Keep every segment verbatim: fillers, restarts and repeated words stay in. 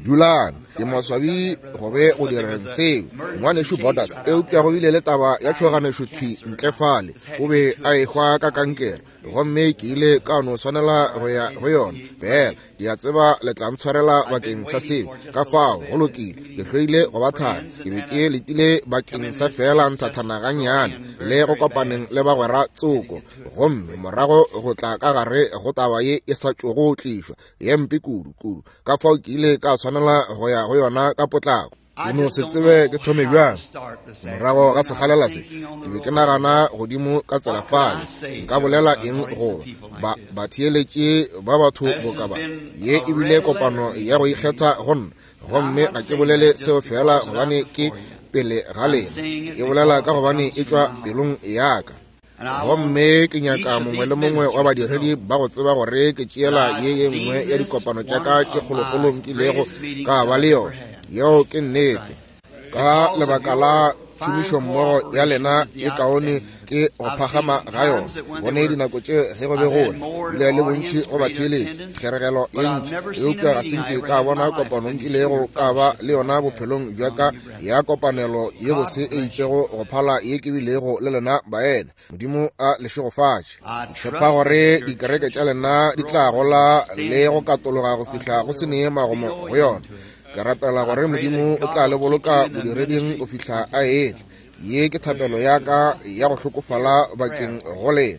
Dulang, ke maswabi go be go direng seo, ngwanešu Borders, eupša go bile le taba ya tšhoganešo thwi ntle fale. O be a ehwa ka kankere, gomme ke ile ka no swanela go ya go yona. Fela ke a tseba le tla ntshwarela bakeng sa seo. Ka fao go lokile, ke hloile go ba thari. Ke be ke letile bakeng sa fela nthathana gannyane le go kopaneng le bagwera tsoko, gomme morago go tla ka gare go taba ye e sa tšogo tlišwa ye mpe kudu kudu. Ka fao ke ile ka swanela go ya go yona ka potlako. Ke no se tsebe ke thome bjang. Morago ga sekgalela se, ke be ke nagana godimo ka tsela fale, nka bolela eng go ba batheeletše ba batho boka ba. Ye e bile kopano ya go ikgetha go nna, gomme ga ke bolele seo fela gobane ke pele ga lena, ke bolela ka gobane e tšwa pelong ya ka. Gomme ke nyaka mongwe le mongwe wa badiredi ba go tseba gore ke tšeela ye ye nngwe ya dikopano tša ka tše kgolokgolo nkilego ka ba le yona. Yeo ke nnete. Ka lebaka la tšhomišommogo ya lena e kaone ke go phagama ga yona. Bone dinako tše ge go be go bile le bontši go batheeletši, kgeregelo ye ntši, eupša ga se nke ka bona kopano nkilego ka ba le yona bophelong bja ka ya kopanelo ye bose e itšego go phala ye ke bilego le lena baena. Modimo a le šegofatše. Ke tshepa gore dikereke tša lena di tla gola le go katologa go fihla go se nee magomo go yona. Ke rapela gore Modimo o tla le boloka bodireding go fihla a etla. Ye ke thapelo ya ka ya go hlokofala bakeng go lena.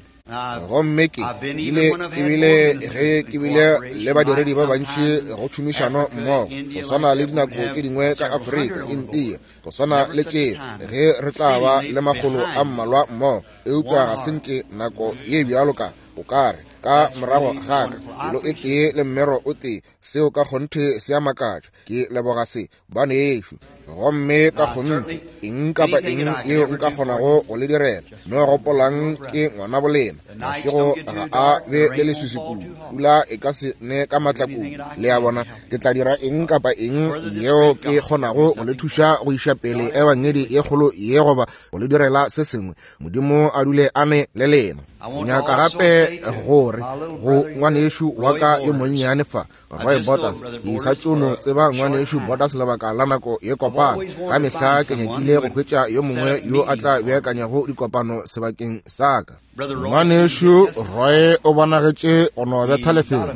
Gomme ke bile ebile ge ke bile le badiredi ba bantši go tšhomišano mmogo, go swana le dinako tše dingwe ka Afrika, India, go swana le tše ge re tla ba le makgolo a mmalwa mmogo, eupša ga se nke nako ye bjalo ka o kare ka morago ga ka pelo e tee le mmero o tee. Seo ka kgonthe se a makatša. Ke leboga se, banešu. Gomme ka kgonthe eng kapa eng yeo nka kgonago go le direla, no gopolang ke ngwana bolena. Mašego ga a be le leswiswi kudu, pula e ka se ne ka matla kudu. Le a bona, ke tla dira eng kapa eng yeo ke kgonago go le thuša go iša pele ebangedi ye kgolo ye goba go le direla se sengwe. Modimo a dule a ne le lena. Ke nyaka gape gore go ngwanešu wa ka yo monnyane fa, Roy Borders, ke sa tšo no tseba ngwanešu Borders lebaka la nako ye kopana. Ka mehla ke nyakile go hwetša yo mongwe yo a tla beakanyago dikopano sebakeng sa ka. Ngwanešu Roy o bonagetše go no betha lefelo,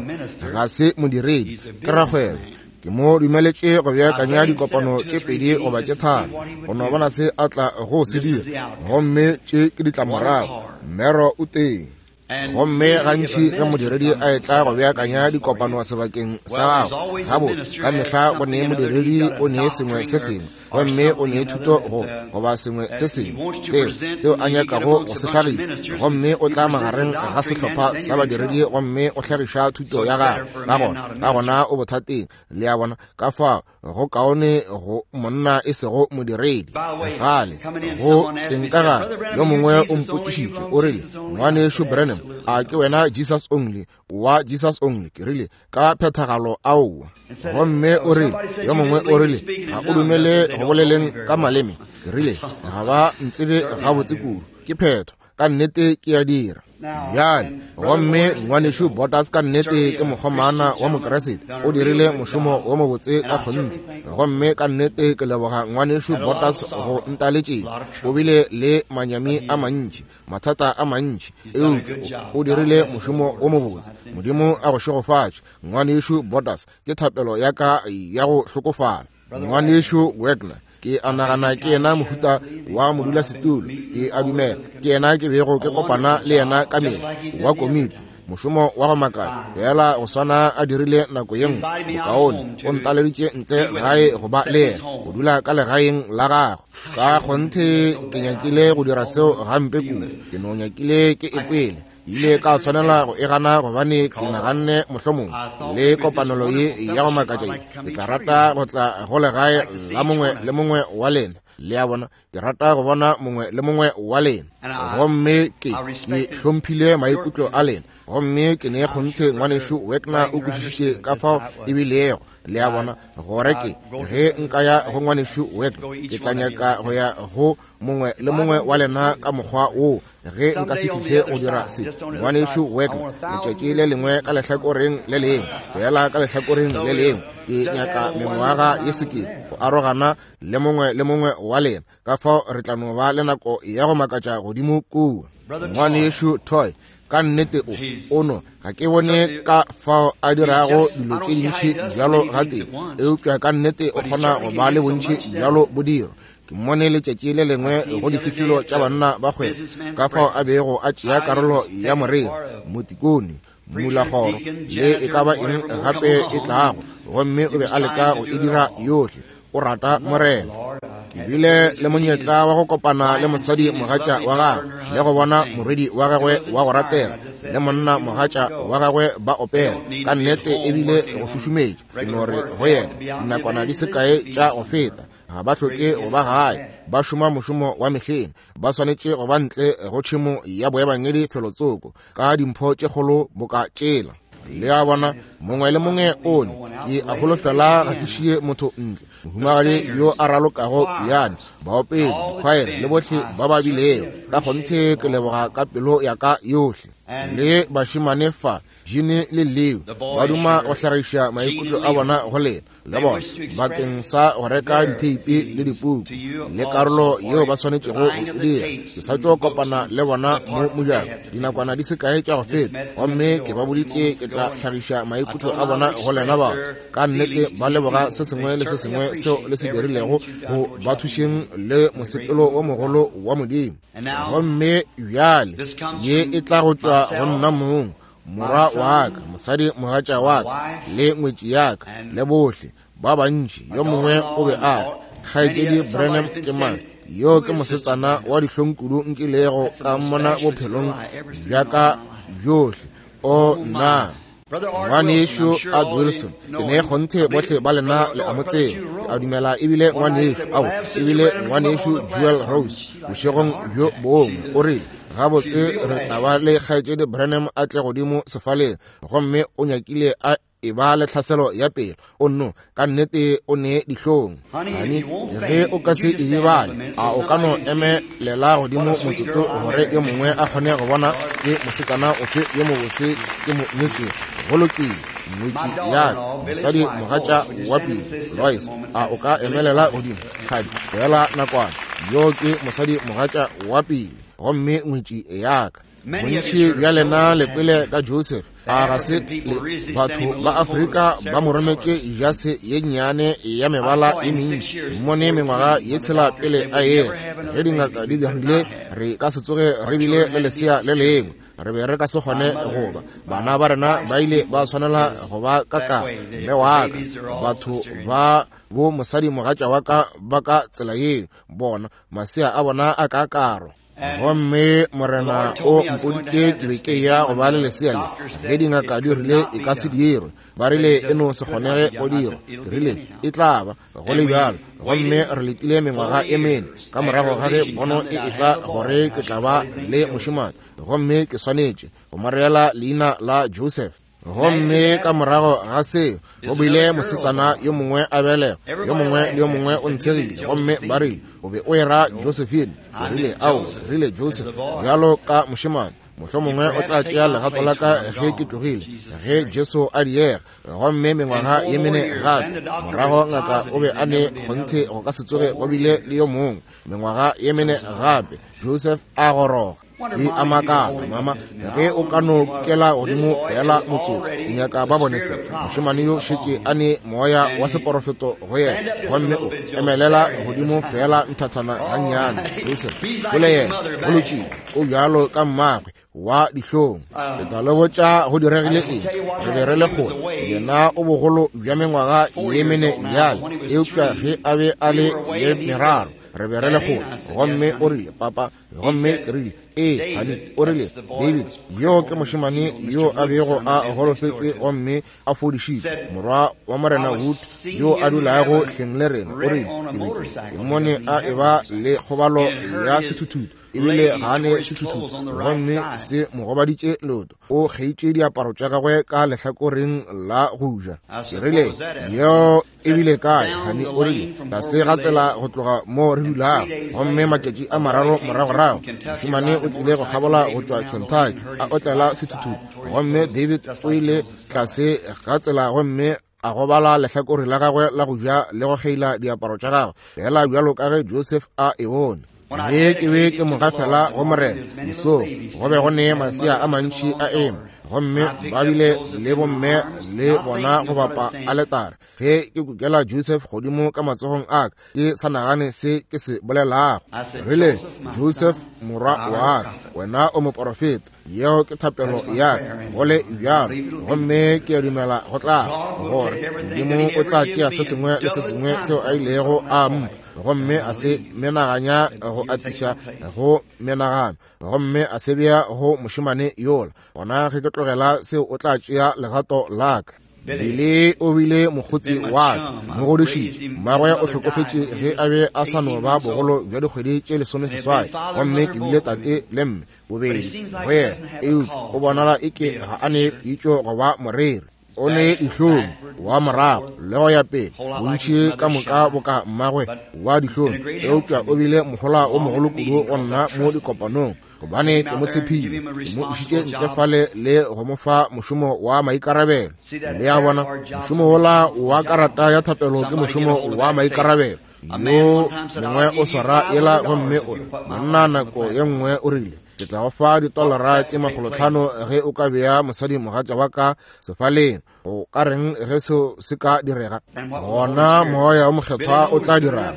ga se modiredi, ke rakgwebo. Ke mo dumeletše go beakanya dikopano tše pedi goba tše tharo go no bona se a tla go se dira, gomme tše ke ditlamorago. Mmero o teng. Gomme gantši ge modiredi a etla go beakanya dikopano sebakeng sa gago, gabotse ka mehla go ne modiredi o ne sengwe se sengwe, gomme o ne thuto go goba sengwe se sengwe seo seo a nyakago go se hlagiša, gomme o tla magareng ga sehlopha sa badiredi gomme o hlagiša thuto ya gagwe. Ka gona ka gona o bothateng, le a bona. Ka fao go kaone go monna e sego modiredi. Gale go tleng ka gare, yo mongwe o mpotšišitše o rile, ngwanešu Branham, a ke wena Jesus Only wa Jesus Only? Ke rile, ka phethagalo aowa. Gomme o rile, yo mongwe o rile, ga o dumele go boleleng ka maleme? Ke rile, ga ba ntsebe gabotse kudu. Ke phetho, ka nnete ke a dira. Bjale, gomme ngwanešu Borders ka nnete ke mokgomana wa Mokeresete, o dirile mošomo wo mobotse ka kgonthe. Gomme ka nnete ke leboga ngwanešu Borders go ntaletšeng. O bile le manyami a mantši, mathata a mantši, eupša o dirile mošomo wo mobotse. Modimo a go šegofatše, ngwanešu Borders, ke thapelo ya ka ya go hlokofala. Ngwanešu Wagner, ke a nagana ke yena mohuta wa modulasetulo, ke a dumela ke yena ke bego ke kopana le yena ka mehla, wa komiti, mošomo wa go makatša fela go swana a dirile nako ye nngwe. Bokaone o ntaleditše ntle gae go ba le yena, go dula ka legaeng la gagwe. Ka kgonthe ke nyakile go dira seo gampe kudu, ke no nyakile ke e kwele. Ile ka swanela go e gana gobane ke naganne mohlomongwe le kopanelo ye ya go makatša ye, ke tla rata go tla go legae la mongwe le mongwe wa lena. Le a bona, ke rata go bona mongwe le mongwe wa lena. Gomme ke ke hlomphile maikutlo a lena, gomme ke ne kgonthe ngwanešu Wagner o kwešišitše ka fao e bilego Le a bona, gore ke ge nka ya go ngwanešu Wagner, ke tla nyaka go ya go mongwe le mongwe wa lena ka mokgwa woo. Ge nka se fihle go dira se, ngwanešu Wagner, letšatši le lengwe ka lehlakoreng le lengwe, go yela ka lehlakoreng le lengwe, ke nyaka mengwaga ye sekete go arogana le mongwe le mongwe wa lena. Ka fao re tla no ba le nako ya go makatša godimo kua. Ngwanešu Toy, ka nnete o ono ga ke bone ka fao a dirago dilo tše dintši bjalo gatee, eupša ka nnete o kgona go ba le bontši bjalo bodiro. Ke mmone letšatši le lengwe go dififilo tša banna ba kgwebo, ka fao a bego a tšea karolo ya moreri, motikone, mmulakgoro le e ka ba eng gape e tlago, gomme o be a leka go e dira yohle. O rata Morena. Ke bile le monyetla wa go kopana le mosadi mogatša wa gagwe, le go bona morwedi wa gagwe wa go ratela le monna mogatša wa gagwe ba opela. Ka nnete ebile go šušumetša. Ke no re go yena, dinakwana di se kae tša go feta, ga ba hloke go ba gae, ba šoma mošomo wa mehleng, ba swanetše go ba ntle go tšhemo ya boebangedi felotsoko ka dimpho tše kgolo boka tšela. Le a bona, mongwe le mongwe one ke a holofela ga ke šie motho ntle. Mohumagadi yo a ralokago piano, baopedi, dikhwaere le bohle ba ba bilego, ka kgonthe ke leboga ka pelo ya ka yohle. Le bašemane fa, Jene le Leo, ba duma go hlagiša maikutlo a bona go lena le bona bakeng sa go reka ditheipi le dipuku le karolo yeo ba swanetšego go e dira. Ke sa tšo kopana le bona mo mojako dinakwana di se kae tša go feta, gomme ke ba boditše ke tla hlagiša maikutlo a bona go lena batho. Ka nnete ba leboga se sengwe le se sengwe seo le se dirilego go ba thušeng le mosepelo o mogolo wa Modimo. Gomme bjale ye e tla go tšwa go nna mong, morwa wa ka, mosadi mogatša wa ka, le ngwetši ya ka, le bohle ba bantši. Yo mongwe o be a re, Kgaetšedi Branham ke mang? Yo ke mosetsana wa dihlong kudu nkilego ka mmona bophelong bja ka bjohle. O nna ngwanešu Art Wilson, ke ne kgonthe bohle ba lena le a mo tseba. Ke a dumela ebile ngwanešu ao ebile ngwanešu Jewel Rose bošegong bjo bongwe o rile, gabotse re tla ba le kgaetšedi Branham a tle godimo sefaleng, gomme o nyakile a e ba le tlhaselo ya pelo. O nno ka nnete o ne dihlong. Hani, ge o ka se e bale, a o ka no emelela godimo motsotso gore yo mongwe a kgone go bona ke mosetsana ofe yo mobose ke mo nyetšego. Go lokile, ngwetši ya ka, mosadi mogatša wa pele, Lois, a o ka emelela godimo? Kgadi, fela nakwana. Yo ke mosadi mogatša wa pele, gomme ngwetši ya ka. Bontši bja lena le kwele ka Joseph. A ga se le batho ba Afrika ba mo rometše jase ye nnyane ya mebala ye mentši mmone mengwaga ye tshela pele a etla. Ge dingaka di dirile, re ka se tsoge re bile le lesea le lengwe, re be re ka se kgone go ba. Bana ba rena ba ile ba swanela go ba ka ka mme wa ka, batho ba bo mosadi mogatša wa ka ba ka tsela yeo, bona masea a bona a ka karo. Gomme Morena o mpoditše ke be ke ya go ba le lesea le. Ge dingaka di rile e ka se dirwe, ba rile e no se kgonege go dirwa, ke rile e tla ba go le bjalo. Gomme re letile mengwaga e mene ka morago ga ge pono e etla gore ke tla ba le mošemane, gomme ke swanetše go mo reela leina la Joseph. Gomme ka morago ga seo go bile mosetsana yo mongwe a belega, yo mongwe le yo mongwe o ntshegile, gomme ba rile o be o era Josephine. Ke rile ao, ke rile Joseph bjalo ka mošemane, mohlomongwe o tla tšea legato la ka ge ke tlogile, ge Jesu a diega. Gomme mengwaga ye mene gape morago ngaka o be a ne kgonthe go ka se tsoge go bile le yo mongwe. Mengwaga ye mene gape Joseph a goroga. Ke a makala, mama, ge o ka no kela godimo fela motsotso, ke nyaka ba bone se. Mošemane yo šetše a ne moya wa seporofeto go yena, gomme o emelela godimo fela nthathana gannyane. Joseph šole yena, go lokile, o bjalo ka mmagwe wa dihlong. Ke tla le botša go diregile eng. Re be re le kgole, yena o bogolo bja mengwaga ye mene bjale, eupša ge a be a le ye meraro re be re le kgole. Gomme o rile, papa, Gomme ke rile, ee, honey. O rile, David, yo ke mošemane yo a bego a golofetše gomme a fodišitšwe, morwa wa Morena Wood yo a dulago hleng le rena. O rile, ke be ke mmone a eba le kgobalo ya sethuthutu, ebile ga a ne sethuthutu, gomme se mo gobaditše leoto. O kgeitše diaparo tša gagwe ka lehlakoreng la go ja. Ke rile, yeo e bile kae, honey? O rile, tlase ga tsela go tloga mo re dulago. Gomme matšatši a mararo moragorago, mošemane o tlile go kgabola go tšwa Kentucky a otlela sethuthutu, gomme David o ile tlase ga tsela gomme a gobala lehlakore la gagwe la go ja le go kgeila diaparo tša gagwe, fela bjalo ka ge Joseph a e bone. Ge ke be ke mo gafela go Morena mosong, go be go ne masea a mantši a eme, gomme ba bile le bomme le bona go bapa aletare. Ge ke kukela Joseph godimo ka matsogong a ka, ke sa nagane se ke se bolelago. Rile, Joseph morwa wa ka, wena o moporofeta. Yeo ke thapelo ya ka, go le bjalo. Gomme ke a dumela go tla gore Modimo o tla tšea se sengwe le se sengwe seo a ilego a mpha, gomme a se menaganya go atiša go menagano, gomme a se bea go mošemane yola. Gona ge ke tlogela seo, o tla tšea legato la ka. Bile o bile mokgotsi wa ka, mo godišitše. Mmagwe o hlokofetše ge a be a sa no ba bogolo bja dikgwedi tše lesomeseswai, gomme ke bile tate le mme bobedi go yena, eupša o bonala eke ga a ne pitšo go ba moreri. O ne dihlong wa morago le go ya pele, bontši ka moka boka mmagwe wa dihlong, eupša o bile mohola o mogolo kudu go nna mo dikopanong, gobane ke mo tshepile, ke mo išitše ntle fale le go mo fa mošomo wa maikarabelo. Le a bona, mošomo wola wa karata ya thapelo ke mošomo wa maikarabelo. Yo mongwe o swara yela gomme o re, monna nako ye nngwe o rile, ke tla go fa ditolara tše makgolotlhano ge o ka bea mosadi mogatša wa ka sefaleng. O ka reng ge seo se ka direga? Gona moya o mokgethwa o tla dira.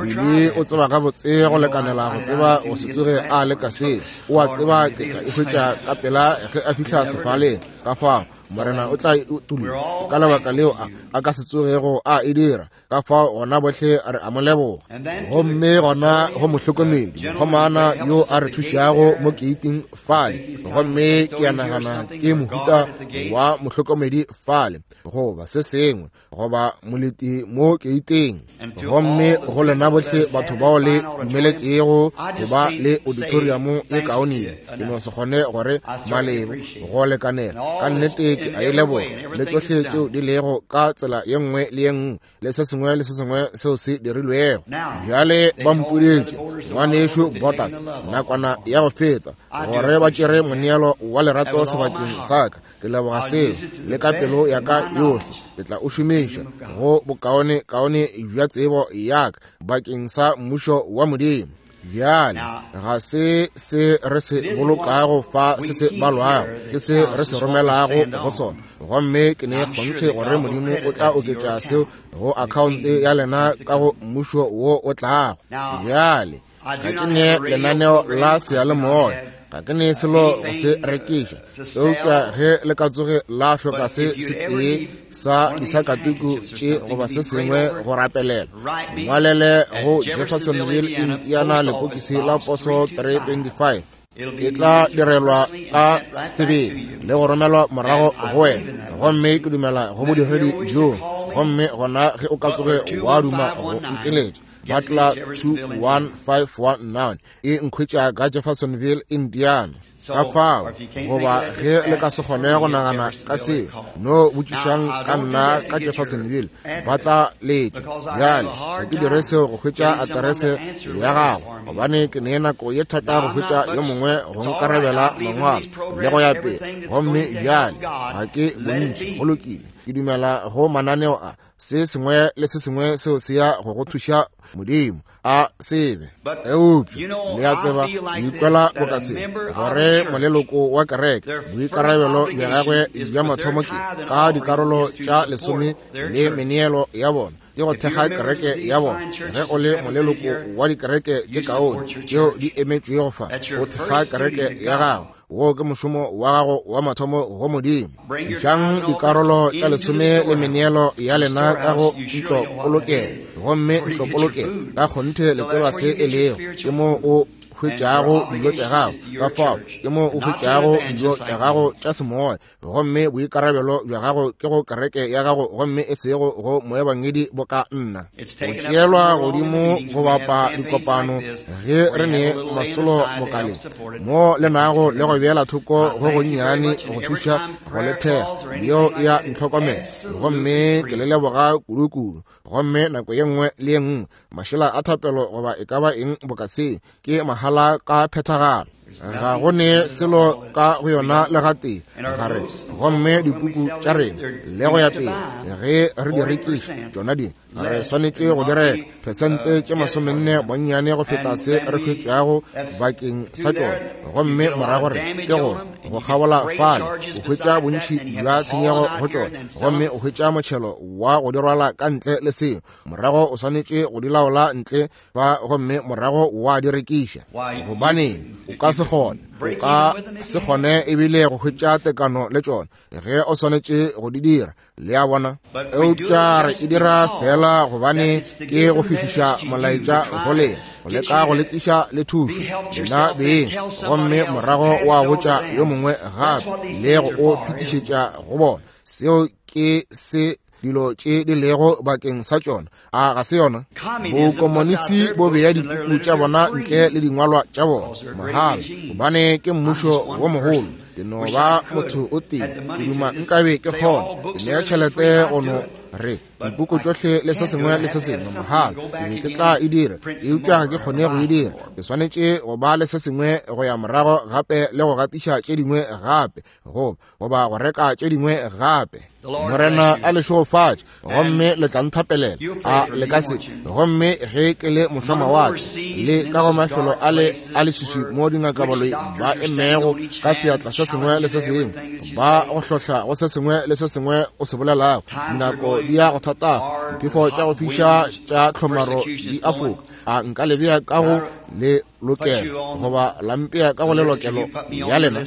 Bile o tseba gabotse go lekanela go tseba go se tsoge a leka seo. O a tseba ke tla e hwetša ka pela ge a fihla sefaleng. Ka fao Morena o tla e utolla, ka lebaka leo a, a ka se tsogego a e dira. Ka fao gona bohle re a mo leboga. Gomme gona go mohlokomedi mokgomana yo a re thušago mo keiting fale, gomme ke a nagana ke mohuta wa mohlokomedi fale goba se sengwe, goba moleti mo keiting. Gomme go lena bohle batho bao le dumeletšego go ba le auditorium e kaone, ke no se kgone gore malebo go lekanela. Ka nnete ke a e leboga, le tsohle tšeo di lego ka tsela ye nngwe le ye nngwe, le se sengwe le se sengwe seo se dirilwego. Bjale ba mpoditše, ngwanešo Botas, nakwana ya go feta, gore ba tšere moneelo wa lerato sebakeng sa ka. Ke leboga seo le ka pelo ya ka yohle. Ke tla o šomiša go bokaone kaone bja tsebo ya ka bakeng sa mmušo wa Modimo. Bjale ga se se re se bolokago fa se se balwago, ke se re se romelago go sona. Gomme ke ne kgonthe gore Modimo o tla oketša seo go akhaonte ya lena ka go mmušo wo o tlago. Bjale ga ke ne lenaneo la seyalemoya, ga ke ne selo go se rekiša, eupša ge le ka tsoge la hloka se setee sa disakatuku tše goba se sengwe go rapelela, ngwalele go Jeffersonville, Indiana, lepokisi la poso three twenty-five. E tla direlwa ka sebele le go romelwa morago go wena. Gomme ke dumela go bodiredi bjo. Gomme gona ge o ka tsoge wa duma go nteletša, Butler two one five one nine e nkhwetša ka Jeffersonville, Indiana. Ka fao, goba ge le ka se kgone go nagana ka se, no botšišang ka nna ka Jeffersonville, ba tla letša. Bjale ga ke dire seo go hwetša aterese ya gago, gobane ke ne nako ye thata go hwetša yo mongwe go nkarabela mangwalo le go ya pele. Gomme bjale ga ke bontši, go lokile, ke dumela go mananeo a se sengwe le se sengwe seo se ya go go thuša Modimo a sebe. Eupša le a tseba, ke ikwela boka se, gore moleloko wa kereke boikarabelo bja gagwe bja mathomo ke ka dikarolo tša lesome le meneelo ya bona, ke go thekga kereke ya bona. Ge o le moleloko wa dikereke tše kaone tšeo di emetšwego fa, o thekga kereke ya gago. Wo ke mošomo wa gago wa mathomo go Modimo. Tlišang dikarolo tša lesome le meneelo ya lena ka go ntlopolokelo, gomme ntlopolokelo ka kgonthe le tseba se e lego, ke mo o hwetšago dijo tša gago, ka fao ke mo o hwetšago dijo tša gago tša semoya. Gomme boikarabelo bja gago ke go kereke ya gago, gomme e sego go moebangedi boka nna. Go tšeelwa godimo go bapa dikopano ge re ne masolo mokaleng mo le nago le go beela thoko go gonnyane go thuša go le thekga, yeo e ya ntlhokomela, gomme ke le leboga kudu-kudu. Gomme nako ye nngwe le ye nngwe mašela a thapelo goba e ka ba eng boka se ke mahala ka phethagalo, ga go ne selo ka go yona le gatee gare. Gomme dipuku tša rena le go ya pele ge re di rekiša tšona di re swanetše go di reka phesente tše masomenne bonnyane go feta se re hwetšago bakeng sa tšona. Gomme morago re ke go go kgabola fale o hwetša bontši bja tshenyego go tšona, gomme o hwetša motšhelo wa go di rwala ka ntle le seo. Morago o swanetše go di laola ntle ba, gomme morago wa di rekiša. Gobane o ka se kgone, o ka se kgone ebile go hwetša tekano le tšona ge o swanetše go di dira. Le a bona? Eupša re e dira fela gobane ke go fihliša molaetša go lena, go leka go le tliša le thušo lena beng, gomme morago wa botša yo mongwe gape le go o fetišetša go bona. Seo ke se dilo tše di lego bakeng sa tšona. A ga se yona? Bokomonisi bo bea dipuku tša bona ntle le dingwalwa tša bona mahala, gobane ke mmušo wo mogolo. Ke no ba motho o tee, ke duma nkabe ke kgona ke nea tšhelete go no re dipuku tšohle le se sengwe le se sengwe mahala, ke be ke tla e dira, eupša ga ke kgone go e dira. Ke swanetše go ba le se sengwe go ya morago gape le go gatiša tše dingwe gape, goba goba go reka tše dingwe gape. Morena a le šegofatše, gomme le tla nthapelela, a le ka se. Gomme ge ke le mošwamawatle le ka go mafelo a le a leswiswi mo dingakabaloi ba emego ka seatla se sengwe le se sengwe, ba go hlohla go se sengwe le se sengwe o se bolelago, dinako di ya go thatafa, diphefo tša go fiša tša tlhomaro di a foka. A nka le bea ka go le lokelo goba la mpea ka go lelokelo ya lena?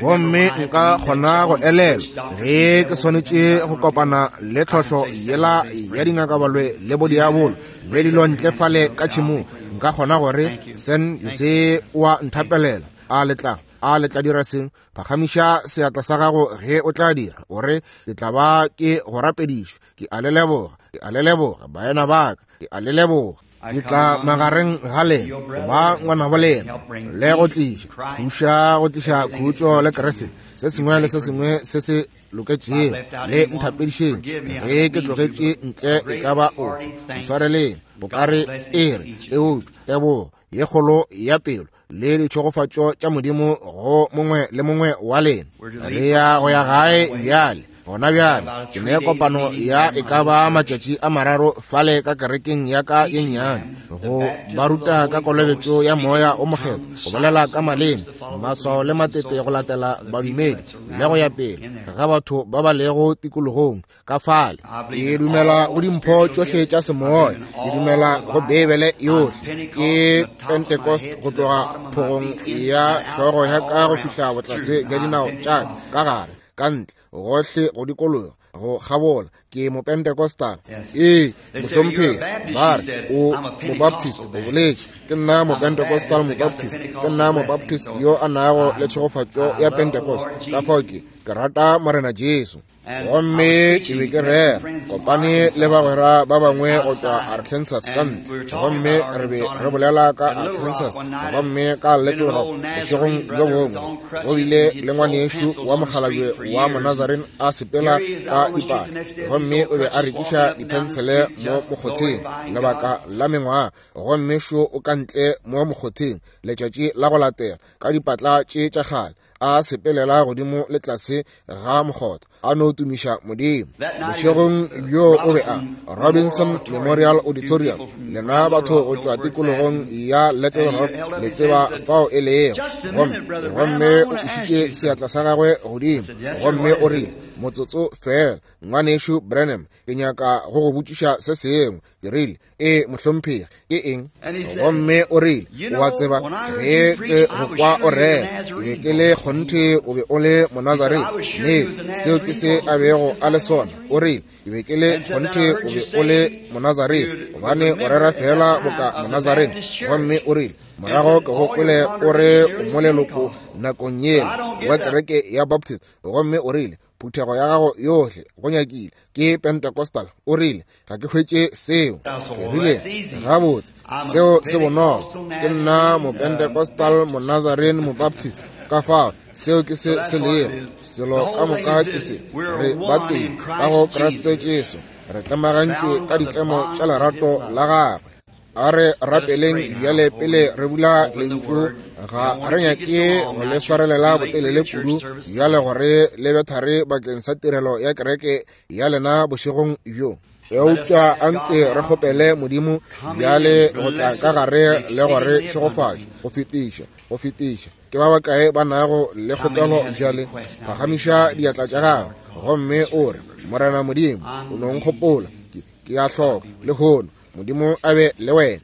Gomme nka kgona go elelwa ge ke swanetše go kopana le tlhohlo yela ya dingakabalwe le bodiabolo le dilo ntle fale ka tšhemong, nka kgona gore sen se wa nthapelela. A le tla, a le tla dira seng? Phagamiša seatla sa gago ge o tla dira, o re ke tla ba ke go rapediša. Ke a le leboga, ke a le leboga baena ba ka, ke a le leboga. Ke tla magareng ga lena go ba ngwana bo lena le go tliša thuša go tliša khutšo le Kriste, se sengwe le se sengwe se se loketšego. Le nthapedišeng ge ke tlogetše ntle e ka ba ofe, ntshwareleng bokare e re eupša tebogo ye kgolo ya pelo le ditšhegofatšo tša Modimo go mongwe le mongwe wa lena. Re ya go ya gae bjale. Gona bjale ke ne kopano ya e ka ba matšatši a mararo fale ka kerekeng ya ka ye nnyane, go ba ruta ka kolobetšo ya moya o mokgethwa, go bolela ka maleme, maswao le matete go latela badumedi le go ya pele ga batho ba ba lego tikologong ka fale. Ke dumela go dimpho tšohle tša semoya, ke dumela go Beibele yohle, ke Pentecost go tloga phogong ya hlogo ya ka go fihla botlase bja dinao tša ka gare, ka ntle, gohle go dikologa, go kgabola. Ke mopentecostal. Ee, mohlomphegi, ba re o mobaptist, o boletše. Ke nna mopentecostal mobaptist, ke nna mobaptist yo a nago le tšhegofatšo ya Pentecost. Ka fao ke ke rata Morena Jesu. Gomme ke be ke rera kopane le bagwera ba bangwe go tšwa Arkansas ka ntle, gomme re be re bolela ka Arkansas, gomme ka Little Rock bošegong bjo bongwe go bile le ngwanešu wa mokgalabje wa Monazarene a sepela ka dipatla, gomme o be a rekiša diphensele mo mokgotheng lebaka la mengwaga, gomme šo o ka ntle mo mokgotheng letšatši la go latela ka dipatla tše tša kgale a sepelela godimo le tlase ga mokgotha a no tumiša Modimo. Bošegong bjo o be a Robinson Memorial Auditorium, lena batho go tšwa tikologong ya Little Rock le tseba fao e lego. Gomme gomme o išitše seatla sa gagwe godimo, gomme o rile, Motsotso fela, ngwanešu Branham, ke nyaka go go botšiša se sengwe. Ke rile, ee, mohlomphegi, ke eng? Gomme o rile, o a tseba, ge ke go kwa o rera, ke be ke le kgonthe o be o le Monazarene. Ne, seo ke se a bego a le sona. O rile, ke be ke le kgonthe o be o le Monazarene, gobane o rera fela boka Monazarene. Gomme o rile, morago ke go kwele o re o mo leloko nakong yela wa kereke ya Baptist. Gomme o rile, phuthego ya gago yohle go nyakile ke Pentecostal. O rile, ga ke hwetše seo. Ke rile, gabotse, seo se bonolo. Ke nna Mopentecostal, Monazarene, Mobaptist. Ka fao, seo ke se se lego. Selo ka moka ke se. Re ba tee ka go Kriste Jesu. Re tlemagantšwe ka ditlemo tša lerato la gagwe. A re rapeleng bjale pele re bula lentšu. Ga re nyake go le swarelela botelele kudu bjale gore le be thari bakeng sa tirelo ya kereke ya lena bošegong bjo. Eupša anke re kgopele Modimo bjale go tla ka gare le gore šegofatše go fetiša, go fetiša. Ke ba bakae ba nago le kgopelo bjale? Phagamiša diatla tša gago gomme o re, Morena Modimo, o no nkgopola, ke, ke a hloka lehono. Modimo a be le wena.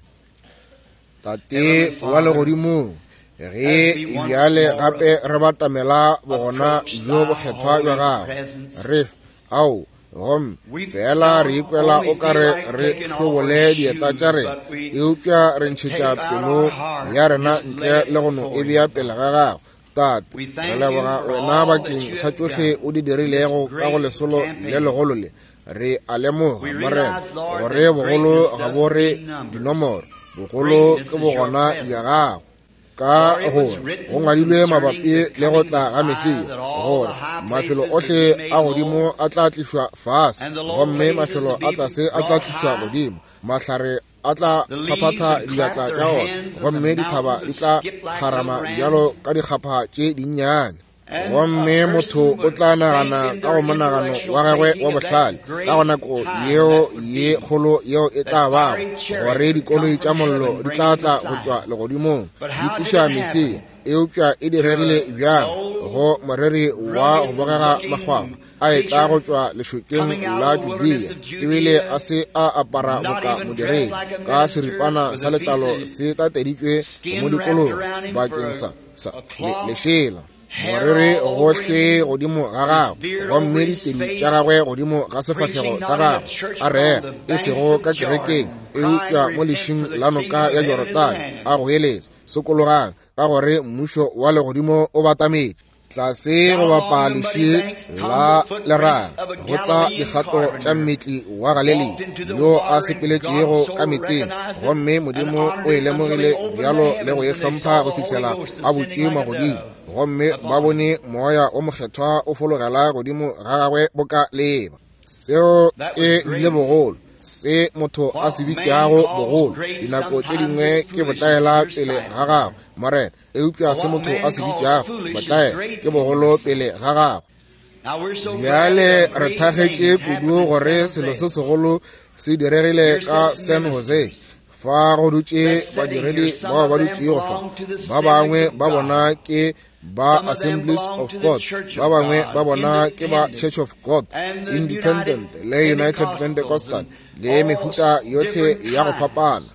Tate wa legodimong, ge bjale gape re batamela bogona bjo bokgethwa bja gago, re ao gomme fela re ikwela o ka re re hlobole dieta tša rena, eupša re ntšhetša pelo ya rena ntle le go no e bea pele ga gago. Tate, re leboga wena bakeng sa tšohle o di dirilego ka go lesolo le legolo le. Re a lemoga, Morena, gore bogolo ga bo re dinomoro, bogolo ke bogona bja gago. Ka gore go ngwadilwe mabapi le go tla ga Mesia, gore mafelo ohle a godimo a tla tlišwa fase, gomme mafelo a tlase a tla tlišwa godimo. Mahlare a tla phaphatha diatla tša ona, gomme dithaba di tla kgarama bjalo ka dikgapha tše dinnyane. Gomme motho o tla nagana ka go monagano wa gagwe wa bohlale ka go nako yeo ye kgolo yeo e tla bago, gore dikoloi tša mollo di tla tla go tšwa legodimong di tliša Mesia. Eupša e diregile bjang go moreri wa go bogega makgwakgwa a e tla go tšwa lešokeng la Judea, ebile a se a apara boka modiredi, ka seripana sa letlalo se tateditšwe mo dikolong bakeng sa sa lešela, moreri gohle godimo ga gagwe, gomme ditedi tša gagwe godimo ga sefahlego sa gagwe, a rera e sego ka kerekeng, eupša mo lešing la noka ya Jorodane, a goeletša, sokologang, ka gore mmušo wa legodimo o batametše. Tlase go bapa leši la leraga go tla dikgato tša mmetli wa Galilea yo a sepeletšego ka metseng, gomme Modimo o e lemogile bjalo le go e hlompha go fihlela a butše magodimo, gomme ba bone moya o mokgethwa o fologela godimo ga gagwe boka leeba. Seo e bile bogolo, se motho a se bitšago bogolo dinako tše dingwe ke botlaela pele ga gagwe, Morena, eupša se motho a se bitšago botlaela ke bogolo pele ga gagwe. Bjale re thagetše kudu gore selo se segolo se diregile ka San Jose. Fa go dutše badiredi bao ba dutšego fa, ba bangwe ba bona ke ba Assemblies of God, ba bangwe ba bona ke ba Church of God, Independent le United Pentecostal le mehuta yohle ya go fapana.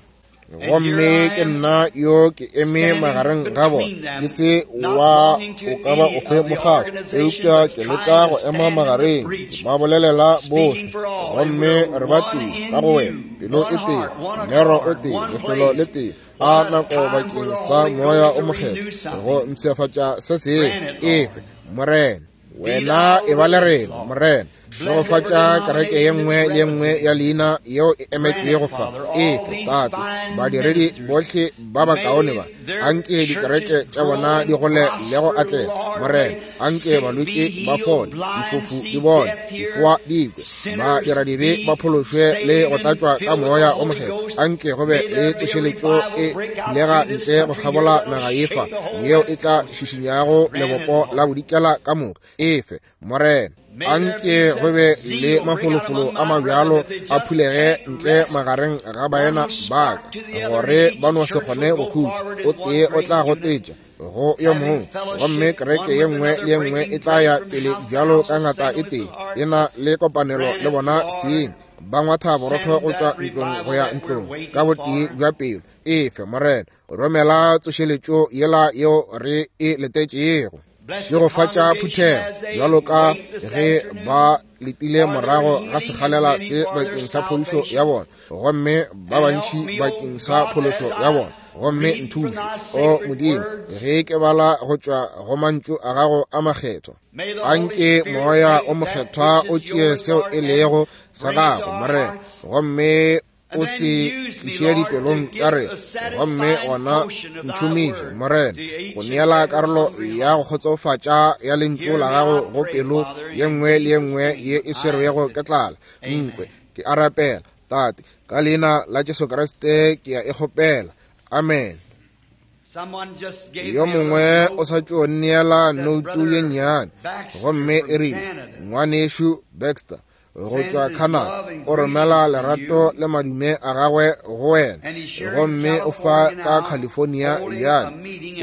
Gomme ke nna yo ke eme magareng ga bona, ke se wa o ka ba ofe mokgatlo, eupša ke leka go ema magareng, ke ba bolelela bohle, gomme re ba tee ka go wena, pelo e tee, mmero o tee, lefelo le tee, a nako bakeng sa moya o mokgethwa go mpshafatša se sengwe. Efe, Morena, wena e ba le rena, Morena. Šegofatša kereke ye nngwe le ye nngwe ya leina yeo e emetšwego fa. Efe, Tate, badiredi bohle ba bakaone ba, anke dikereke tša bona di gole le go atlega. Morena, anke balwetši ba fole, difofu di bone, difoa di kwe, badiradibe ba phološwe le go tlatšwa ka moya o mokgethwa. Anke go be le tsošeletšo e phulega ntle go kgabola naga ye fa, yeo e tla šišinyago lebopo la bodikela ka moka. Efe, Morena. Anke go be le mafolofolo a mabjalo a phulege ntle magareng ga baena ba ka, gore ba no se kgone go khutša. O tee o tla gotetša go yo mongwe, gomme kereke ye nngwe le ye nngwe e tla ya pele bjalo ka ngata e tee, e na le kopanelo le bona seng, ba ngwatha borotho go tšwa ntlong go ya ntlong ka botee bja pelo. Efe Morena, romela tsošeletšo yela yeo re e letetšego. Šegofatša phuthego bjalo ka ge ba letile morago ga sekgalela se bakeng sa phodišo ya bona, gomme ba bantši bakeng sa phološo ya bona. Gomme nthuše, o Modimo, ge ke bala go tšwa go mantšu a gago a makgethwa. Anke Moya o Mokgethwa o tšee seo e lego sa gago, Morena, gomme o se tliše dipelong tša rena. Gomme gona ntšhomiše, Morena, go neela karolo ya go kgotsofatša ya lentšu la gago go pelo ye nngwe le ye nngwe ye e swerwego ke tlala. Nkwe ke a rapela, Tate, ka leina la Jesu Kriste ke a e kgopela. Amen. Yo mongwe o sa tšo neela noutu ye nnyane, gomme e rile, Ngwanešu Baxter go tšwa Canada o romela lerato le madume a gagwe go wena, gomme o fa ka California bjale,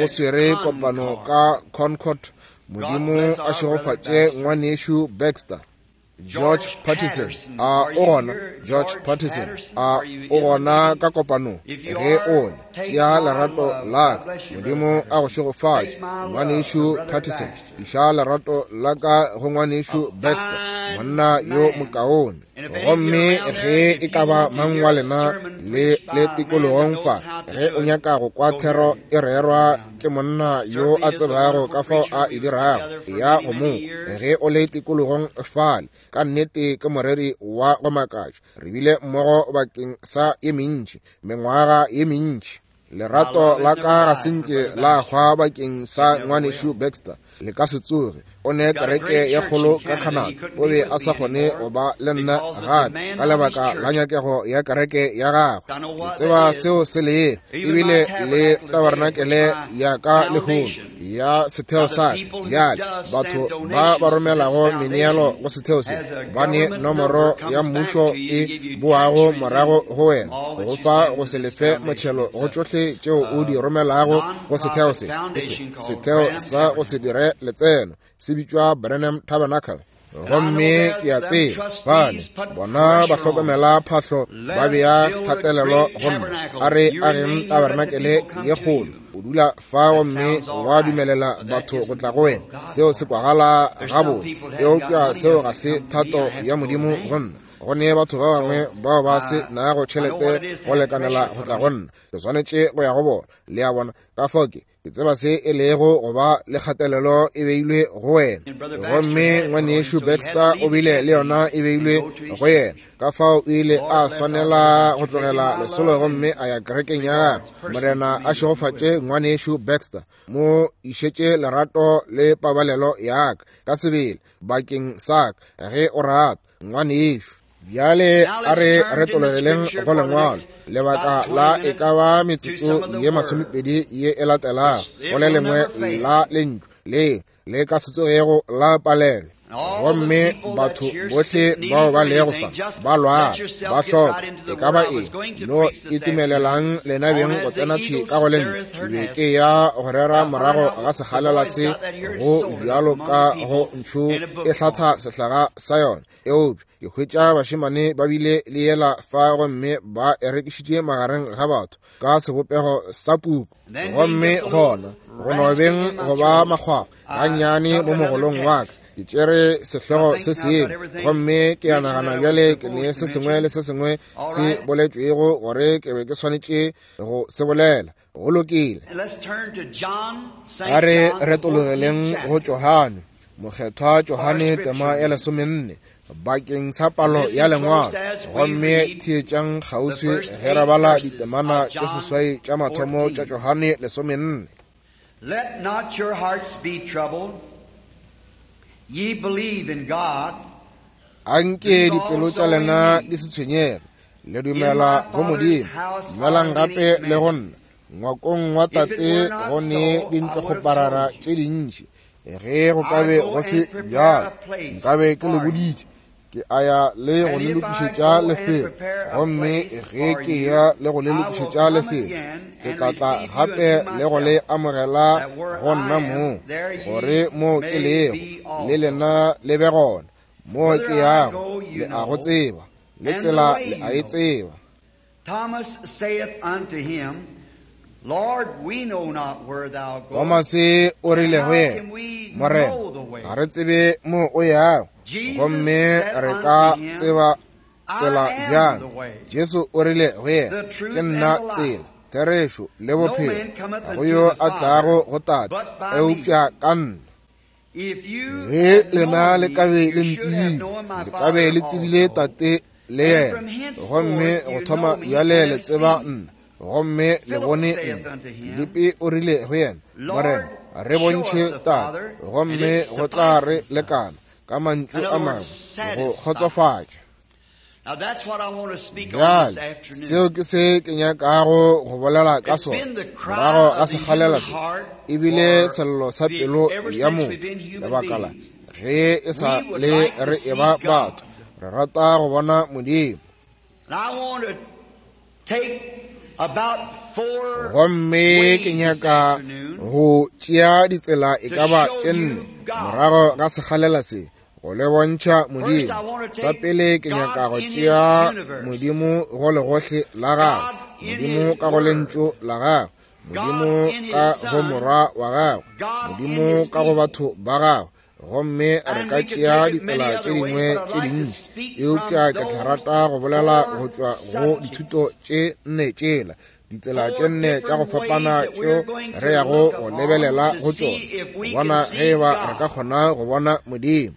o swere kopano ka Concord. Modimo a šegofatše ngwanešu Baxter. George Patterson, a o gona? George Patterson, a o gona ka kopanong? Ge o le, tšea lerato la ka. Modimo a go šegofatše, ngwanešu Patterson. Iša lerato la ka go ngwanešu Baxter, monna yo mokaone. Gomme ge e ka ba mang wa lena le le tikologong fa, ge o nyaka go kwa thero e rerwa ke monna yo a tsebago ka fao a e dirago, ya go mo ge o le tikologong fale, ka nnete ke moreri wa go makatša. Re bile mmogo bakeng sa ye mentši, mengwaga ye mentši. Lerato la ka ga se nke la hwa bakeng sa ngwanešu Baxter, le ka se tsoge. O ne kereke ya kgolo ka Canada, o be a sa kgone go ba le nna gape ka lebaka la nyakego ya kereke ya gagwe. Ke tseba seo se lego, ebile le tabernakele ya ka lehono ya setheo sa ka. Bjale batho ba ba romelago meneelo go setheo se ba ne nomoro ya mmušo e boago morago go wena, go fa go se lefe motšhelo go tšohle tšeo o di romelago go setheo se. Setheo sa go se dire letseno se bitšwa Branham Tabernacle. Gomme ke a tseba bale bona ba hlokomela phahlo, ba bea kgatelelo go nna, a re ageng tabernakele ye kgolo. O dula fa gomme wa dumelela batho go tla go wena. Seo se kwagala gabotse, eupša seo ga se thato ya Modimo go nna. Go ne batho ba bangwe bao ba se nago tšhelete go lekanela go tla go nna, ke swanetše go ya go bona. Le a bona? Ka fao ke ke tseba se e lego go ba le kgatelelo e beilwe go wena. Gomme ngwanešu Baxter o bile le yona e beilwe go yena, ka fao o ile a swanela go tlogela lesolo gomme a ya kerekeng ya gagwe. Morena a šegofatše ngwanešu Baxter, mo išetše lerato le pabalelo ya ka ka sebele bakeng sa ka, ge o rata, ngwanešu. Bjale a re retologeleng go lengwalo lebaka la e ka ba metsotso ye masomepedi ye e latelago, go le lengwe la lentšu le le ka se tsogego la palelwa. Gomme batho bohle bao ba lego fa ba lwala, ba hloka e ka ba eng, no itumelelang lena beng go tsena thwi ka go lentšu. Ke be ke ya go rera morago ga sekgalela se go bjalo ka go ntšhu e hlatha sehlaga sa yona, eupša ke hwetša bašemane ba bile le yela fa gomme ba e rekišitše magareng ga batho ka sebopego sa puku. Gomme gona go no beng go ba makgwakgwa gannyane mo mogolong wa ka, ke tšere sehlogo se sengwe, gomme ke a nagana bjale ke ne se sengwe le se sengwe se boletšwego gore ke be ke swanetše go se bolela. Go lokile, a re retologeleng go Johane, Mokgethwa Johane tema ya lesomenne, bakeng sa palo ya lengwalo. Gomme theetšang kgauswi ge re bala ditemana tše seswai tša mathomo tša Johane lesomenne. Let not your hearts be troubled. Ye believe in God. Anke dipelo tša lena di se tshwenyege, le dumela go Modimo, dumelang gape le go nna. Ngwakong wa Tate go ne dintlokgoparara tše dintši. Ge go ka be go se bjalo, nkabe ke le boditše. Ke a ya le go le lokišetša lefelo, gomme ge ke ya le go le lokišetša lefelo, ke tla tla gape le go le amogela go nna moo, gore mo ke lego le lena le be gona. Mo ke yago le a go tseba, le tsela le a e tseba. Thomas saith unto him, Lord, we know not where thou goest. Thomase o rile go yena, Morena, ga re tsebe mo o yago, gomme re ka tseba tsela bjang? Jesu o rile go yena, ke nna tsela, therešo le bophelo. Ga go yo a tlago go Tate eupša ka nna. Ge lena le ka be le ntsebile, le ka be le tsebile Tate le yena, gomme go thoma bjale le tseba nna, gomme le bone nna. Filipi o rile go yena, Morena, re bontšhe Tate, gomme go tla re lekana. Ka mantšu a mangwe, go kgotsofatša. Bjale, seo ke se ke nyakago go bolela ka sona morago ga sekgalela se, ebile sello sa pelo ya motho. Lebaka la ge e sa le re eba batho, re rata go bona Modimo. Gomme ke nyaka go tšea ditsela e ka ba tše nne morago ga sekgalela se, go le bontšha Modimo. Sa pele ke nyaka go tšea Modimo go legohle la gagwe, Modimo ka go lentšu la gagwe, Modimo ka go morwa wa gagwe, Modimo ka go batho ba gagwe. Gomme re ka tšea ditsela tše dingwe tše dintši, eupša ke tla rata go bolela go tšwa go dithuto tše nne tšela, ditsela tše nne tša go fapana tšeo re yago go lebelela go tšona, go bona ge eba re ka kgona go bona Modimo.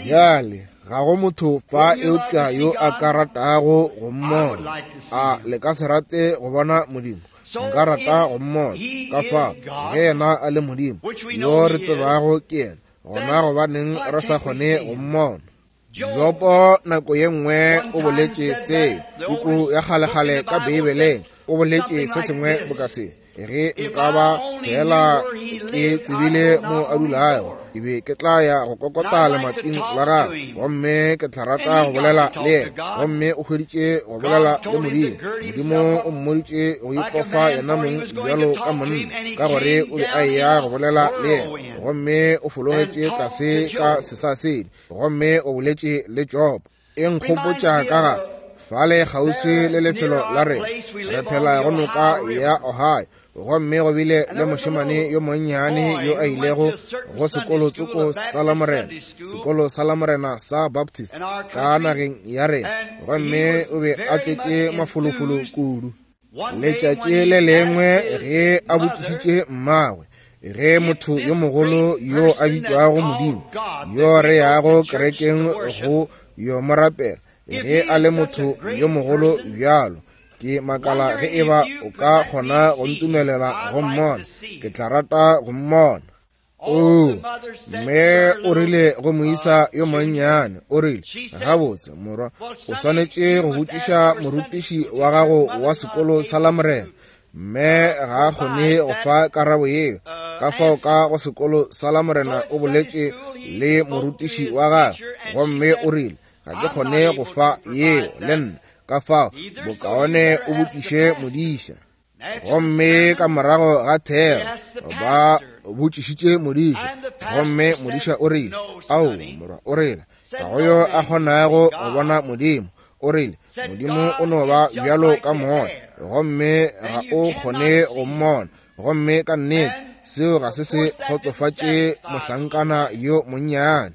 Bjale, ga go motho fa eupša yo a ka ratago go mmona. A le ka se rate go bona Modimo? Nka rata go mmona. Ka fao, ge yena a le Modimo yo re tsebago ke yena, gona gobaneng re sa kgone go mmona? Jopo nako ye nngwe o boletše seo, puku ya kgalekgale ka Beibeleng, o boletše se sengwe boka se: ge nka ba fela ke tsebile mo a dulago, ke be ke tla ya go kokota lemating la gagwe, gomme ke tla rata go bolela le yena. Gomme o hweditše go bolela le Modimo. Modimo o mmoditše go ipofa yena mong bjalo ka monna, ka gore o be a eya go bolela le yena. Gomme o fologetše tlase ka sesasedi, gomme o boletše le Job. E nkgopotša ka ga fale kgauswi le lefelo la rena, re phela go noka ya Ohio, gomme go bile le mošemane yo monnyane yo a ilego go sekolo tsoko sa Lamorena, sekolo sa Lamorena sa Baptist ka nageng ya rena, gomme o be a tletše mafolofolo kudu. Letšatši le lengwe ge a botšišitše mmagwe, ge motho yo mogolo yo a bitšwago Modimo, yo re yago kerekeng go yo mo rapela, ge a le motho yo mogolo bjalo, ke makala ge eba o ka kgona go ntumelela go mmona, ke tla rata go mmona. O, mme o rile go moisa yo monnyane, o rile, gabotse morwa, o swanetše go botšiša morutiši wa gago wa sekolo sa Lamorena. Mme ga a kgone go fa karabo yeo. Ka fao ka go sekolo sa Lamorena o boletše le morutiši wa gagwe, gomme o rile, ga ke kgone go fa yeo le nna, ka fao bokaone o botšiše modiša. Gomme ka morago ga thero ba botšišitše modiša, gomme modiša o rile, ao morwa, o rile, ga go yo a kgonago go bona Modimo. O rile, Modimo o no ba bjalo ka moya, gomme ga o kgone go mmona. Gomme ka nnete seo ga se se kgotsofatše mohlankana yo monnyane.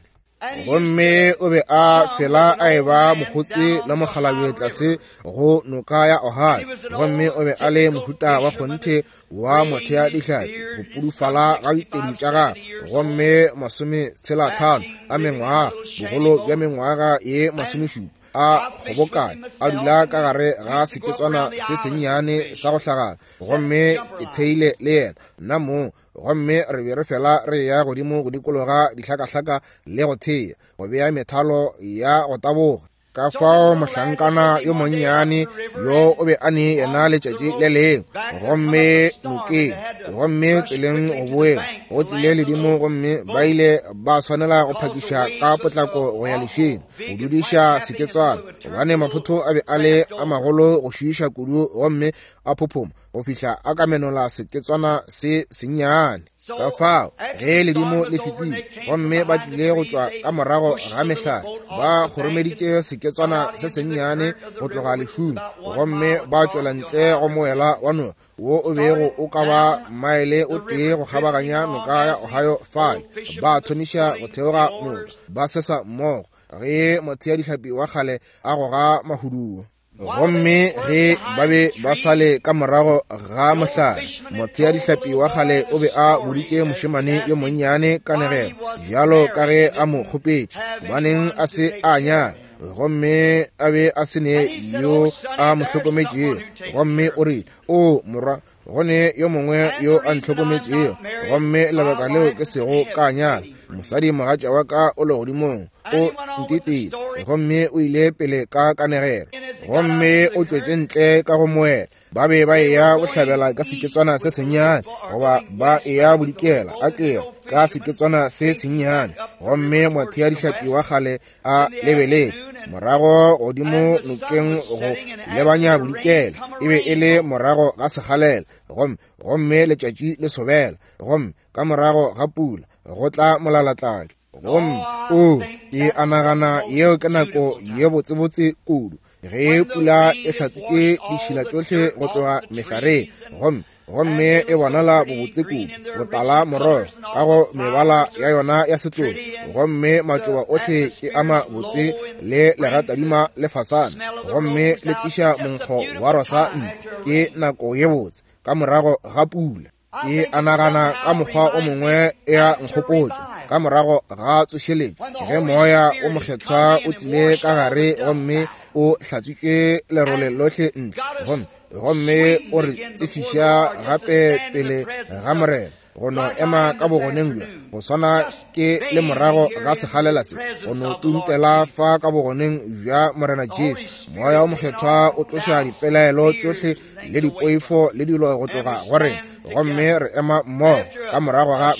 Gomme o be a fela a eba mokgotse le mokgalabje tlase go noka ya Ohio, gomme o be a le mohuta wa kgonthe wa mothea dihlapi, go pudufala ga ditedu tša gagwe, gomme masometshela tlhano a mengwaga, bogolo bja mengwaga ye masomešupa, a kgobokane a dula ka gare ga seketswana se sennyane sa go hlagala. Gomme ke theile le yena nna mong, gomme re be re fela re ya godimo go dikologa dihlakahlaka le go thea, go bea methalo ya go taboga. Ka fao mohlankana yo monnyane yo o be a ne yena letšatši le lengwe, gomme nokeng, gomme tseleng go boeng go tlile ledimo, gomme ba ile ba swanela go phakiša ka potlako go ya lešing go dudiša seketswana, gobane maphotho a be a le a magolo go šiiša kudu, gomme a phophoma go fihla a ka menola seketswana se sennyane. Ka fao ge ledimo le fetile gomme ba tlile go tšwa ka morago ga mehlare, ba kgoromeditše seketswana se sennyane go tloga lešung, gomme ba tšwela ntle go moela wa noka wo o bego o ka ba maele o tee go kgabaganya noka ya Ohio fale. Ba thomiša go theoga noka, ba sesa mmogo ge motheadihlapi wa kgale a goga mahuduo. Gomme ge ba be ba sale ka morago ga mohlare, motheadihlapi wa kgale o be a boditše mošemane yo monnyane kanegelo bjalo ka ge a mo kgopetše, gobaneng a se a nyala, gomme a be a se ne yo a mo hlokometšego. Gomme o rile, o morwa, go ne yo mongwe yo a ntlhokometšego, gomme lebaka leo ke sego ka nyala, mosadi mogatša wa ka o legodimong o ntetile. Gomme o ile pele ka kanegelo, gomme o tšwetše ntle ka go moela. Ba be ba eya bohlabela ka seketswana se sennyane, goba ba eya bodikela a kere ka seketswana se sennyane, gomme motheadihlapi wa kgale a lebeletše morago godimo nokeng go lebanya bodikela. E be e le morago ga sekgalela, gomme gomme letšatši le sobela, gomme ka morago ga pula go tla molalatladi. Gomme o ke a nagana yeo ke nako ye botsebotse kudu, ge pula e hlatswitše ditšhila tšohle go tloga mehlareng, gomme gomme e bonala bobotse kudu, botala morogo ka go mebala ya yona ya setlogo, gomme matšoba ohle ke a mabotse le leratadima le fasana, gomme le tliša monkgo wa rosa ntle. Ke nako ye botse ka morago ga pula. Ke a nagana ka mokgwa o mongwe e a nkgopotša ka morago ga tsošeletšo, ge moya o mokgethwa o tlile ka gare gomme o hlatswitše lerole lohle ntle, gomme gomme o re tsefiša gape pele ga Morena, go no ema ka bogoneng bjo go swana ke le morago ga sekgalela se, go no tuntela fa ka bogoneng bja Morena Jesu. Moya o mokgethwa o tloša dipelaelo tšohle le dipoifo le dilo go tloga go rena, gomme re ema mmogo ka morago ga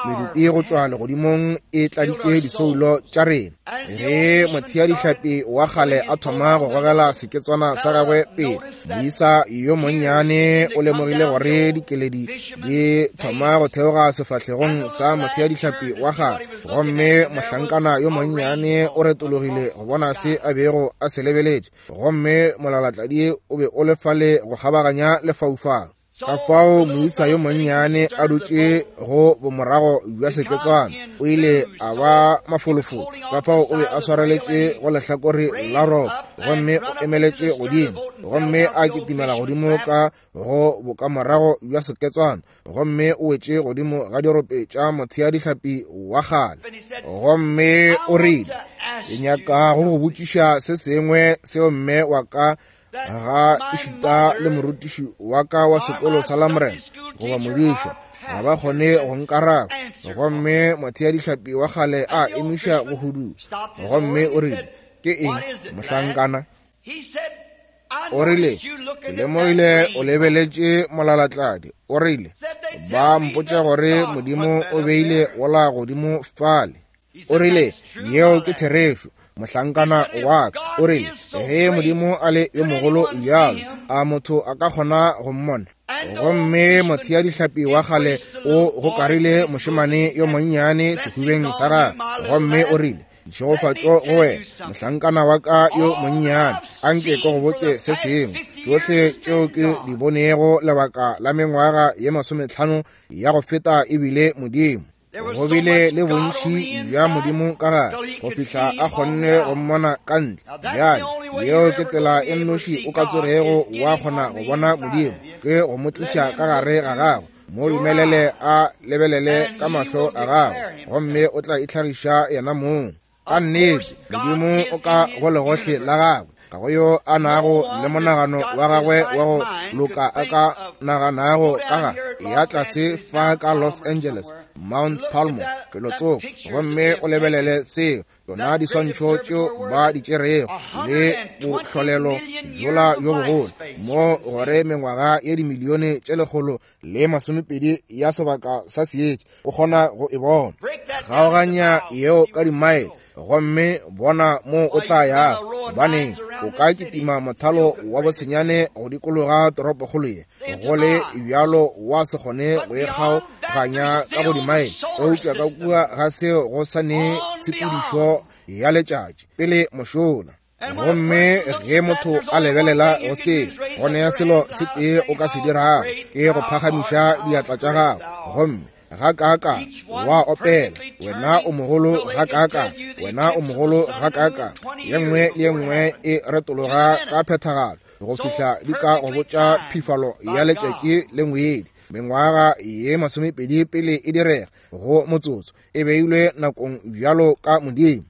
medupi go tšwa legodimong e tladitše disoulo tša rena. Ge motheadihlapi wa kgale a thoma go gogela seketswana sa gagwe pele, moisa yo monnyane o lemogile gore dikeledi di thoma go theoga sefahlegong sa motheadihlapi wa kgale, gomme mohlankana yo monnyane o retologile go bona se a bego a se lebeletše, gomme molalatladi o be o le fale go kgabaganya lefaufau. Ka fao moisa yo monnyane a dutše go bomorago bja seketswana o ile a ba mafolofolo. Ka fao o be a swareletše go lehlakore la ropo, gomme o emeletše godimo, gomme a kitimela godimo ka go bokamorago bja seketswana, gomme o wetše godimo ga dirope tša motheadihlapi wa kgale. Gomme o rile, ke nyaka go go botšiša se sengwe seo mme wa ka ga ešita le morutiši wa ka wa sekolo sa Lamorena goba modiša ga ba kgone go nkaraba. Gomme motheadihlapi wa kgale a emiša go hudu, gomme o rile, ke eng mohlankana? O rile, ke lemogile o lebeletše molalatladi. O rile, ba mpotša gore Modimo o beile wola godimo fale. O rile, yeo ke therešo, mohlankana wa ka. O rile, ge Modimo a le yo mogolo bjalo, a motho a ka kgona go mmona? Gomme motheadihlapi wa kgale o gokarile mošemane yo monnyane sehubeng sa gagwe, gomme o rile, ditšhegofatšo go wena, mohlankana wa ka yo monnyane. Anke ke go botše se sengwe, tšohle tšeo ke di bonego lebaka la mengwaga ye masometlhano ya go feta ebile Modimo. Go bile le bontši bja Modimo ka gare go fihla a kgonne go mmona ka ntle. Bjale yeo ke tsela e nnoši o ka tsogego wa kgona go bona Modimo, ke go mo tliša ka gare ga gago. Mo dumelele a lebelele ka mahlo a gago, gomme o tla itlhagiša yena mong. Ka nnete Modimo o ka go legohle la gagwe, ga go yo a nago le monagano wa gagwe wa go loka a ka naganago ka ga ya tlase fa ka Los Angeles, Mount Palmo, felotsoko, gomme o lebelele seo, yona diswantšho tšeo ba di tšerego le bohlolelo bjola bjo bogolo mo gore mengwaga ye dimilione tše lekgolo le masomepedi ya sebaka sa seetša o kgona go e bona. Kgaoganya yeo ka dimaele gomme bona mo o tla yago, gobaneng o ka kitima mothalo wa bosenyane go dikologa toropokgolo ye, go le bjalo wa se kgone go e kgaoganya ka go dimaele, eupša ka kua ga seo go sa ne tshepedišo ya letšatši pele mošola. Gomme ge motho a lebelela go se, go ne selo se tee o ka se dirago ke go phagamiša diatla tša gago, gomme ga kaaka wa opela, wena o mogolo ga kaaka, wena o mogolo ga kaaka. Ye nngwe le ye nngwe e retologa ka phethagalo go fihla di ka go botša phifalo ya letšatši le ngwedi. Mengwaga ye masomepedi pele e direga go motsotso e beilwe nakong bjalo ka Modimo.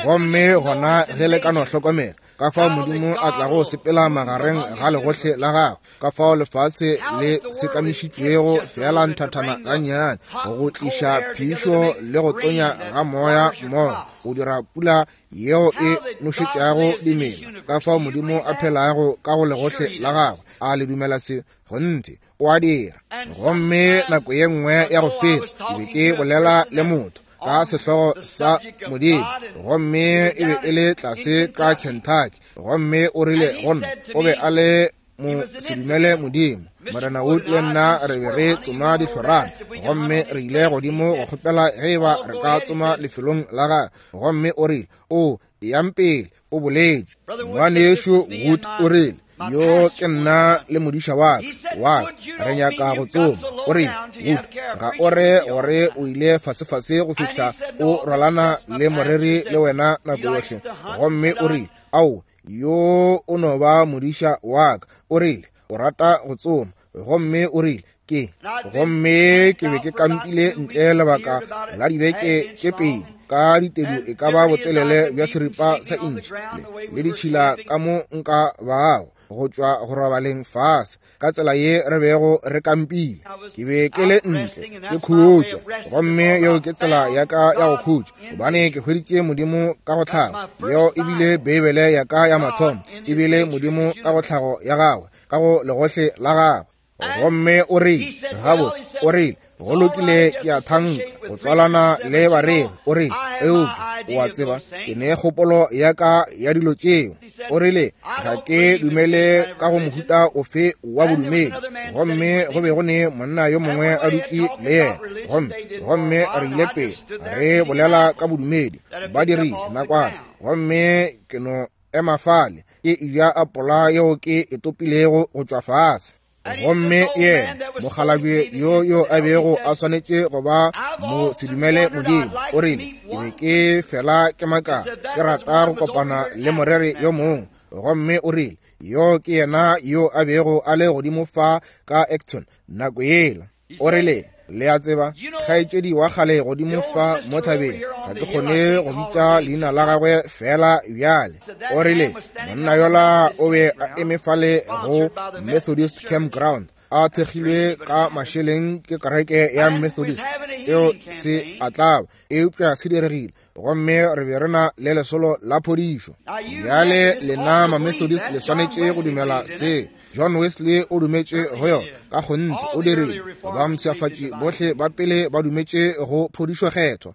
Gomme gona ge le ka no hlokomela ka fao Modimo a tlago sepela magareng ga legohle la gagwe, ka fao lefase le sekamišitšwego fela nthathana gannyane go tliša phišo le go tonya ga moya mmogo go dira pula yeo e nošetšago dimela, ka fao Modimo a phelago ka go legohle la gagwe. A le dumela se? Kgonthe o a dira. Gomme nako ye nngwe ya go feta ke be ke bolela le motho ka sehlogo sa Modimo, gomme e be e le tlase ka Kentucky, gomme o rile go nna, o be a le mo sedumele Modimo. Morena Wood le nna re be re tsoma dihlorana, gomme re ile godimo go kgopela ge e ba re ka tsoma lefelong la gagwe, gomme o rile, o yang pele, o boletše. Ngwanešu Wood o rile, yo ke nna le modiša wa ka wa ka re nyaka go tsoma. O rile, Wood, ga o re gore o ile fasefase go fihla o rwalana le moreri le wena nako yohle. Gomme o rile, ao, yo o no ba modiša wa ka. O rile, o rata go tsoma. Gomme o rile, ke. Gomme ke be ke kampile ntle lebaka la dibeke tše pedi ka ditedu e ka ba botelele bja seripa sa intšhi le ditšhila ka mo nka bago go tšwa go robaleng fase ka tsela ye re bego re kampile. Ke be ke le ntle ke khutša, gomme yeo ke tsela ya ka ya go khutša, gobane ke hweditše Modimo ka go tlhago. Yeo e bile Beibele ya ka ya mathomo, e bile Modimo ka go tlhago ya gagwe, ka go legohle la gagwe. Gomme o rile, gabotse, o rile, go lokile, ke a thanka go tswalana le bareri. O rile, eupša o a tseba ke ne kgopolo ya ka ya dilo tšeo. O rile, ga ke dumele ka go mohuta ofe wa bodumedi. Gomme go be go ne monna yo mongwe a dutše le yena, gomme gomme re ile pele re bolela ka bodumedi, ba dirile nakwana, gomme ke no ema fale ke eja apola yeo ke e topilego go tšwa fase. Gomme yena mokgalabje yo yo a bego a swanetše go ba mo sedumele Modimo, o rile, ke be ke fela ke maka ke rata go kopana le moreri yo mongwe. Gomme o rile, yo ke yena yo a bego a le godimo fa ka Acton nako yela. O rile, le a tseba, kgaetšedi wa kgale godimo fa mo thabeng, ga ke kgone go bitša leina la gagwe fela bjale. O rile, monna yola o be a eme fale go Methodist Campground, a thekgilwe ka mašeleng ke kereke ya Methodist. Seo se a tlaba, eupša se diregile, gomme re be re na le lesolo la phodišo. Bjale lena ma-Methodist le swanetše go dumela se. John Wesley o dumetše go yona, ka kgonthe o dirile. Ba mpshafatši bohle ba pele ba dumetše go phodišo kgethwa.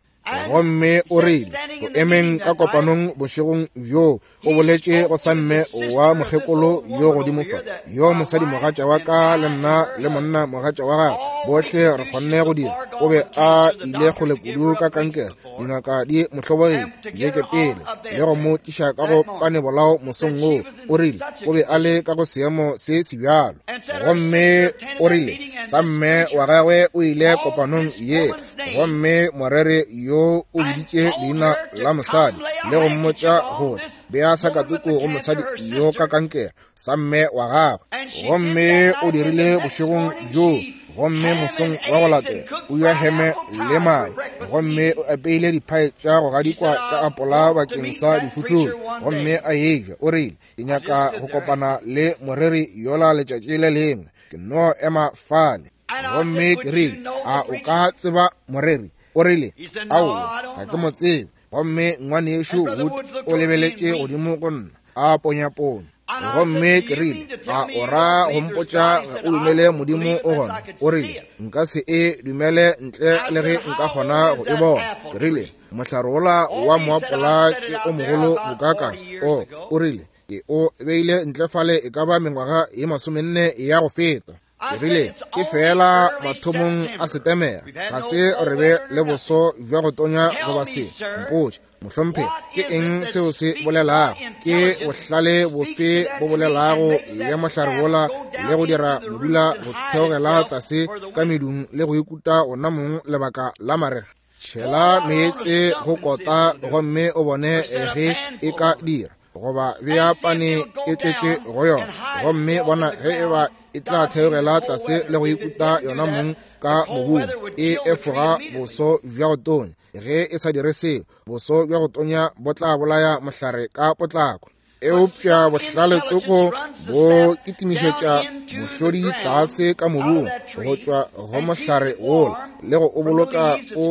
Gomme o rile, go emeng ka kopanong bošegong bjo, o boletše go sa mme wa mokgekolo yo godimo fa, yo mosadi mogatša wa ka le nna le monna mogatša wa gagwe, bohle re kgonne go dira. O be a ile kgole kudu ka kankere, dingaka di mo hlobogile dibeke pele le go mo tliša ka go panebolao mosong woo. O rile o be a le ka go seemo se sebjalo. Gomme o rile sa mme wa gagwe o ile kopanong ye, gomme moreri yo o biditše leina la mosadi le go mmotša gore bea sakatuku go mosadi yo ka kankere sa mme wa gagwe. Gomme o dirile bošegong bjo, gomme mosong wa go latela o ya heme le mae, gomme o apeile diphae tša go gadikwa tša apola bakeng sa difuhlolo, gomme a eja. O rile, ke nyaka go kopana le moreri yola letšatši le lengwe, ke no ema fale. Gomme ke rile, a o ka tseba moreri? O rile, aowa, ga ke mo tsebe. Gomme ngwanešu Wood o lebeletše godimo go nna, a ponyaponya. Gomme ke rile, a o ra go mpotša ga o dumele Modimo o gona? O rile, nka se e dumele ntle le ge nka kgona go e bona. Ke rile, mohlare wola wa moapola ke o mogolo bokaka. O, o rile, ke o beile ntle fale e ka ba mengwaga ye masomenne ya go feta. Ke rile, ke fela mathomong a Setemere, ga se re be le boso bja go tonya goba se. Mpotše, mohlomphegi, ke eng seo se bolelago? Ke bohlale bofe bo bolelago le mohlare wola le go dira modula go theogela tlase ka medung le go ikuta ona mong lebaka la marega? Tšhela meetse go kota gomme o bone ge e ka dira, goba bea pane e tletše go yona, gomme bona ge e ba e tla theogela tlase le go ikuta yona mong ka mobung. E efoga boso bja go tonya. Ge e sa dire seo, boso bja go tonya bo tla bolaya mohlare ka potlako. Eupša bohlale tsoko bo kitimišetša mohlodi tlase ka mobung go tšwa go mohlare wola le go o boloka o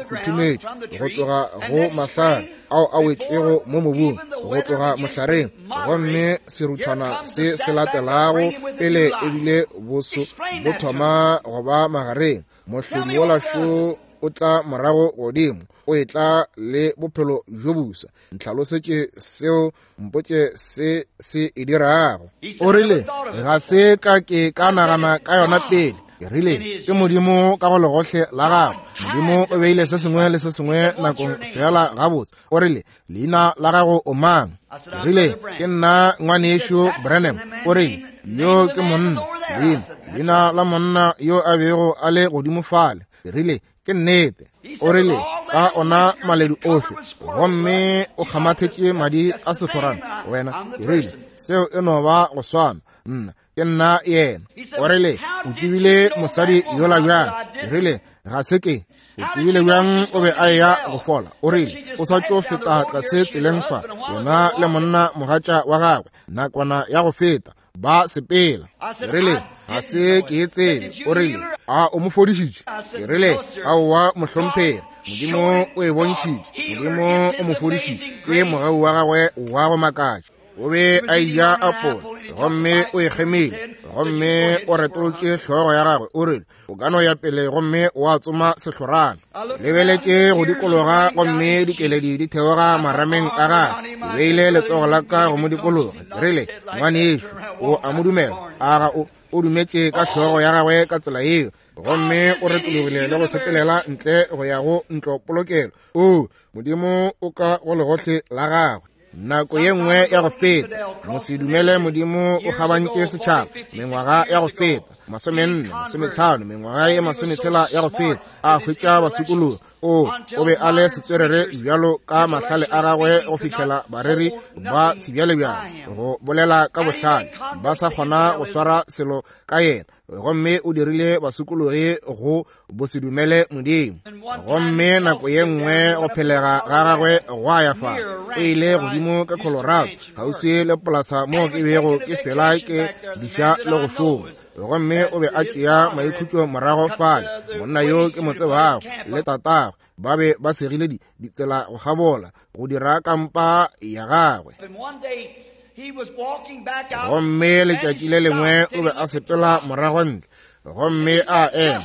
futhumetše go tloga go mahlare ao a wetšego mo mobung go tloga mohlareng. Gomme seruthwana se se latelago pele ebile boso bo thoma go ba magareng, mohlodi wola šo o tla morago godimo, o etla le bophelo bjo bosa. Ntlhalosetše seo, mpotše se se e dirago. O rile, ga se ka ke ka nagana ka yona pele. Ke rile, ke Modimo ka go legohle la gagwe. Modimo o beile se sengwe le se sengwe nakong fela gabotse. O rile, leina la gago o mang? Ke rile, ke nna ngwanešu Branham. O rile, yo ke monna, leina, leina la monna yo a bego a le godimo fale. Ke rile, ke nnete. O rile, ka ona maledu ohle, gomme o kgamathetše madi a sehlorana wena. Ke rile, seo e no ba go swana, nna ke nna yena. O rile, o tsebile mosadi yola bjang? Ke rile, ga se ke. O tsebile bjang o be a eya go fola? O rile, o sa tšo feta tlase tseleng fa, yena le monna mogatša wa gagwe, nakwana ya go feta, ba sepela. Ke rile, ga se ke e tsebe. O rile, a o mo fodišitše? Ke rile, aowa mohlomphegi, Modimo o e bontšhitše, Modimo o mo fodišitše, ke mogau wa gagwe wa go makatša. O be a eja apola gomme o e kgemile, gomme o retolotše hlogo ya gagwe. O rile, o ka no ya pele gomme wa tsoma sehlorana. Lebeletše go dikologa gomme dikeledi di theoga marameng a gagwe. Ke beile letsogo la ka go mo dikologa. Ke rile, ngwanešu, o a mo dumela? A ga o? O dumetše ka hlogo ya gagwe ka tsela yeo, gomme o retologile le go sepelela ntle go ya go ntlopolokelo. O, Modimo o ka go legohle la gagwe. Nako ye nngwe ya go feta, mosedumele Modimo o kgabantše setšhaba. Mengwaga ya go feta, masomenne, masometlhano, mengwaga ye masometshela ya go feta, a hwetša basokologi. O, o be a le setswerere bjalo ka mahlale a gagwe go fihlela bareri ba sebjalebjale go bolela ka bohlale, ba sa kgona go swara selo ka yena. Gomme o dirile basokologi go bosedumele Modimo. Gomme nako ye nngwe go phelega ga gagwe gwa ya fase. O ile godimo ka Colorado, kgauswi le polasa moo ke bego ke fela ke diša le go šoma. Gomme o be a tšea maikhutšo morago fale. Monna yo ke mo tsebago le tatagwe ba be ba segile ditsela go kgabola go dira kampa ya gagwe. Gomme letšatši le lengwe o be a sepela morago ntle, gomme a ema,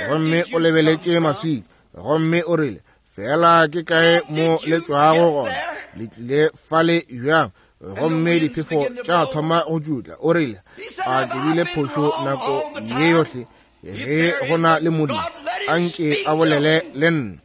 gomme o lebeletše maswika, gomme o rile, fela ke kae mo le tšwago gona? Le tlile fale bjang? Gomme diphefo tša thoma go tšutla. O rile, a ke bile phošo nako ye yohle? Ge go na le Modimo, a nke a bolele le nna.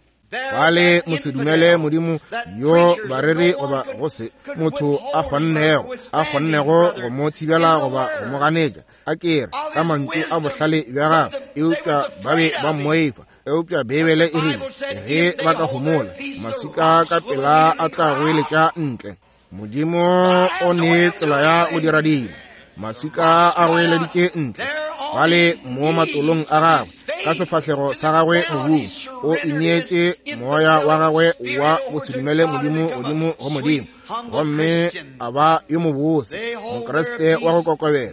Fale mosedumele Modimo yo bareri goba go se motho a kgonnego a kgonnego go mo thibela goba go mo ganetša, a kere ka mantšu a bohlale bja gagwe, eupša ba be ba mmoifa. Eupša Beibele e rile, ge ba ka homola, maswika ka pela a tla goeletša ntle. Modimo o ne tsela ya go dira dilo. Maswika a goeleditše ntle fale mo matolong a gagwe, ka sefahlego sa gagwe mobung. O ineetše moya wa gagwe wa bosedumele Modimo godimo go Modimo, gomme a ba yo mobose, Mokriste wa go kokobela.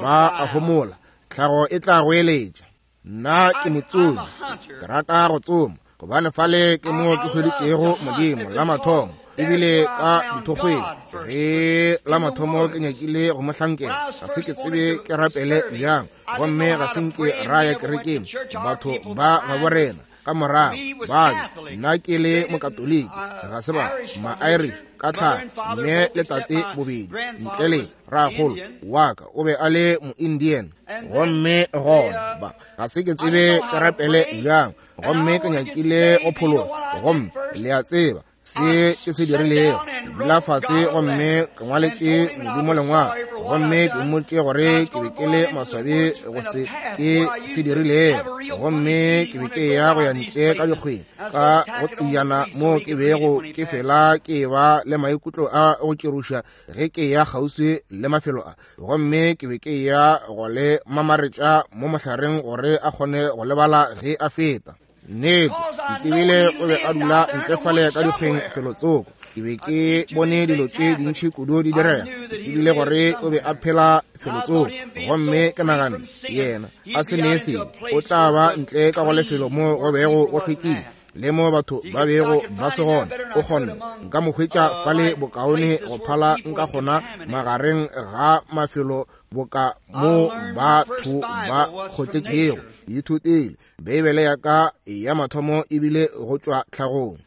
Ba a homola, tlhago e tla goeletša. Nna ke motsomi, ke rata go tsoma, gobane fale ke mo ke hweditšego Modimo la mathomo, ebile ka dithokgweng. Ge la mathomo ke nyakile go mo hlankela, ga se ke tsebe ke rapele bjang, gomme ga se nke ra ya kerekeng. Batho ba gabo rena ka morago ba be, nna ke le Mokatoliki, ga se ba ma-Irish ka tlhago, mme le tate bobedi ntle le rakgolo wa ka o be a le mo-Indian. Gomme gona ba ga se ke tsebe ke rapele bjang, gomme ke nyakile go phologa. Gomme le a tseba se ke se dirilego, dula fase gomme ke ngwaletše Modimo lengwalo, gomme ke mmotše gore ke be ke le maswabi go se ke se dirilego, gomme ke be ke ya go ya ntle ka dikgweng ka go tsejana mo ke bego ke fela ke ba le maikutlo a go tširoša ge ke ya kgauswi le mafelo a, gomme ke be ke ya go le mamaretša mo mohlareng gore a kgone go lebala ge a feta. Nnete, ke tsebile o be a dula ntle fale ka dikgweng felotsoko. Ke be ke bone dilo tše dintši kudu di direga. Ke tsebile gore o be a phela felotsoko, gomme ke nagane yena a se ne selo, o tla ba ntle ka go lefelo mo go bego go hlwekile le mo batho ba bego ba se gona. O kgonne nka mo hwetša fale bokaone go phala nka kgona magareng ga mafelo boka mo batho ba kgotletšego. Ke ithutile Beibele ya ka ya mathomo ebile go tšwa tlhagong.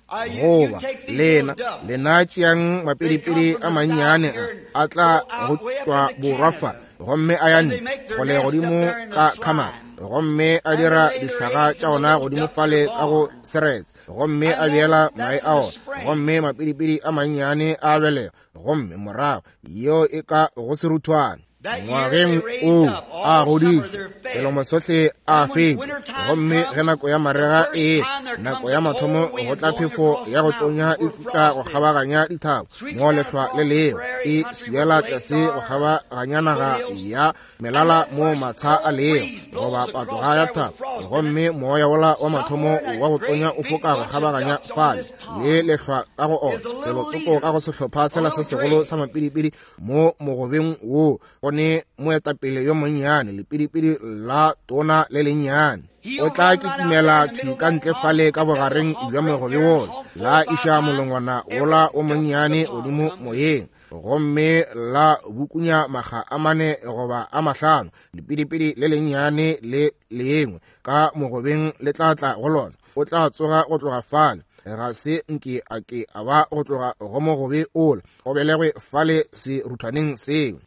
Goba lena lena tšeang mapidipidi a mannyane a a tla go tšwa borwa fa, gomme a ya ntle kgole godimo ka Canada, gomme a dira dihlaga tša ona godimo fale ka go seretse, gomme a beela mae a ona, gomme mapidipidi a mannyane a belega, gomme morago yeo e ka go seruthwane. Ngwageng o a godišwa, selemo sohle a fetwa, gomme ge nako ya marega e nako ya mathomo go tla phefo ya go tonya e futla go kgabaganya dithaba mo lehlwa le leo e swiela tlase go kgabaganya naga ya melala mo matsha a leo goba patoga ya thaba, gomme moya wola wa mathomo wa go tonya o foka go kgabaganya fale le lehlwa ka go ona felotsoko ka go sehlopha sela se segolo sa mapidipidi mo mogobeng wo go ne moetapele yo monnyane, lepidipidi la tona le lennyane. O tla kitimela thwi ka ntle fale ka bogareng bja mogobe wola, la iša molongwana wola o monnyane godimo moyeng, gomme la bukunya makga a mane goba a mahlano. Lepidipidi le lennyane le lengwe ka mogobeng le tla tla go lona. O tla tsoga go tloga fale, ga se nke a ke a ba go tloga go mogobe ola, o belegwe fale seruthwaneng seo.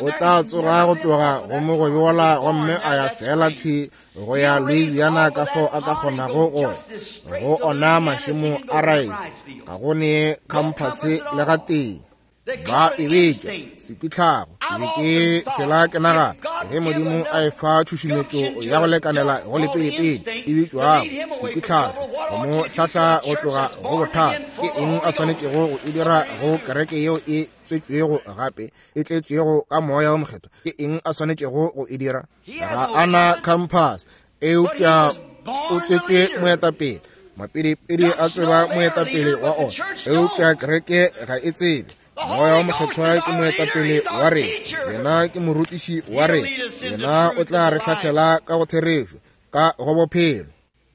O tla tsoga go tloga go mogobe wola, gomme a ya fela thwi go ya Louisiana ka fao a ka kgonago go go ona mašemo a rice. Ga go ne khamphase le gatee. Ba e bitša sekwitlhago. Ke be ke fela ke nagana ge Modimo a e fa tšhušumetšo ya go lekanela go lepidipidi e bitšwago sekwitlhago go mo hlahla go tloga go bothata, ke eng a swanetšego go e dira go kereke yeo e tswetšwego gape e tletšego ka moya wo mokgethwa? Ke eng a swanetšego go e dira? Ga a na compass, eupša o tswetšwe moetapele. Mapidipidi a tseba moetapele wa ona, eupša kereke ga e tsebe. Moya wa mokgethwa ke moetapele wa rena, yena ke morutiši wa rena, yena o tla re hlahlela ka go therešo, ka go bophelo.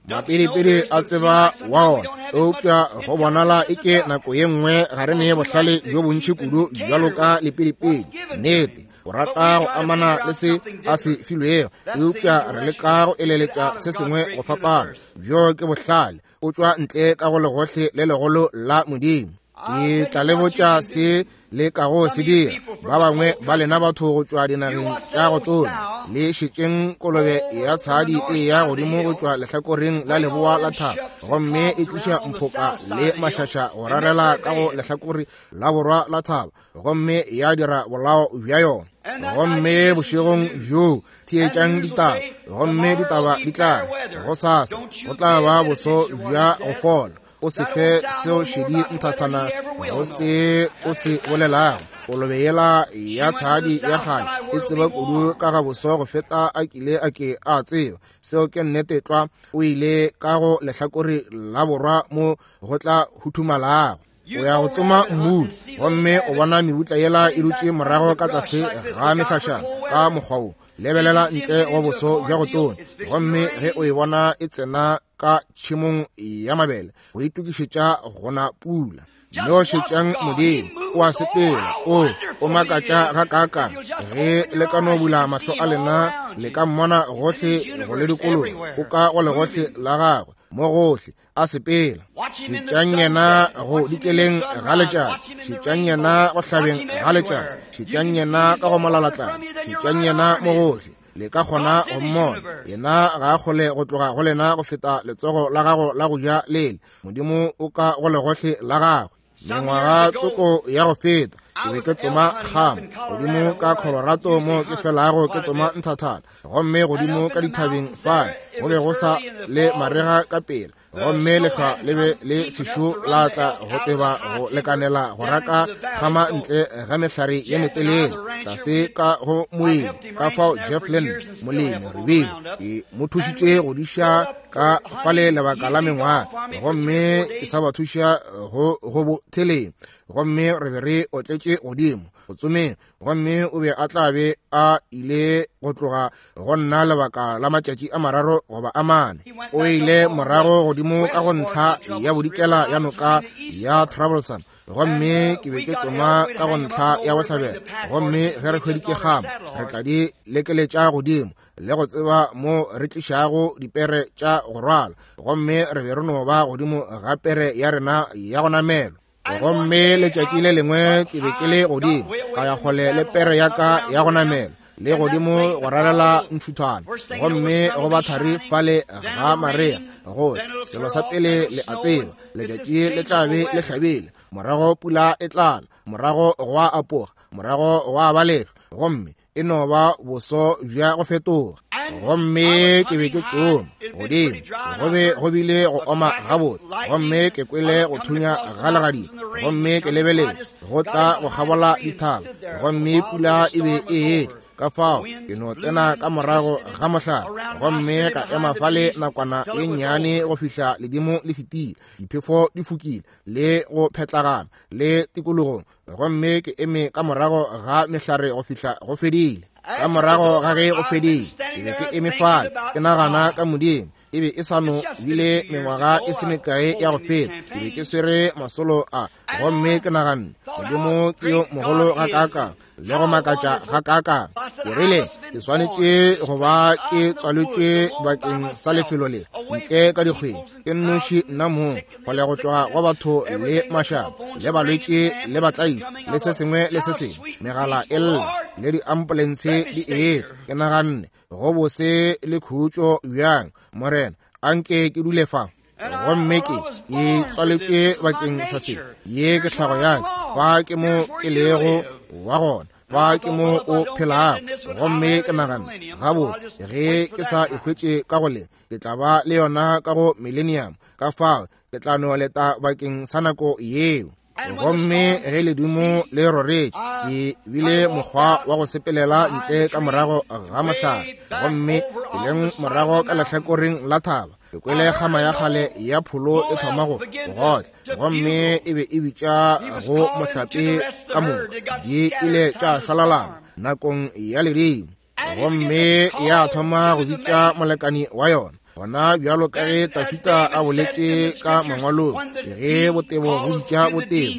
Mapidipidi a tseba wa ona, eupša go bonala eke nako ye nngwe ga re ne bohlale bjo bontši kudu bjalo ka lepidipidi. Nnete, o rata go amana le se a se filwego, eupša re leka go eleletša se sengwe go fapana. Bjo ke bohlale, o tšwa ntle ka go legohle le legolo la Modimo. Ke tla le botša se le kago se dira. Ba bangwe ba lena batho go tšwa dinageng tša go tonya, le šetšeng kolobe ya tshadi e ya godimo go tšwa lehlakoreng la leboa la thaba, gomme e tliša mphoka le mašaša go rarela ka go lehlakore la borwa la thaba, gomme ya dira bolao bja yona. Gomme bošegong bjoo theetšang ditaba, gomme ditaba di tla re gosasa go tla ba boso bja go fola. O se fe seo šedi nthathana go se o se bolelago. Kolobe yela ya tshadi ya kgale e tseba kudu ka ga boso go feta a kile a ke a tseba. Seo ke nnete tlwa. O ile ka go lehlakore la borwa mo go tla huthumalago. O ya go tsoma mmutla, gomme o bona mebutla yela e dutše morago ka tlase ga mehlašana ka mokgwa wo. Lebelela ntle go boso bja go tona, gomme ge o e bona e tsena ka tšhemong ya mabele, go itokišetša gona pula. No šetšang Modimo, o a sepela, o o makatša gakaakang. Ge le ka no bula mahlo a lena, le ka mmona gohle go le dikologa, o ka go legohle la gagwe, mo gohle a sepela. Šetšang yena go dikeleng ga letšatši, šetšang yena go hlabeng ga letšatši, šetšang yena ka go molalatlana, šetšang yena mo gohle. Le ka kgona go mmona. Yena ga a kgole go tloga go lena go feta letsogo la gago la go ja lele. Modimo o ka go legohle la gagwe. Mengwaga tsoko ya go feta, ke be ke tsoma kgama godimo ka Colorado mo ke felago ke tsoma nthathana, gomme godimo ka dithabeng fale go be go sa le marega ka pele, gomme lehlwa le be le sešo la tla go teba go lekanela go raka kgama ntle ga mehlare ye metelele tlase ka go moedi. Ka fao Jeff Lynn molemi re bile ke mo thušitše go diša ka fale lebaka la mengwaga, gomme ke sa ba thuša go go bo theleng, gomme re be re otletše godimo go tsomeng, gomme o be a tla be a ile go tloga go nna lebaka la matšatši a mararo goba a mane. O ile morago godimo ka go ntlha ya bodikela ya noka ya Troublesome, gomme ke be ke tsoma ka go ntlha ya bohlabela, gomme ge re hweditše kgama, re tla di lekeletša godimo le go tseba mo re tlišago dipere tša go rwala, gomme re be re no ba godimo ga pere ya rena ya go namelwa. Gomme letšatši le lengwe ke be ke le godimo ka ya kgole le pere ya ka ya go namela le godimo go ralela ntšhuthwana, gomme go ba thari fale ga marea, gore selo sa pele le a tseba, letšatši le tla be le hlabile, morago pula e tlana, morago go a apoga, morago go a ba lehlwa, gomme e no ba boso bja go fetoga. Gomme ke be ke tsoma godimo, go be go bile go oma gabotse, gomme ke kwele go thunya ga legadima, gomme ke lebeletše go tla go kgabola dithaba, gomme pula e be e etla. Ka fao ke no tsena ka morago ga mohlare, gomme ka ema fale nakwana ye nnyane go fihla ledimo le fetile, diphefo di fokile le go phetlagana le tikologong, gomme ke eme ka morago ga mehlare go fihla go fedile. Ka morago ga ge go fedile, ke be ke eme fale ke nagana ka Modimo. E be e sa no bile mengwaga e se mekae ya go feta, ke be ke swere masolo a, gomme ke naganne, Modimo ke yo mogolo gakaakang le go makatša gakaakang. Ke rile ke swanetše go ba ke tswaletšwe bakeng sa lefelo le ntle ka dikgweng, ke nnoši nna mong, kgole go tloga go batho le mašaba le balwetši le batlaiši le se sengwe le se sengwe, megala e lla le diambulense di etla. Ke naganne, go bose le khutšo bjang, Morena, anke ke dule fa. Gomme ke ke tswaletšwe bakeng sa se, ye ke tlhago ya ka, fa ke mo ke lego wa gona, fa ke mo o phelago. Gomme ke naganne, gabotse, ge ke sa e hwetše ka go le, ke tla ba le yona ka go millennium, ka fao ke tla no leta bakeng sa nako yeo. Gomme ge ledimo le roretše, ke bile mokgwa wa go sepelela ntle ka morago ga mohlare, gomme tseleng morago ka lehlakoreng la thaba, ke kwele kgama ya kgale ya pholo e thoma go gotla, gomme e be e bitša go mohlape ka moka. Di ile tša šwalalana nakong ya ledimo, gomme ya thoma go bitša molekani wa yona. Gona bjalo ka ge Tafita a boletše ka mangwalong, ge botebo go bitša botebo,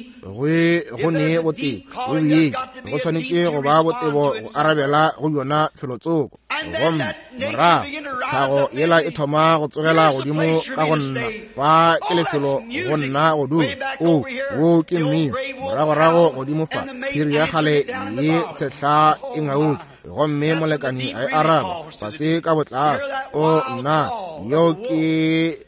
go ne botebo go boetše, go swanetše go ba botebo go arabela go bjona felotsoko. Gomme morago tlhago yela e thoma go tsogela godimo ka go nna, fa ke lefelo go nna go dula, o wo ke mmino. Moragorago godimo fa phiri ya kgale ye tshehla e ngaotše, gomme molekani a e araba fase ka botlase. O nna, yeo ke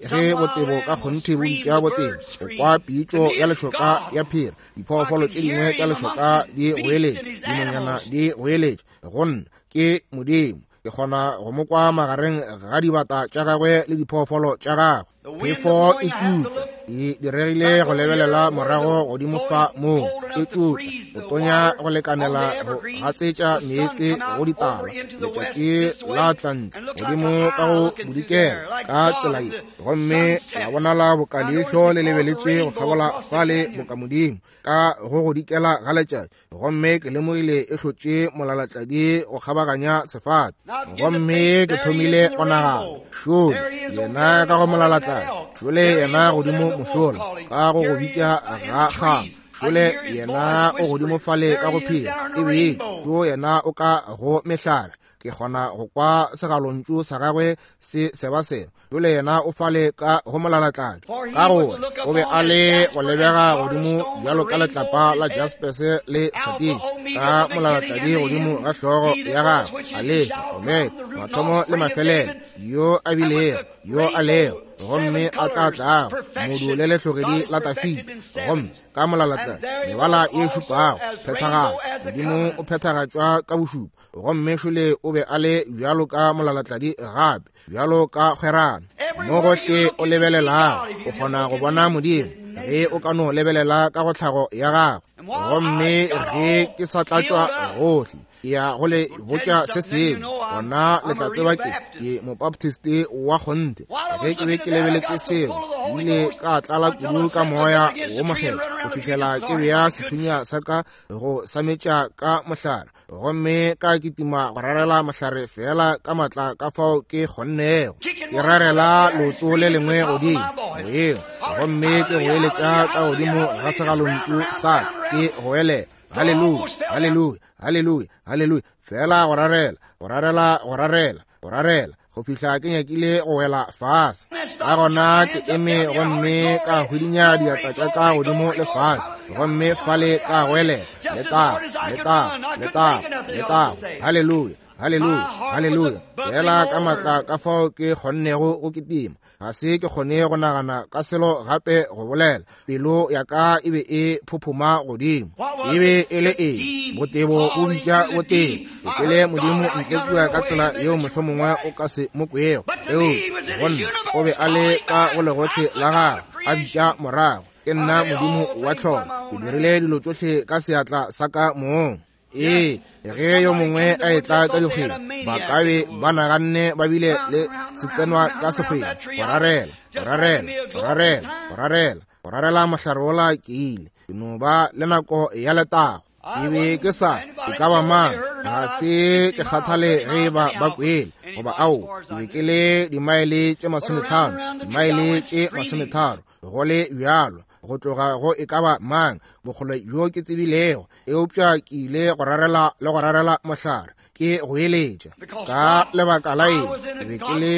ge botebo ka kgonthe bo bitša botebo. O kwa pitšo ya lešoka ya phiri, diphoofolo tše dingwe tša lešoka di goeletša, dinonyana di goeletša. Go nna ke Modimo, ke kgona go mo kwa magareng ga dibata tša gagwe le diphoofolo tša gagwe. Phefo e tšutla, E diregile go lebelela morago godimo fa moo e tšutla go tonya go lekanela go gatsetša meetse go ditaba. Letšatši la tla ntle godimo ka go bodikela ka tsela ye, gomme la bonala boka leihlo le lebeletše go kgabola fale boka modimo ka go godikela ga letšatši. Gomme ke lemogile e hlotše molalatladi go kgabaganya sefate. Gomme ke thomile go nagana, šole yena ka go molalatladi, šole yena godimo mošola ka go go bitša ga kgama, šole yena o godimo fale ka go phela, e be to yena o ka go mehlare. Ke kgona go kwa segalontšu sa gagwe se sebaseba. Jole yena o fale ka go molalatladi, ka gore o be a le go lebega godimo bjalo ka letlapa la jaspese le sadis, ka molalatladi godimo ga hlogo ya gagwe, Alefa, Omega, mathomo le mafelelo, yo a bilego, yo a lego, gomme a tla tlago, modu le lehlogedi la Tafita. Gomme ka molalatladi mebala ye šupago, phethagalo, modimo o phethagatšwa ka bošupa. Gomme šole o be a le bjalo ka molalatladi gape, bjalo ka kgwerano. Mo gohle o lebelelago o kgona go bona modimo ge o ka no lebelela ka go tlhago ya gagwe. Gomme ge ke sa tlatšwa gohle, ke ya go le botša se sengwe, gona le tla tseba ke ke mobaptist wa kgonthe. Ge ke be ke lebeletše seo, ke ile ka tlala kudu ka moya wo mokgethwa go fihlela ke bea sethunya sa ka go sametša ka mohlare, gomme ka kitima go rarela mohlare fela ka matla ka fao ke kgonnego. Ke rarela leoto le lengwe godimo moyeng, gomme ke goeletša ka godimo ga segalontšu sa ke goelela, haleluya, haleluya, haleluya, haleluya, fela go rarela, go rarela, go rarela, go rarela, go fihla ke nyakile go wela fase. Ka gona ke eme gomme ka hwidinya diatla tša ka godimo le fase, gomme fale ka goelela, letago, letago, letago, letago, haleluya, haleluya, haleluya, fela ka matla ka fao ke kgonnego go kitima. Ga se ke kgone go nagana ka selo gape go bolela. Pelo ya ka e be e phophoma godimo. E be e le eng? Botebo bo bitša botebo. Ke kwele modimo ntle kua ka tsela yeo mohlomongwe o ka se mo kwego, eupša go nna o be a le ka go legohle la gagwe a bitša morago, ke nna modimo wa tlholo, ke dirile dilo tšohle ka seatla sa ka mong. Ee, ge yo mongwe a etla ka dikgwedi, ba ka be ba naganne ba bile le setsenwa ka sekgwedi, go rarela, go rarela, go rarela, go rarela, go rarela mohlare wola ke ile. Ke no ba le nako ya letago. Ke be ke sa, e ka ba mang, ga se ke kgathale ge ba ba kwele, goba ao, ke be ke le dimaele tše masometlhano, dimaele tše masometharo, go le bjalo, go tloga go e ka ba mang, bokgole bjo ke tsebilego, eupša ke ile go rarela le go rarela mohlare, ke go eletša. Ka lebaka la eng, ke be ke le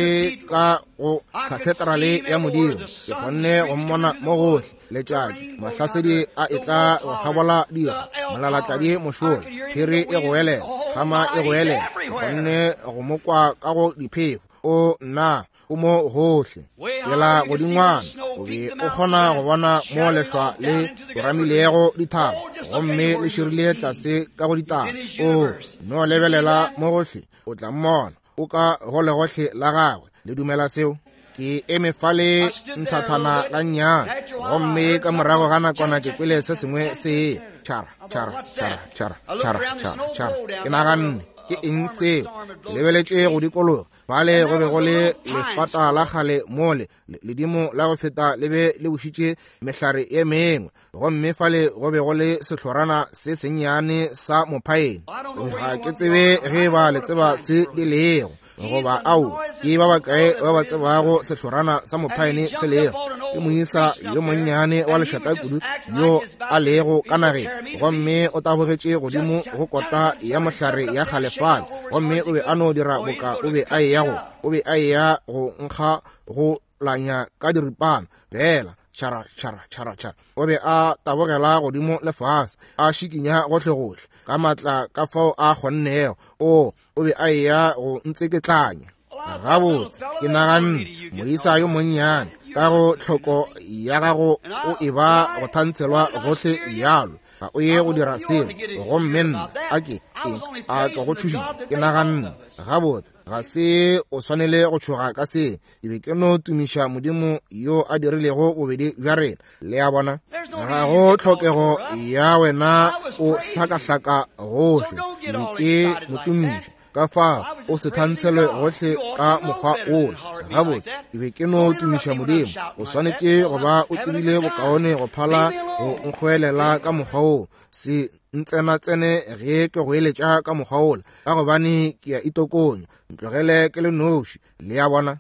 ka go kathedrale ya modimo, ke kgonne go mmona mo gohle, letšatši, mahlasedi a etla go kgabola dikgwa, molalatladi mošola, phiri e goelela, kgama e goelela, ke kgonne go mo kwa ka go diphefo. O nna o mo gohle, tsela godingwana, o be o kgona go bona mo lehlwa le ramilego dithaba, gomme le širile tlase ka go ditaba. O no lebelela mo gohle, o tla mmona, o ka go legohle la gagwe. Le dumela seo? Ke eme fale nthathana gannyane, gomme ka morago ga nakwana ke kwele se sengwe se tšhara, tšhara, tšhara, tšhara, tšhara, tšhara, tšhara. Ke naganne, ke eng seo? Ke lebeletše go dikologa, fale go be go le lefata la kgale mole, ledimo la go feta le be le bušitše mehlare ye mengwe, gomme fale go be go le sehlorana se sennyane sa mophaene. Ga ke tsebe ge ba le tseba se di lego, goba ao, ke ba bakae ba ba tsebago sehlorana sa mophaene se lego? Ke moisa yo monnyane wa lešata kudu yo a lego ka nageng, gomme o tabogetše godimo go kota ya mohlare ya kgale fale, gomme o be a no dira boka o be a eya go, o be a eya go nkga go lanya ka diripana fela, tšhara, tšhara, tšhara, tšhara. O be a tabogela godimo le fase, a šikinya gohlegohle ka matla ka fao a kgonnego. O, o be a eya go ntseketlanya. Gabotse, ke naganne, moisa yo monnyane, ka go tlhoko ya gago o e ba go thantshelwa gohle bjalo. Ga o ye go dira selo. Gomme nna a ke eng a ke go tšhošitše? Ke naganne, gabotse, ga se o swanele go tšhoga ka se. Ke be ke no tumiša Modimo yo a dirilego bobedi bja rena. Le a bona, ga go tlhokego ya wena o hlakahlaka gohle. Ke be ke mo tumiša. Ka fa o se thantshelwe gohle ka mokgwa ola. Gabotse, ke be ke no tumiša Modimo. O swanetše go ba o tsebile bokaone go phala go nkgoelela ka mokgwa wo. Se ntsenatsene ge ke go eletša ka mokgwa ola, ka gobane ke a itokonya. Ntlogele ke le noši. Le a bona?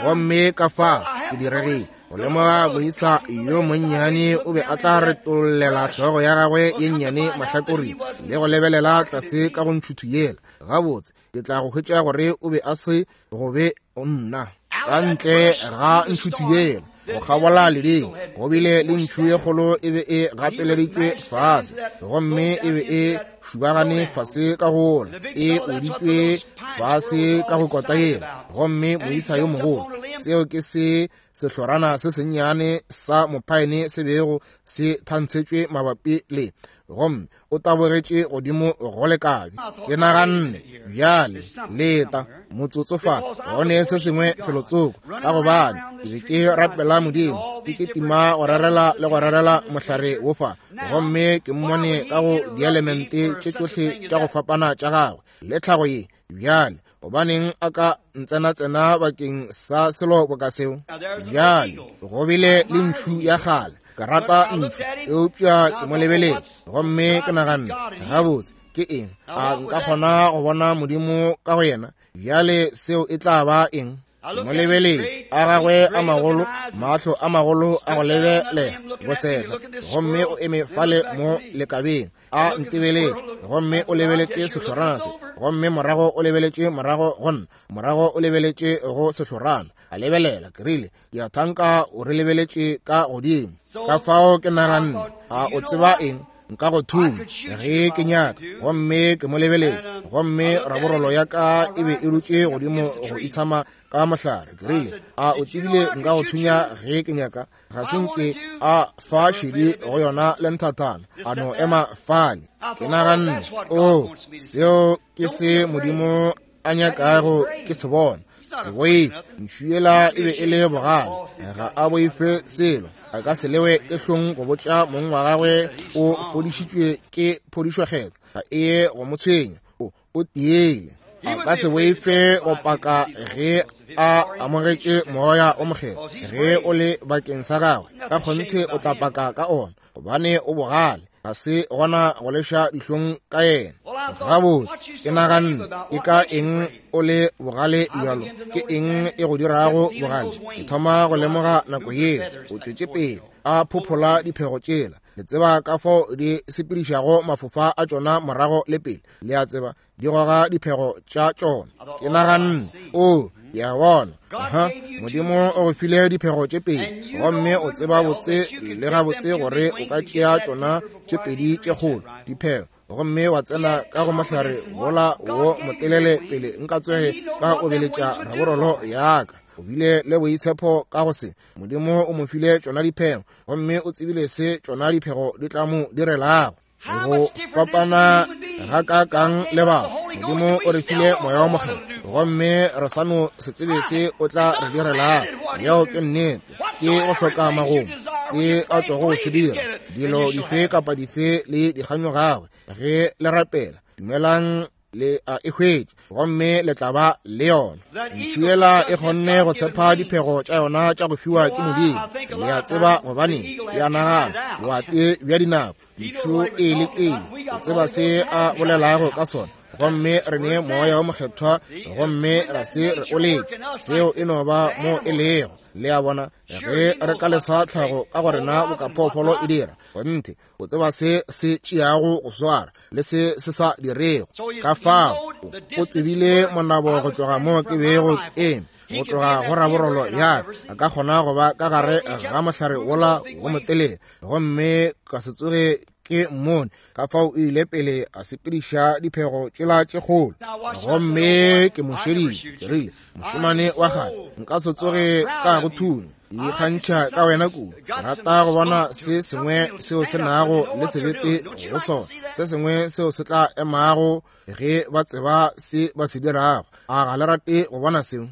Gomme ka fa ke diregile go lemoga moisa yo monnyane o be a tla retollela hlogo ya gagwe ye nnyane mahlakoreng le go lebelela tlase ka go ntšhuthu yela. Gabotse, ke tla go hwetša gore o be a se go be nna ka ntle ga ntšhuthu yela. Go kgabola ledimo go bile le ntšhu ye kgolo e be e gateleditšwe fase, gomme e be e šubagane fase ka gola, e weditšwe fase ka go kota yela. Gomme moisa yo mogolo, seo ke se sehlorana se sennyane sa mophaene se bego se thantshetšwe mabapi le, gomme o tabogetše godimo go lekabi. Ke naganne, bjale leta motsotso fa, go ne se sengwe felotsoko, ka gobane ke be ke rapela Modimo, ke ketima go rerela le go rerela mohlare wo fa, gomme ke mmone ka go dielemente tše tšohle tša go fapana tša gagwe le tlhago ye. Bjale gobaneng a ka ntsenatsena bakeng sa selo boka seo? Bjale go bile le ntšhu ya kgale. Ke rata ntšhu, eupša ke mo lebeletše gomme ke naganne, gabotse, ke eng? A nka kgona go bona Modimo ka go yena? Bjale seo e tla ba eng? Ke mo lebeletše, a gagwe a magolo, mahlo a magolo a go lebelela bosehla, gomme o eme fale mo lekabeng a ntebeletše, gomme o lebeletše sehlorana se, gomme morago o lebeletše morago go nna, morago o lebeletše go sehlorana. A lebelela, ke rile, ke a thanka o re lebeletše ka godimo. Ka fao ke naganne, a o tseba eng? Nka go thunya ge ke nyaka. Gomme ke mo lebeletše, gomme raborolo ya ka e be e dutše godimo go itshama ka mohlare. Ke rile, a o tsebile nka go thunya ge ke nyaka? Ga se nke a fa šedi go yona le nthathana, a no ema fale. Ke naganne, o, seo ke se Modimo a nyakago ke se bona. Se boife. Ntšhu yela e be e le bogale, ga a boife selo. A ka se lewe ke hlong go botša mong wa gagwe o fodišitšwe ke phodišokgetho. Ga e ye go mo tshwenya, o, o tiile. A ka se boife go paka ge a amogetše moya o mokgethwa. Ge o le bakeng sa gagwe, ka kgonthe o tla paka ka ona, gobane o bogale. Ga se gona go leša dihlong ka yena. Gabotse, ke naganne, ke ka eng o le bogale bjalo? Ke eng e go dirago bogale? Ke thoma go lemoga nako yeo o tšwetše pele a phophola diphego tšela. Le tseba ka fao di sepedišago mafofa a tšona morago le pele. Le a tseba, di goga diphego tša tšona. Ke naganne, o, ke a bona. Aha, Modimo o go file diphego tše pedi, gomme o tseba botse le gabotse gore o ka tšea tšona tše pedi tše kgolo diphego, gomme wa tsena ka go mohlare wola wo motelele pele nka tsoge ka obeletša raborolo ya ka. O bile le boitshepo ka go se. Modimo o mo file tšona diphego, gomme o tsebile se tšona diphego di tla mo direlago. Go fapana ga ka kang le batho. Modimo o re file moya wa mokgethwa, gomme re sa no se tsebe se o tla re direlago. Yeo ke nnete. Ke go hloka magomo se a tlogo se dira. Dilo dife kapa dife le dikganyo gagwe. Ge le rapela, dumelang le a e hwetše, gomme le tla ba le yona. Ntšhu yela e kgonne go tshepa diphego tša yona tša go fiwa ke Modimo. Le a tseba gobaneng? Ke a nagana boate bja dinako ntšhu e lekile go tseba se a bolelago ka sona, gomme re ne moya wo mokgethwa, gomme ga se re o leke. Seo e no ba mo e lego. Le a bona, ge re ka lesa tlhago ka go rena boka phoofolo e dira, kgonthe o tseba se se tšeago go swara le se se sa dirego. Ka fao o tsebile monabo go tloga mo ke bego ke eme, go tloga go raborolo ya ka, a ka kgona go ba ka gare ga mohlare wola wo motelele, gomme ka se tsoge ke mmone. Ka fao o ile pele a sepediša diphego tšela tše kgolo, gomme ke mo šeditše. Ke rile, mošemane wa kgale, nka se tsoge ka go thunya. Ikgantšha ka wena kudu. Rata go bona se sengwe seo se nago le sebete go sona, se sengwe seo se tla emago ge ba tseba se ba se dirago. A ga le rate go bona seo?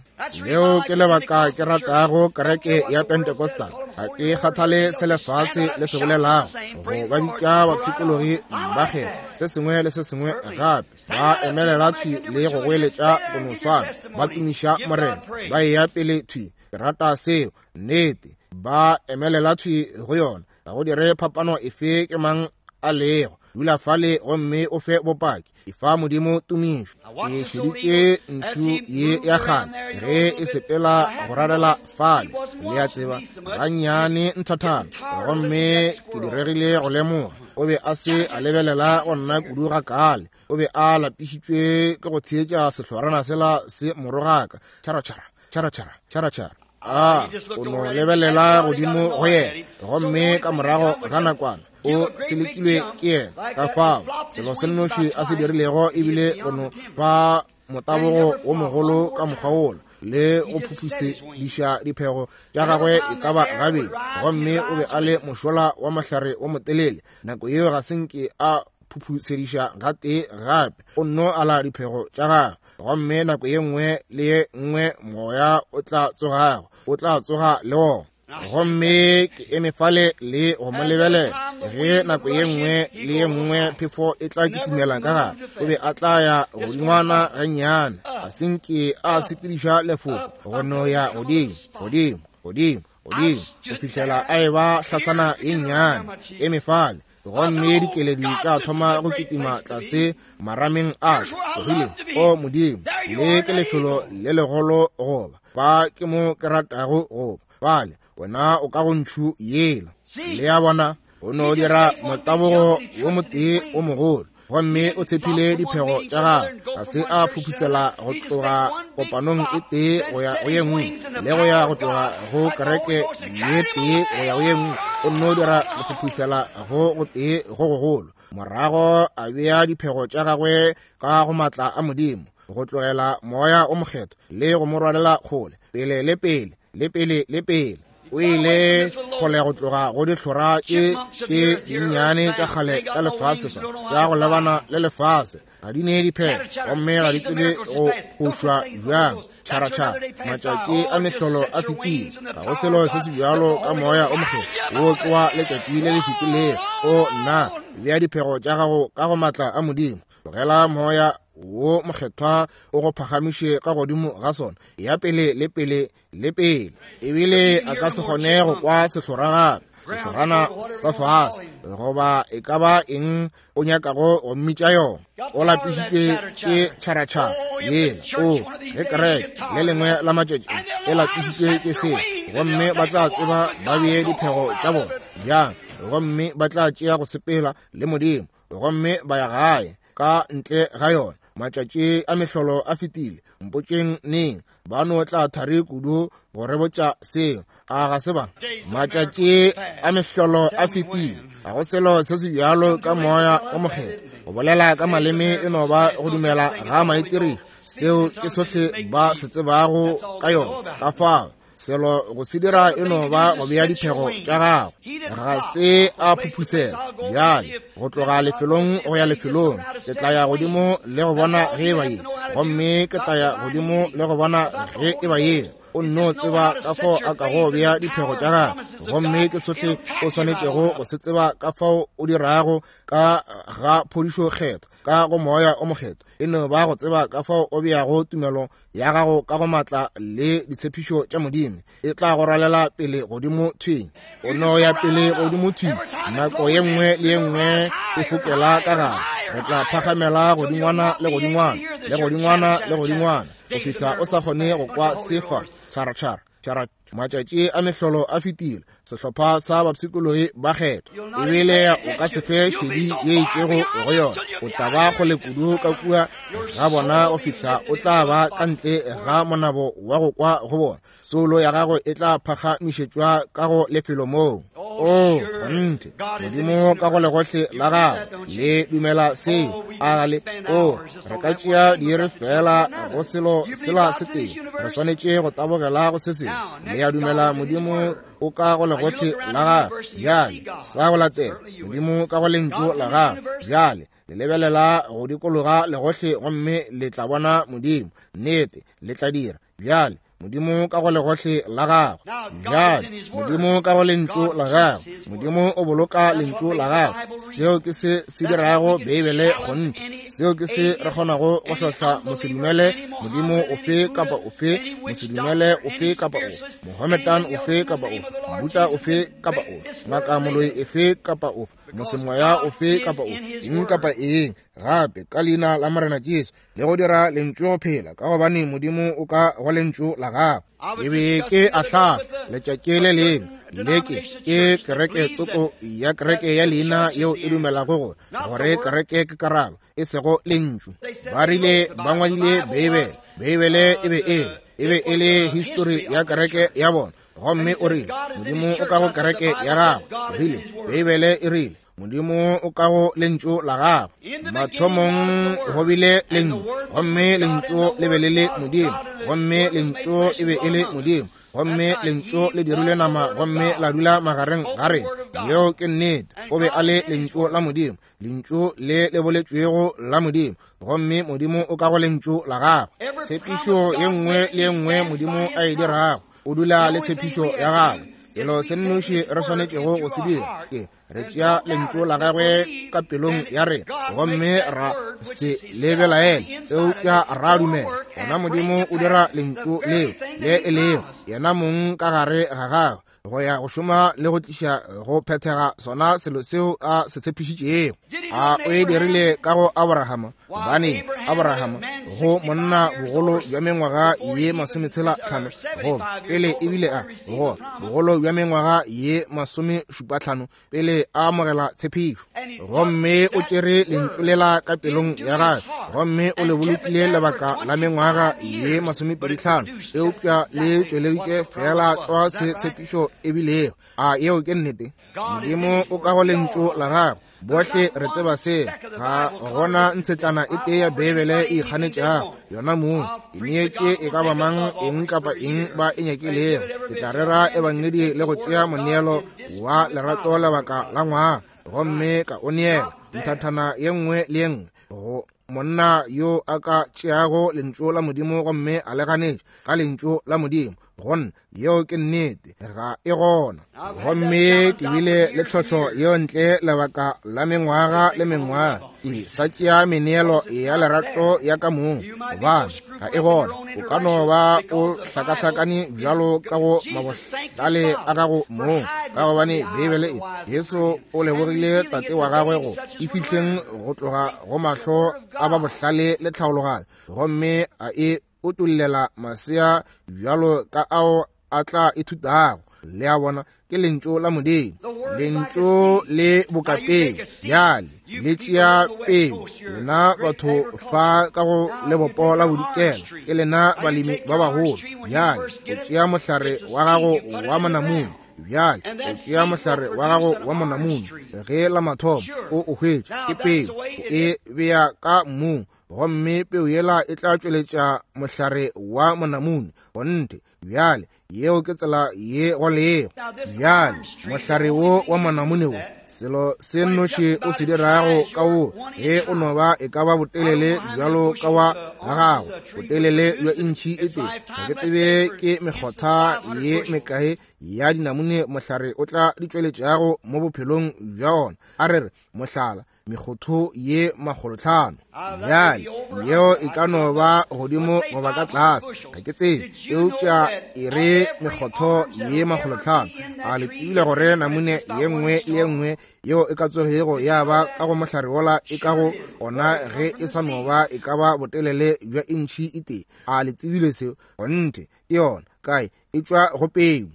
Leo ke lebaka ke ratago kereke ya Pentecostal. Ga ke kgathale se lefase le se bolelago, go ba bitša bapshikologi ba kgetho, se sengwe le se sengwe gape. Ba emelela thwi le go goeletša go no swana, ba tumiša Morena, ba eya pele thwi. Ke rata seo, nnete. Ba emelela thwi go yona. Ga go dire phapano efe ke mang a lego. Dula fale gomme o fe bopaki. Efa Modimo tumišo. Ke šeditše ntšhu ye ya kgale ge e sepela go rarela fale, le a tseba, gannyane nthathana, gomme ke diregile go lemoga o be a se a lebelela go nna kudu ga kale. O be a lapišitšwe ke go theetša sehlorana sela se morogaka, tšharatšhara tšharatšhara tšharatšhara. A o no lebelela godimo go yena, gomme ka morago ga nakwana o selekilwe ke yena. Ka fao selo se nnoši a se dirilego ebile go no ba motabogo wo mogolo ka mokgwa wola le go phuphušediša diphego tša gagwe e ka ba gabedi, gomme o be a le mošola wa mahlare wo motelele. Nako yeo ga se nke a phuphušediša gatee gape, o nno ala diphego tša gagwe, gomme nako ye nngwe le ye nngwe moya o tla tsogago, o tla tsoga le wona. Gomme ke eme fale le go mo lebelela ge nako ye nngwe le ye nngwe phefo e tla kitimela ka gare, o be a tla ya godingwana gannyane, a se nke a sepediša lefoko go no ya godimo godimo godimo godimo go fihlela a eba hlasana ye nnyane. Eme fale, gomme dikeledi tša thoma go kitima tlase marameng a ka. Ke rile, o Modimo, le ke lefelo le legolo goba fa ke mo ke ratago goba fale, wena o ka go ntšhu yela. Le a bona, o no dira motabogo wo motee o mogolo, gomme o tshepile diphego tša gagwe. Ga se a phuphusela go tloga kopanong e tee go ya go ye nngwe, le go ya go tloga go kereke ye tee go ya go ye nngwe. O nno dira go phuphusela go go tee go gogolo, morago a bea diphego tša gagwe ka go matla a Modimo, go tlogela moya o mokgethwa le go mo rwalela kgole, pele le pele le pele le pele. O ile kgole go tloga go dihlora tše tše dinnyane tša kgale tša lefase fa, tša go lebana le lefase. Ga di ne diphego, gomme ga di tsebe go fošwa bjang. Tšharatšhara, matšatši a mehlolo a fetile. Ga go selo se se bjalo ka moya o mokgethwa wo ke wa letšatši le le fetilego. O nna, bea diphego tša gago ka go matla a Modimo. Tlogela moya wo mokgethwa o go phagamiše ka godimo ga sona, ya pele le pele le pele. Ebile a ka se kgone go kwa sehlora gape, sehlorana sa fase, goba e ka ba eng o nyakago go mmitša yona. O lapišitšwe ke tšharatšhara yela. O ge kereke le lengwe la matšatši e lapišitšwe ke seo, gomme ba tla tseba ba bee diphego tša bona bjang, gomme ba tla tšea go sepela le Modimo, gomme ba ya gae ka ntle ga yona. Matšatši a mehlolo a fetile. Mpotšeng neng ba no tla thari kudu go re botša seo. A ga se ba? Matšatši a mehlolo a fetile. Ga go selo se se bjalo ka moya o mokgethwa. Go bolela ka maleme e no ba go dumela ga maitirišo. Seo ke sohle ba se tsebago ka yona. Ka fao selo go se dira e no ba go bea diphego tša gago. Ga se a phuphusela bjale go tloga lefelong go ya lefelong. Ke tla ya godimo le go bona ge e ba ye, gomme ke tla ya godimo le go bona ge e ba ye. O nno tseba ka fao a kago bea diphego tša gagwe, gomme ke sohle o swanetšego go se tseba ka fao o dirago ka ga phodišo kgetho ka go moya o mokgethwa. E no ba go tseba ka fao o beago tumelo ya gago ka go matla le ditshepišo tša Modimo. E tla go rwalela pele godimo thwi. O no ya pele godimo thwi. Nako ye nngwe le ye nngwe e fokela ka gare. Re tla phagamela godingwana le godingwana le godingwana le godingwana go fihla o sa kgone go kwa sefa tšharatšhara tšhara. Matšatši a mehlolo a fetile. Sehlopha sa bapshikologi ba kgethwa, ebile o ka se fe šedi ye itšego go yona. O tla ba kgole kudu ka kua ga bona go fihla o tla ba ka ntle ga monabo wa go kwa go bona. Soulo ya gago e tla phagamišetšwa ka go lefelo moo. O, kgonthe, Modimo ka go legohle la gago. Le dumela seo? A le? O, re ka tšea diiri fela go selo sela se tee. Re swanetše go tabogela go se sengwe. Le a dumela Modimo o ka go legohle la gago? Bjale, sa go latela, Modimo ka go lentšu la gago. Bjale, le lebelela go dikologa legohle gomme le tla bona Modimo. Nnete, le tla dira. Bjale, Modimo ka go legohle la gago. Bjale, Modimo ka go lentšu la gago. Modimo o boloka lentšu la gago. Seo ke se se dirago Beibele kgonthe. Seo ke se re kgonago go hlohla mosedumele Modimo ofe kapa ofe, mosedumele ofe kapa ofe, Mohometan ofe kapa ofe, Buddha ofe kapa ofe, ngaka moloi efe kapa ofe, mosemoya ofe kapa ofe, eng kapa eng gape ka leina la Morena Jesu, le go dira lentšu go phela, ka gobane Modimo o ka go lentšu la gago. E be ke ahlahla letšatši le lengwe leke ke kereke tsoko ya kereke ya leina yeo e dumelago gore gore kereke ke karabo, e sego lentšu. Ba rile ba ngwadile Beibele. Beibele e be e e be e le histori ya kereke ya bona. Gomme o rile Modimo o ka go kereke ya gago. Ke rile Beibele e rile Modimo o ka go lentšu la gago. Mathomong go bile lentšu, gomme lentšu le be le le Modimo, gomme lentšu e be e le Modimo, gomme lentšu le dirile nama gomme la dula magareng ga rena. Yeo ke nnete. O be a le lentšu la Modimo, lentšu le le boletšwego la Modimo, gomme Modimo o ka go lentšu la gago. Tshepišo ye nngwe le ye nngwe Modimo a e dirago, o dula le tshepišo ya gagwe. Selo se nnoši re swanetšego go se dira ke re tšea lentšu la gagwe ka pelong ya rena gomme ra se lebelaele, eupša ra dumela. Gona Modimo o dira lentšu leo le e lego yena mong ka gare ga gagwe go ya go šoma le go tliša go phethega sona selo seo a se tshepišitšego. A o e dirile ka go Abrahama? Gobane Abrahama go monna bogolo bja mengwaga ye masometshela tlhano, goba pele ebile a go bogolo bja mengwaga ye masomešupa tlhano pele a amogela tshepišo, gomme o tšere lentšu lela ka pelong ya gagwe gomme o le bolokile lebaka la mengwaga ye masomepedi tlhano, eupša le tšweleditše fela tlwa se tshepišo ebilego. A yeo ke nnete? Modimo o ka go lentšu la gagwe. Bohle re tseba se. Ga gona ntshetlana e tee ya Beibele e ikganetšago yona mong. E neetše e ka ba mang eng kapa eng ba e nyakilego. Ke tla rera ebangedi le go tšea moneelo wa lerato lebaka la ngwaga, gomme ka o neela nthathana ye nngwe le ye nngwe go monna yo a ka tšeago lentšu la Modimo gomme a le ganetša ka lentšu la Modimo. Gonna yeo ke nnete, ga e gona. Gomme ke bile le tlhohlo yeo ntle lebaka la mengwaga le mengwaga, ke sa tšea meneelo ya lerato ya ka mong, gobane ga e gona. O ka no ba o hlakahlakane bjalo ka go mabohlale a gago mong, ka gobane Beibele e Jesu o lebogile Tate wa gagwe go e fihleng go tloga go mahlo a ba bohlale le tlhaologanyo, gomme a e utollela masea bjalo ka ao a tla ithutago. Le a bona, ke lentšu la Modimo, lentšu le bokapeo. Bjale le tšea peo. Lena batho fa ka go lebopo la bodikela, ke lena balemi ba bagolo. Bjale o tšea mohlare wa gago wa monamune. Bjale o tšea mohlare wa gago wa monamune, ge la mathomo o o hwetša ke peo, o e bea ka mmung, gomme peo yela e tla tšweletša mohlare wa monamune. Kgonthe. Bjale yeo ke tsela ye go lego. Bjale mohlare wo wa monamune wo, selo se nnoši o se dirago ka wo, ge o no ba e ka ba botelele bjalo ka wa ga gago, botelele bja intšhi e tee, ga ke tsebe ke mekgotha ye mekae ya dinamune mohlare o tla di tšweletšago mo bophelong bja ona. A re re mohlala, mekgotho ye makgolotlhano. Bjale yeo e ka no ba godimo goba ka tlase, ga ke tsebe, eupša e re mekgotho ye makgolotlhano. A le tsebile gore namune ye nngwe le ye nngwe yeo e ka tsogego ya ba ka go mohlare wola e ka go ona ge e sa no ba e ka ba botelele bja intšhi e tee? A le tsebile seo? Kgonthe, ke yona kae e tšwa go peu.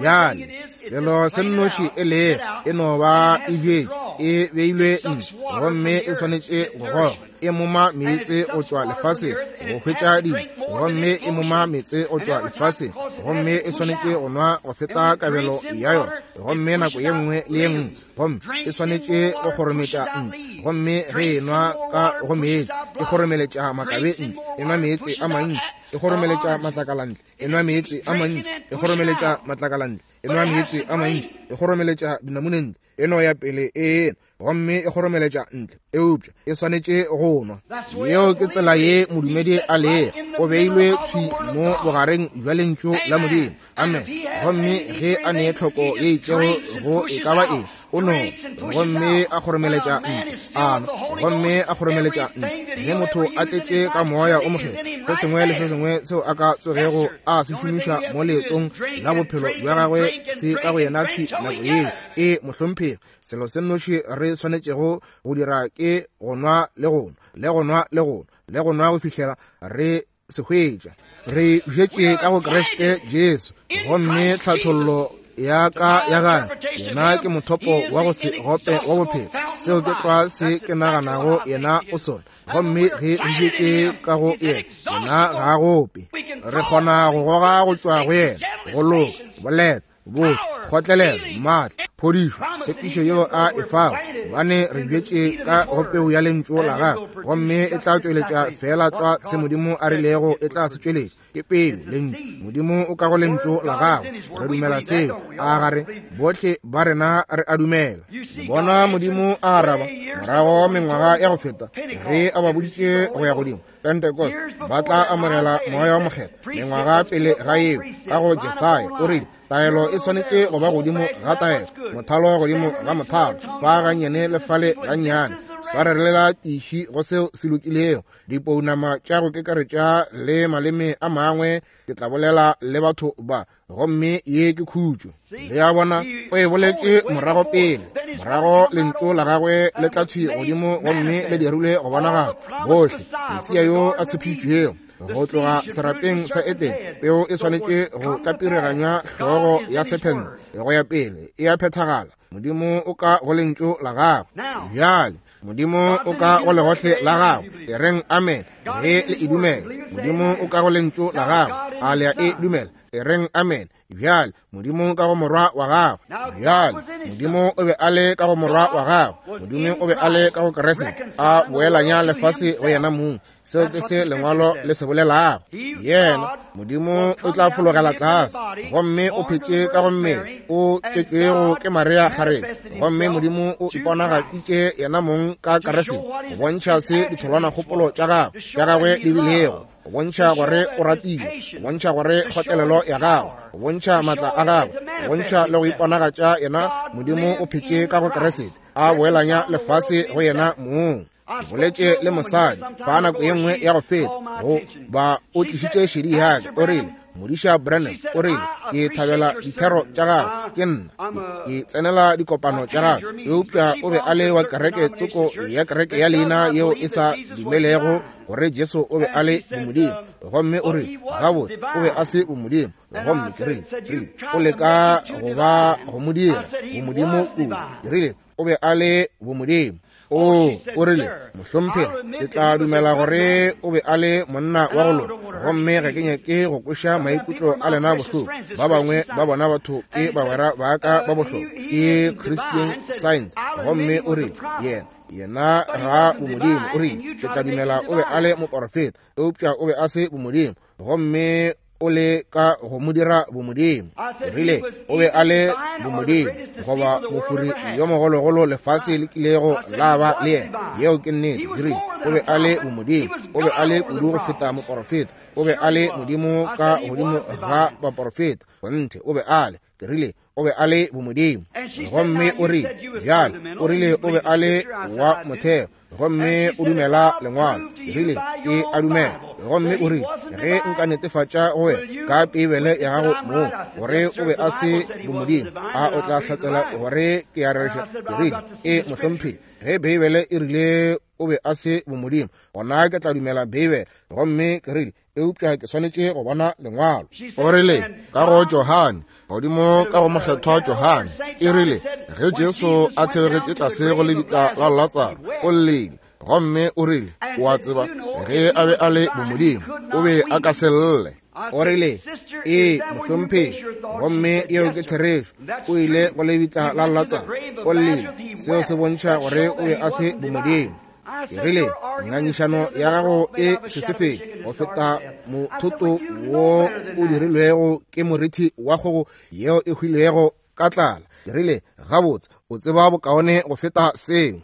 Bjale selo se nnoši e lego e no ba e bjetše, e beilwe ntle, gomme e swanetše go goga. E moma meetse go tšwa lefaseng go hwetša dijo, gomme e moma meetse go tšwa lefaseng, gomme e swanetše go nwa go feta kabelo ya yona, gomme nako ye nngwe le ye nngwe, gomme e swanetše go kgorometša ntle, gomme ge e nwa ka go meetse e kgoromeletša makabe ntle, e nwa meetse a mantši, e kgoromeletša matlakala ntle, e nwa meetse a mantši, e kgoromeletša matlakala ntle, e nwa meetse a mantši, e kgoromeletša dinamune ntle, e no ya pele e gomme e kgoromeletša ntle, eupša e swanetše go nwa. Yeo ke tsela ye modumedi a lego, o beilwe thwi mo bogareng bja lentšu la Modimo. Amen. Gomme ge a ne tlhoko ye itšego go e ka ba eng, o no gomme a kgoromeletša ntle, a nwa gomme a kgoromeletša ntle. Ge motho a tletše ka moya o mokgethwa, se sengwe le se sengwe seo a ka tsogego a se šomiša mo leetong la bophelo bja gagwe se ka go yena thwi nako yeo. E mohlomphegi, selo se nnoši re swanetšego go dira ke go nwa le go nwa le go nwa le go nwa le go nwa go fihlela re se hwetša. Re bjetše ka go Kriste Jesu, gomme tlhathollo ya ka ya gagwe yena ke mothopo wa go se gope wa bophelo. Seo ke tlwa se ke naganago yena o sona, gomme ge re bjetše ka go yena, yena ga a gope. Re kgona go goga go tšwa go yena, go loka, boleta, botho, kgotlelelo, maatla, phodišo, tshepišo yeo a e fago, gobane re bjetše ka go peu ya lentšu la gagwe, gomme e tla tšweletša feela tlwa se Modimo a rilego e tla se tšweletša. Ke peu, lentšu. Modimo o ka go lentšu la gagwe. Re dumela seo, a gare bohle ba rena re a dumela. Bona Modimo a araba morago mengwaga ya go feta ge a ba boditše go ya godimo Pentecost, ba tla amogela moya wa mokgethwa. Mengwaga pele ga yeo, ka go Jesaya o rile taelo e swanetše go ba godimo ga taelo, mothalo godimo ga mothalo, fa gannyane le fale gannyane, swarelela tiši go seo se lokilego. Dipounama tša go kekaretša le maleme a mangwe ke tla bolela le batho ba, gomme ye ke khutšo. Le a bona, o e boletše morago pele, morago lentšu la gagwe le tla thwi godimo gomme le dirilwe go bonagala bohle. Mesia yo a tshepišitšwego go tloga serapeng sa Edene, peo e swanetše go tlapireganya hlogo ya sephente go ya pele, e a phethagala. Modimo o ka go lentšu la gagwe. Bjale Modimo o ka go legohle la gagwe. E reng amen ge le e dumela. Modimo o ka go lentšu la gagwe. A le a e dumela? E reng amen. Bjale Modimo ka go morwa wa gagwe. Bjale Modimo o be a le ka go morwa wa gagwe. Modimo o be a le ka go Kriste, a boelanya lefase go yena mong. Seo ke se lengwalo le se bolelago. Yena Modimo o tla fologela tlase, gomme o phetše ka go mmele o tšetšwego ke Maria kgarebe, gomme Modimo o iponagaditše yena mong ka Kriste go bontšha se ditholwanakgopolo tša gagwe tša gagwe di bilego, go bontšha gore o ratile, go bontšha gore kgotlelelo ya gagwe, go bontšha maatla a gagwe, go bontšha le go iponagatša yena. Modimo o phetše ka go Kriste, a boelanya lefase go yena mong. Ke boletše le mosadi fa nako ye nngwe ya go feta, go ba o tlišitše šedi ya ka, o rile, Modiša Branham, o rile, ke thabela dithero tša gago, ke nna ke tsenela dikopano tša gago. Eupša o be a le wa kereke tsoko ya kereke ya leina yeo e sa dumelego gore Jesu o be a le bomodimo, gomme o rile, gabotse o be a se bomodimo. Gomme ke rile, rile o leka go ba go mo dira bomodimo kudu. Ke rile o be a le bomodimo. O, o rile, mohlomphegi, ke tla dumela gore o be a le monna wa go loka, gomme ga ke nyake go kweša maikutlo a lena bohloko. Ba bangwe ba bona batho ke bagwera ba ka ba bohlokwa, ke Christian Science. Gomme o rile, yena yena ga bomodimo. O rile, ke tla dumela o be a le moporofeta, eupša o be a se bomodimo, gomme o le ka go mo dira bomodimo. Ke rile o be a le bomodimo, goba mofuri yo mogologolo lefase le kilego la ba le yena. Yeo ke nnete. Ke rile o be a le bomodimo, o be a le kudu go feta moporofeta, o be a le modimo ka godimo ga baporofeta. Kgonthe o be a le. Ke rile o be a le bomodimo. Gomme o rile, bjale o rile o be a le wa motheo, gomme o dumela lengwalo. Ke rile ke a dumela. Gomme o rile, ge nka netefatša go wena ka Beibele ya gago mo gore o be a se bomodimo, a o tla hlatsela gore ke a rereša? Ke rile, e mohlomphegi, ge Beibele e rile o be a se bomodimo, gona ke tla dumela Beibele. Gomme ke rile, eupša ke swanetše go bona lengwalo. O rile ka go Johane, godimo ka go mokgethwa Johane, e rile ge Jesu a theogetše tlase go lebitla la Latsaro, o llile. Gomme o rile, o a tseba, ge a be a le bomodimo, o be a ka se lle. O rile, ee, mohlomphegi, gomme yeo ke therešo. O ile go lebitla la Latsaro, o llile. Seo se bontšha gore o be a se bomodimo. Ke rile, ngangišano ya gago e sesefetše go feta mothoto wo o dirilwego ke morithi wa kgogo yeo e hwilego ka tlala. Ke rile, gabotse, o tseba bokaone go feta seo.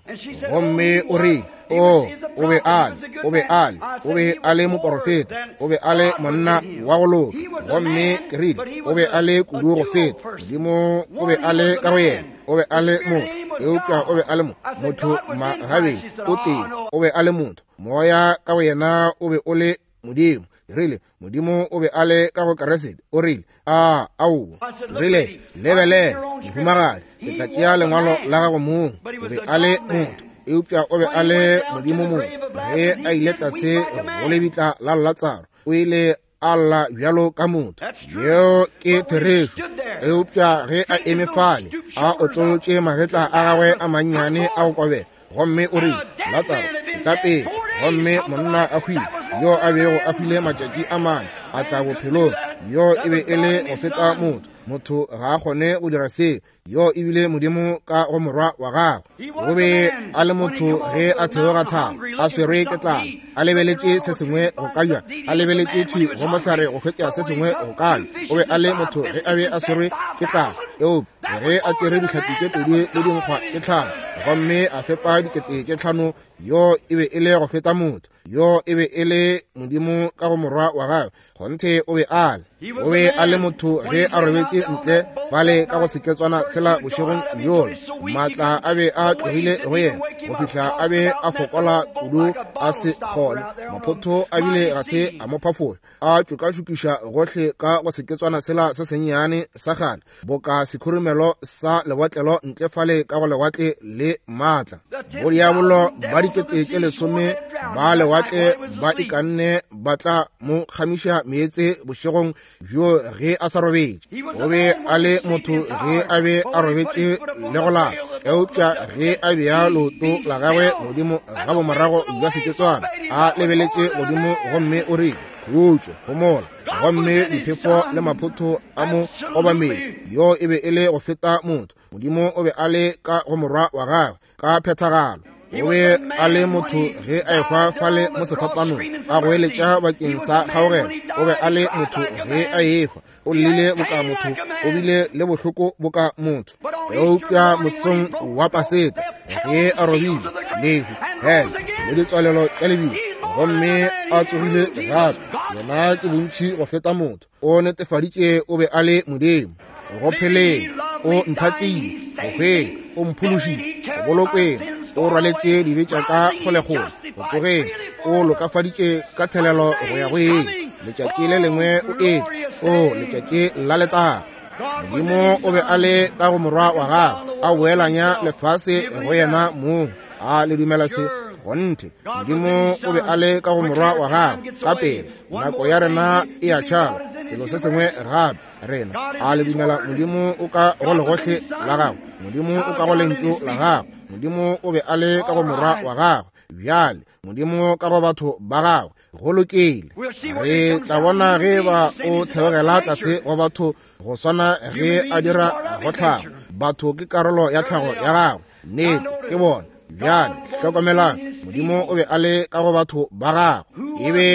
Gomme o rile, o, o be a le, o be a le, o be a le moporofeta, o be a le monna wa go loka. Gomme ke rile, o be a le kudu go feta. Modimo o be a le ka go yena, o be a le motho, eupša o be a le mo, motho magabedi o tee, o be a le motho. Moya ka go yena o be o le Modimo. Ke rile, Modimo o be a le ka go Kriste. O rile, a, aowa. Ke rile, lebelela, mohumagadi, ke tla tšea lengwalo la gago mong. O be a le motho, eupša o be a le Modimo mong. Ge a ile tlase go lebitla la Latsaro, o ile a lla bjalo ka motho. Yeo ke therešo. Eupša ge a eme fale, a otlolotše magetla a gagwe a mannyane a go kobela, gomme o rile, Latsaro, etla pele. Gomme monna a hwile, yo a bego a hwile matšatši a mane, a tla bophelong. Yo e be e le go feta motho. Motho ga a kgone go dira seo. Yo e bile Modimo ka go morwa wa gagwe. O be a le motho ge a theoga thaba, a swerwe ke tlala, a lebeletše se sengwe go ka ja, a lebeletše thwi go mohlare go hwetša se sengwe go ka ja. O be a le motho ge a be a swerwe ke tlala, eupša ge a tšere dihlapi tše pedi le dinkgwa tše tlhano gomme a fepa dikete tše tlhano, yo e be e le go feta motho. Yo e be e le Modimo ka go morwa wa gagwe. Kgonthe o be a le. O be a le motho ge a robetše ntle fale ka go seketswana sela bošegong bjola. Maatla a be a tlogile go yena go fihla a be a fokola kudu a se kgone. Maphotho a bile ga se a mo phafola, a tšokatšokiša gohle ka go seketswana sela se sennyane sa kgale, boka sekhurumelo sa lebotlelo ntle fale ka go lewatle le maatla. Bodiabolo ba dikete tše lesome ba lewatle ba ikanne ba tla mo kgamiša meetse bošegong bjo ge a sa robetše. O be a le motho ge a be a robetše le go lala, eupša ge a bea leoto la gagwe godimo ga bomorago bja seketswana, a lebeletše godimo gomme o rile, khutšo, homola. Gomme diphefo le maphotho a mo obamele. Yo e be e le go feta motho. Modimo o be a le ka go morwa wa gagwe ka phethagalo. O be a le motho ge a ehwa fale mo sefapanong, a goeletša bakeng sa kgaogelo. O be a le motho ge a ehwa, o llile boka motho, o bile le bohloko boka motho. Eupša mosong wa Paseka ge a robile lehu, hele le ditswalelo tša lebila, gomme a tsogile gape, yena ke bontši go feta motho. O netefaditše o be a le Modimo. Go pheleng o nthatile, go hweng o mphološitše, go bolokweng o rwaletše dibe tša ka kgolegong, go tsogeng o lokafaditše ka thelelo go ya go eng. Letšatši le lengwe o etla, o letšatši la letago. Modimo o be a le ka go morwa wa gagwe, a boelanya lefase go yena mong. A le dumela se? Kgonthe, Modimo o be a le ka go morwa wa gagwe. Ka pele nako ya rena e a tšhaba. Selo se sengwe gape rena. A le dumela Modimo o ka go legohle la gagwe? Modimo o ka go lentšu la gagwe. Modimo o be a le ka go morwa wa gagwe. Bjale Modimo ka go batho ba gagwe. Go lokile. Re tla bona ge ba o theogela tlase go batho go swana ge a dira go tlhago. Batho ke karolo ya tlhago ya gagwe. Nnete ke bona. Bjale hlokomelang, Modimo o be a le ka go batho ba gagwe. E be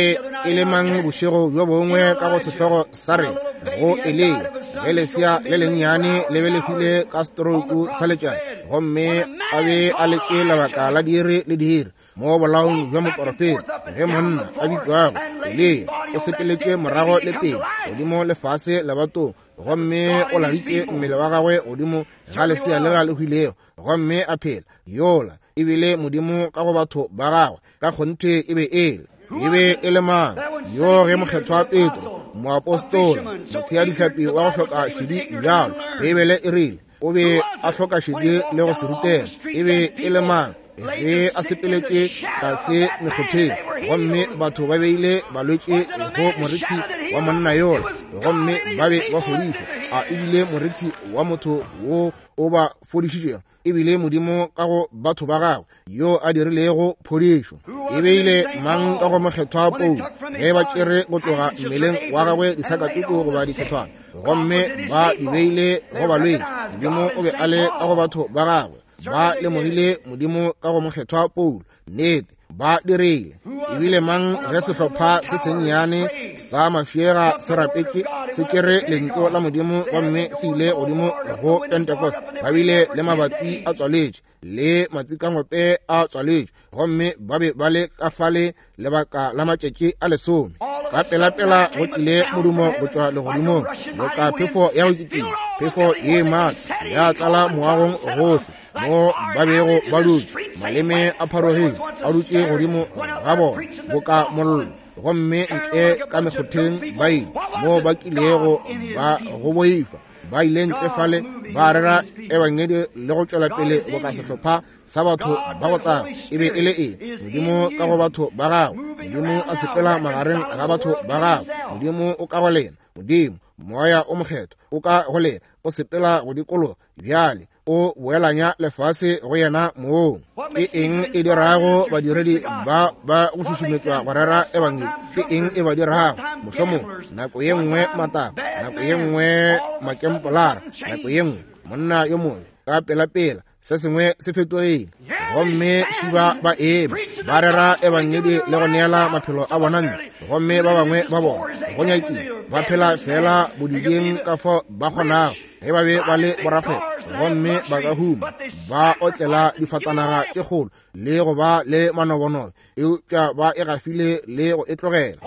e le mang bošego bjo bongwe ka go sehlogo sa rena go Eliya, ge lesea le lennyane le be le hwile ka stroke sa letšatši, gomme a be a letše lebaka la diiri le diiri mo bolaong bja moporofeta, ge monna a bitšwago Eliya o sepeletše morago le pele godimo lefase lebatong, gomme o laditše mmele wa gagwe godimo ga lesea lela le hwilego, gomme a phela. Yola e bile Modimo ka go batho ba gagwe. Ka kgonthe e be e le. E be e le mang yo ge mokgethwa Petro, moapostola, mothea dihlapi wa go hloka šedi bjalo, Beibele e rile o be a hloka šedi le go se rutega. E be e le mang Ge a sepeletše tlase mekgotheng, gomme batho ba beile balwetši go morithi wa monna yola, gomme ba be ba fodišwa. A ebile morithi wa motho wo o ba fodišitšego, ebile Modimo ka go batho ba gagwe yo a dirilego phodišo. E beile mang ka go mokgethwa Paulo ge ba tšere go tloga mmeleng wa gagwe disakatuku goba dithethwana, gomme ba di beile go balwetši. Modimo o be a le ka go batho ba gagwe. Ba lemogile Modimo ka go mokgethwa Paulo. Nnete, ba dirile. Ebile mang ge sehlopha se sennyane sa mafšega se rapetše, se tšere lentšu la Modimo gomme se ile godimo go Pentecost, ba bile le mabati a tswaletše le matsikangope a tswaletše, gomme ba be ba le ka fale lebaka la matšatši a lesome. Ka pelapela go tlile modumo go tšwa legodimong boka phefo ya go kitima, phefo ye maatla ya tlala moagong gohle mo ba bego ba dutše. Maleme a pharogile a dutše godimo ga bona boka mollo, gomme ntle ka mekgotheng ba ile mo ba kilego ba go boifa. Ba ile ntle fale ba rera ebangedi le go tšwela pele boka sehlopha sa batho ba go tag. E be e le eng? Modimo ka go batho ba gagwe. Modimo a sepela magareng ga batho ba gagwe. Modimo o ka go lena. Modimo Moya o Mokgethwa o ka go lena, o sepela go dikologa bjale, o boelanya lefase go yena mong. Ke eng e dirago badiredi ba ba go šušumetšwa go rera ebangedi? Ke eng e ba dirago? Mohlomong nako ye nngwe mataba, nako ye nngwe makempolara, nako ye nngwe monna yo mongwe ka pelapela se sengwe se fetogile, gomme šiba ba eme ba rera ebangedi le go neela maphelo a bona ntle, gomme ba bangwe ba bona go nyakile ba phela fela bodibeng ka fao ba kgonago ge ba be ba le borakgwebo, gomme ba ka huma ba otlela difatanaga tše kgolo le go ba le manobonobo, eupša ba e gafile le go e tlogela.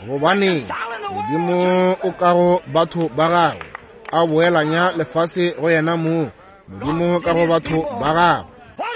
Gobane Modimo o ka go batho ba gagwe a boelanya lefase go yena mong. Modimo ka go batho ba gagwe.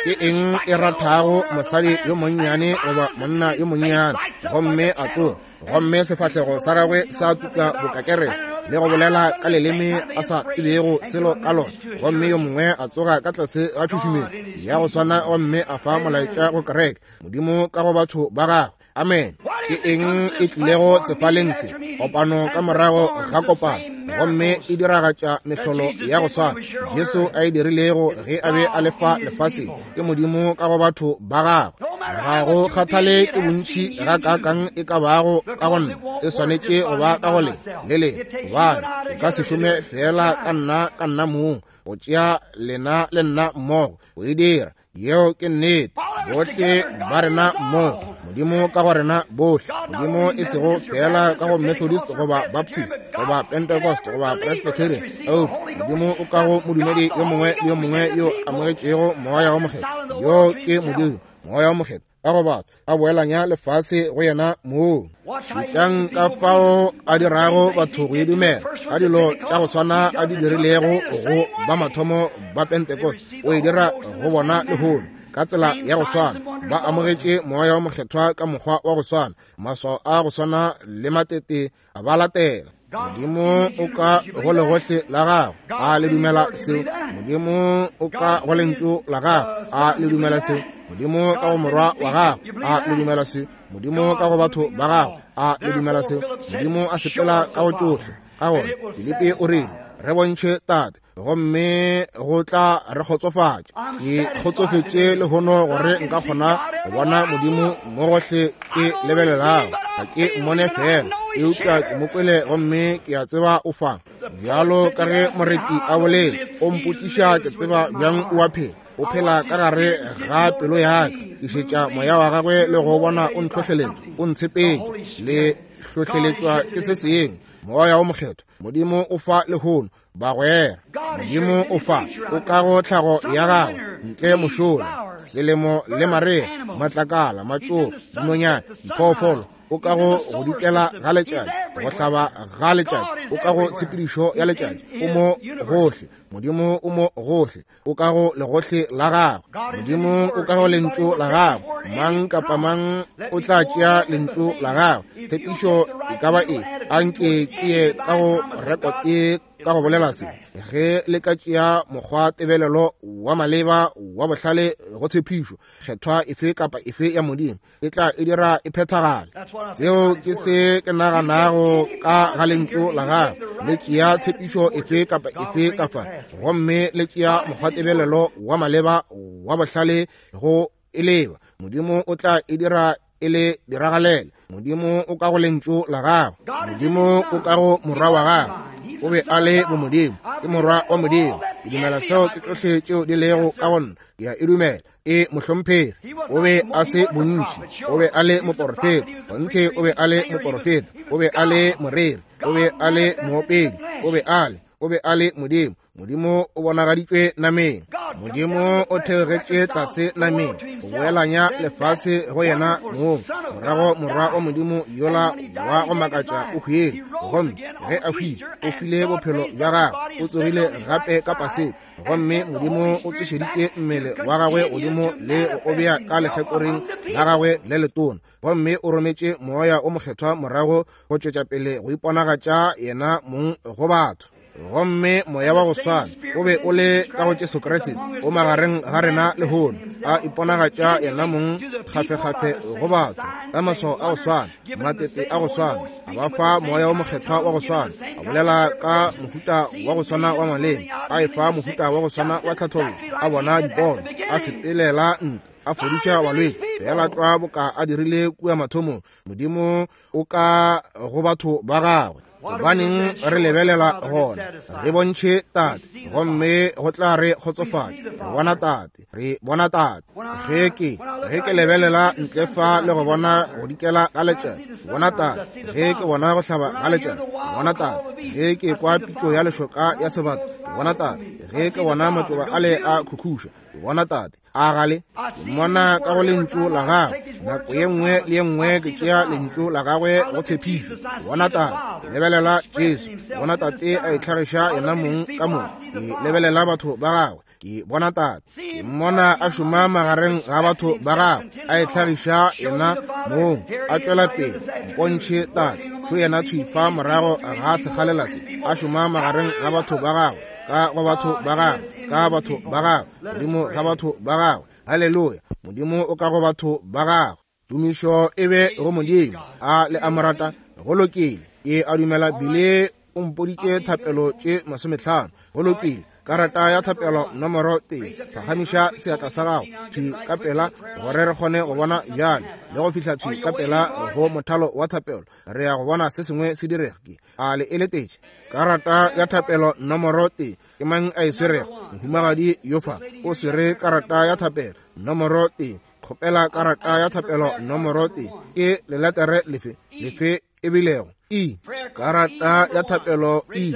Ke eng e rathago mosadi yo monnyane goba monna yo monnyane, gomme a tsoga, gomme sefahlego sa gagwe sa tuka bokakerese le go bolela ka leleme a sa tsebego selo ka lona, gomme yo mongwe a tsoga ka tlase ga tšhušumelo ya go swana gomme a fa molaetša go kereke? Modimo ka go batho ba gagwe. Amen. Ke eng e tlilego sefaleng se? Kopano ka morago ga kopano, gomme e diragatša mehlolo ya go swana Jesu a e dirilego ge a be a le fa lefaseng. Ke Modimo ka go batho ba gagwe. Ga go kgathale ke bontši ga kaakang e ka bago ka go nna, e swanetše go ba ka go le le le, gobane e ka se šome fela ka nna ka nna mong, go tšea lena le nna mmogo go e dira. Yeo ke nnete. Bohle ba rena mmogo, Modimo ka go rena bohle. Modimo e sego fela ka go Methodist goba Baptist goba Pentecost goba Presbyterian, eupša Modimo o ka go modumedi yo mongwe le yo mongwe yo amogetšego Moya wo Mokgethwa. Yo ke Modimo, Moya wo Mokgethwa ka go batho a boelanya lefase go yena mong. Šetšang ka fao a dirago batho go e dumela ka dilo tša go swana a di dirilego go ba mathomo ba Pentecost, o e dira go bona lehono ka tsela ya go swana. Ba amogetše Moya wo Mokgethwa ka mokgwa wa go swana, maswao a go swana le matete a ba latela. Modimo o ka go legohle la gago, a le dumela seo? Modimo o ka go lentšu la gago, a le dumela seo? Modimo ka go morwa wa gago, a le dumela seo? Modimo ka go batho ba gago, a le dumela seo? Modimo a sepela ka go tšohle. Ka gona Filipi o rile, re bontšhe Tate, gomme go tla re kgotsofatša. Ke kgotsofetše lehono gore nka kgona go bona Modimo mo gohle ke lebelelago. Ga ke mmone fela, eupša ke mo kwele gomme ke a tseba o fa. Bjalo ka ge moreti a boletše, o mpotšiša ke tseba bjang o a phela. O phela ka gare ga pelo ya ka. Ke šetša moya wa gagwe le go bona o ntlhohleletša, o ntshepetše, le hlohleletšwa ke se sengwe. Moya wo Mokgethwa, Modimo o fa lehono bagwera. Modimo o fa, o ka go tlhago ya gagwe ntle mošola, selemo le marea, matlakala, matšoba, dinonyana, diphoofolo. O ka go go dikela ga letšatši, go hlaba ga letšatši, o ka go tshepedišo ya letšatši. O mo gohle. Modimo o mo gohle. O ka go legohle la gagwe. Modimo o ka go lentšu la gagwe. Mang kapa mang o tla tšea lentšu la gagwe. Tshepišo e ka ba efe? Anke ke ye ka go rekote ka go bolela se, ge le ka tšea mokgwa tebelelo wa maleba wa bohlale go tshepišo kgethwa efe kapa efe ya Modimo, e tla e dira e phethagale. Seo ke se ke naganago ka ga lentšu la gagwe. Le tšea tshepišo efe kapa efe ka fa, gomme le tšea mokgwa tebelelo wa maleba wa bohlale go e leba, Modimo o tla e dira e le diragalele. Modimo o ka go lentšu la gagwe. Modimo o ka go morwa wa gagwe. O be a le bomodimo, ke morwa wa Modimo. Ke dumela seo ke tšohle tšeo di lego ka go nna. Ke a e dumela. E mohlomphegi. O be a se bontši, o be a le moporofeta. Kgonthe o be a le moporofeta, o be a le moreri, o be a le moopedi, o be a le, o be a le Modimo. Modimo o bonagaditšwe nameng. Modimo o theogetše tlase nameng go boelanya lefase go yena mong. Morago morwa wa Modimo yola wa go makatša o hwile, gomme ge a hwile o file bophelo bja gagwe, o tsogile gape ka Paseka, gomme Modimo o tsošeditše mmele wa gagwe godimo le go o bea ka lehlakoreng la gagwe le letona, gomme o rometše moya o mokgethwa morago go tšwetša pele go iponagatša yena mong go batho. Gomme moya wa go swana o be o le ka go Jesu Kriste o magareng ga rena lehono, a iponagatša yena mong kgafekgafe go batho ka maswao a go swana, matete a go swana, a ba fa moya o mokgethwa wa go swana, a bolela ka mohuta wa go swana wa maleme, a e fa mohuta wa go swana wa tlhathollo, a bona dipono, a sepelela ntlo, a fodiša balwetši, fela tlwa boka a dirile kua mathomong. Modimo o ka go batho ba gagwe. Gobaneng re lebelela gona? Re bontšhe Tate, gomme go tla re kgotsofatša. Re bona Tate, re bona Tate. Ge ke ge ke lebelela ntle fa le go bona go dikela ga letšatši, bona Tate. Ge ke bona go hlaba ga letšatši, bona Tate. Ge ke kwa pitšo ya lešoka ya sebata, bona Tate. Ge ke bona matšoba ale a khukhuša, bona Tate. A gale mmona ka go lentšu la gagwe. Nako ye nngwe le ye nngwe ke tšea lentšu la gagwe go tshepišo. Bona Tate. Lebelela Jesu. Bona Tate a itlhagiša yena mong ka mong. Ke lebelela batho ba gagwe. Ke bona Tate. Ke mmona a šoma magareng ga batho ba gagwe, a itlhagiša yena mong, a tšwela pele. Mpontšhe Tate. Šo yena thwi fa morago ga sekgalela se, a šoma magareng ga batho ba gagwe, ka go batho ba gagwe, ka batho ba gagwe, Modimo ga batho ba gagwe. Haleluya! Modimo o ka go batho ba gagwe. Tumišo e be go Modimo. A le a mo rata? Go lokile. Ke a dumela bile o mpoditše thapelo tše masometlhano. Go lokile. Karata ya thapelo nomoro tee. Phagamiša seatla sa gago thwi ka pela gore re kgone go bona bjale le go fihla thwi ka pela go mothalo wa thapelo. Re ya go bona se sengwe se direga. Ke a le eletetše. Karata ya thapelo nomoro tee. Ke mang a e swerego? Mohumagadi yo fa o swere karata ya thapelo nomoro tee. Kgopela karata ya thapelo nomoro tee. Ke leletere lefe lefe e bilego? E. Karata ya thapelo E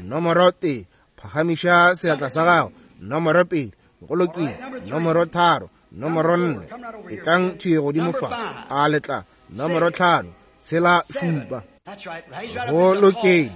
nomoro tee. Phagamiša seatla sa gago. Nomoro pedi. Go lokile. Nomoro tharo. Nomoro nne. E tlang thwi godimo fa. A letla. Nomoro tlhano. Tshela šupa. Go lokile.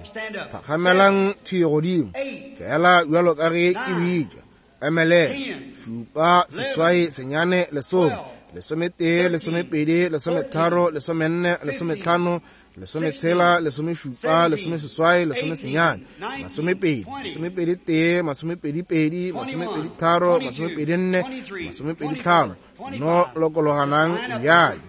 Phagamelang thwi godimo fela bjalo ka ge ke bitša. Emelela. Šupa, seswai, senyane, lesome, lesometee, lesomepedi, lesometharo, lesomenne, lesometlhano, lesometshela, lesomešupa, lesomeseswai, lesomesenyane, masomepedi, masomepedi tee, masomepedi pedi, masomepedi tharo, masomepedi nne, masomepedi tlhano. No lokologanang bjale.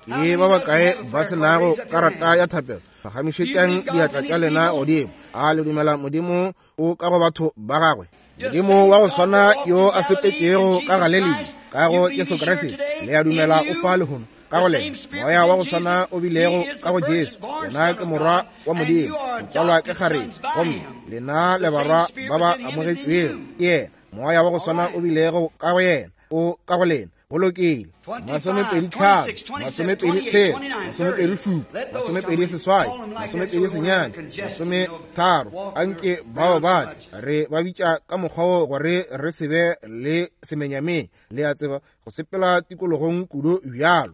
Ke ba bakae ba se nago karata ya thapelo? Phagamišetšang diatla tša lena godimo. A le dumela Modimo o ka go batho ba gagwe? Modimo wa go swana yo a sepetšego ka Galilea ka go Jesu Kriste, le a dumela o fa lehono ka go lena moya wa go swana o bilego ka go Jesu. Yena ke morwa wa Modimo, o tswalwa ke kgarebe, gomme lena le barwa ba ba amogetšwego ke yena. Moya wa go swana o bilego ka go yena o ka go lena. Go lokile. Masomepedi tlhano, masomepedi tshela, masomepedi šupa, masomepedi seswai, masomepedi senyane, masometharo. Anke bao ba tle. Re ba bitša ka mokgwa wo gore re se be le semenyameng, le a tseba, go sepela tikologong kudu bjalo.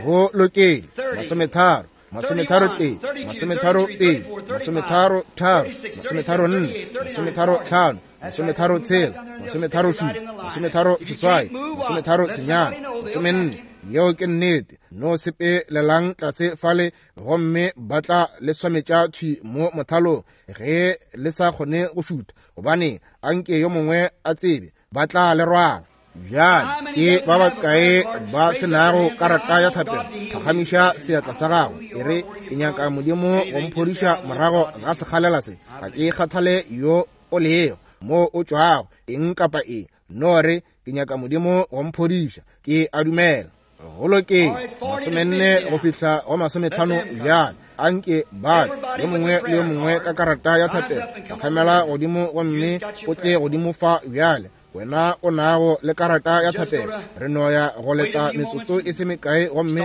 Go lokile. Masometharo, masometharo tee, masometharo pedi, masometharo tharo, masometharo nne, masometharo tlhano, masometharo tshela, masometharo šupa, masometharo seswai, masometharo senyane, masomenne, Yeo ke nnete. No sepelelang tlase fale gomme ba tla le swametša thwi mo mothalong ge le sa kgone go šutha, gobane anke yo mongwe a tsebe, ba tla le rwala. Bjale ke ba bakae ba se nago karata ya thapelo? Phagamiša seatla sa gago e re, ke nyaka Modimo go mphodiša morago ga sekgalela se. Ga ke kgathale yo o lego, mo o tšwago, eng kapa eng. No re, ke nyaka Modimo go mphodiša. Ke a dumela. Go lokile, masomenne go fihla go masometlhano bjale. Anke ba yo mongwe le yo mongwe ka karata ya thapelo, phagamela godimo gomme o tle godimo fa bjale. Wena o nago le karata ya thapelo, re no ya go leta metsotso e se mekae gomme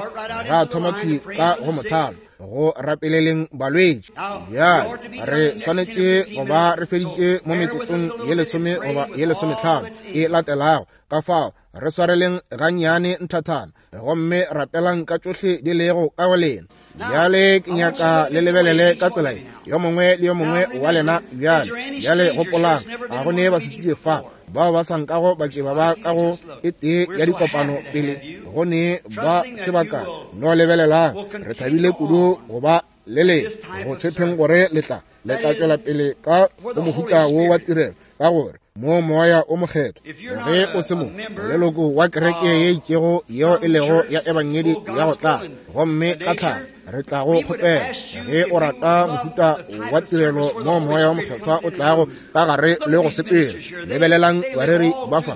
ra thoma thwi ka go mothalo go rapeleleng balwetši. Bjale re swanetše go ba re feditše mo metsotsong ye lesome goba ye lesometlhano e latelago. Ka fao re swareleng gannyane nthathana gomme rapelang ka tšohle di lego ka go lena. Bjale ke nyaka le lebelele ka tsela ye, yo mongwe le yo mongwe wa lena bjale. Bjale gopolang, ga go ne basetsebje fa bao ba sa nkago ba ke ba ba ka go e tee ya dikopano pele go ne ba sebaka. No lebelelang, re thabile kudu go ba le lena, go tshepeng gore le tla le tla tšwela pele ka go mohuta wo wa tirelo, ka gore mo moya o mokgethwa ge o se mo leloko wa kereke ye itšego yeo e lego ya ebangedi ya go tla, gomme ka tlhago re tla go kgopela ge o rata mohuta wa tirelo mo moya wa mokgethwa o tlago ka gare le go sepela. Lebelelang bareri ba fa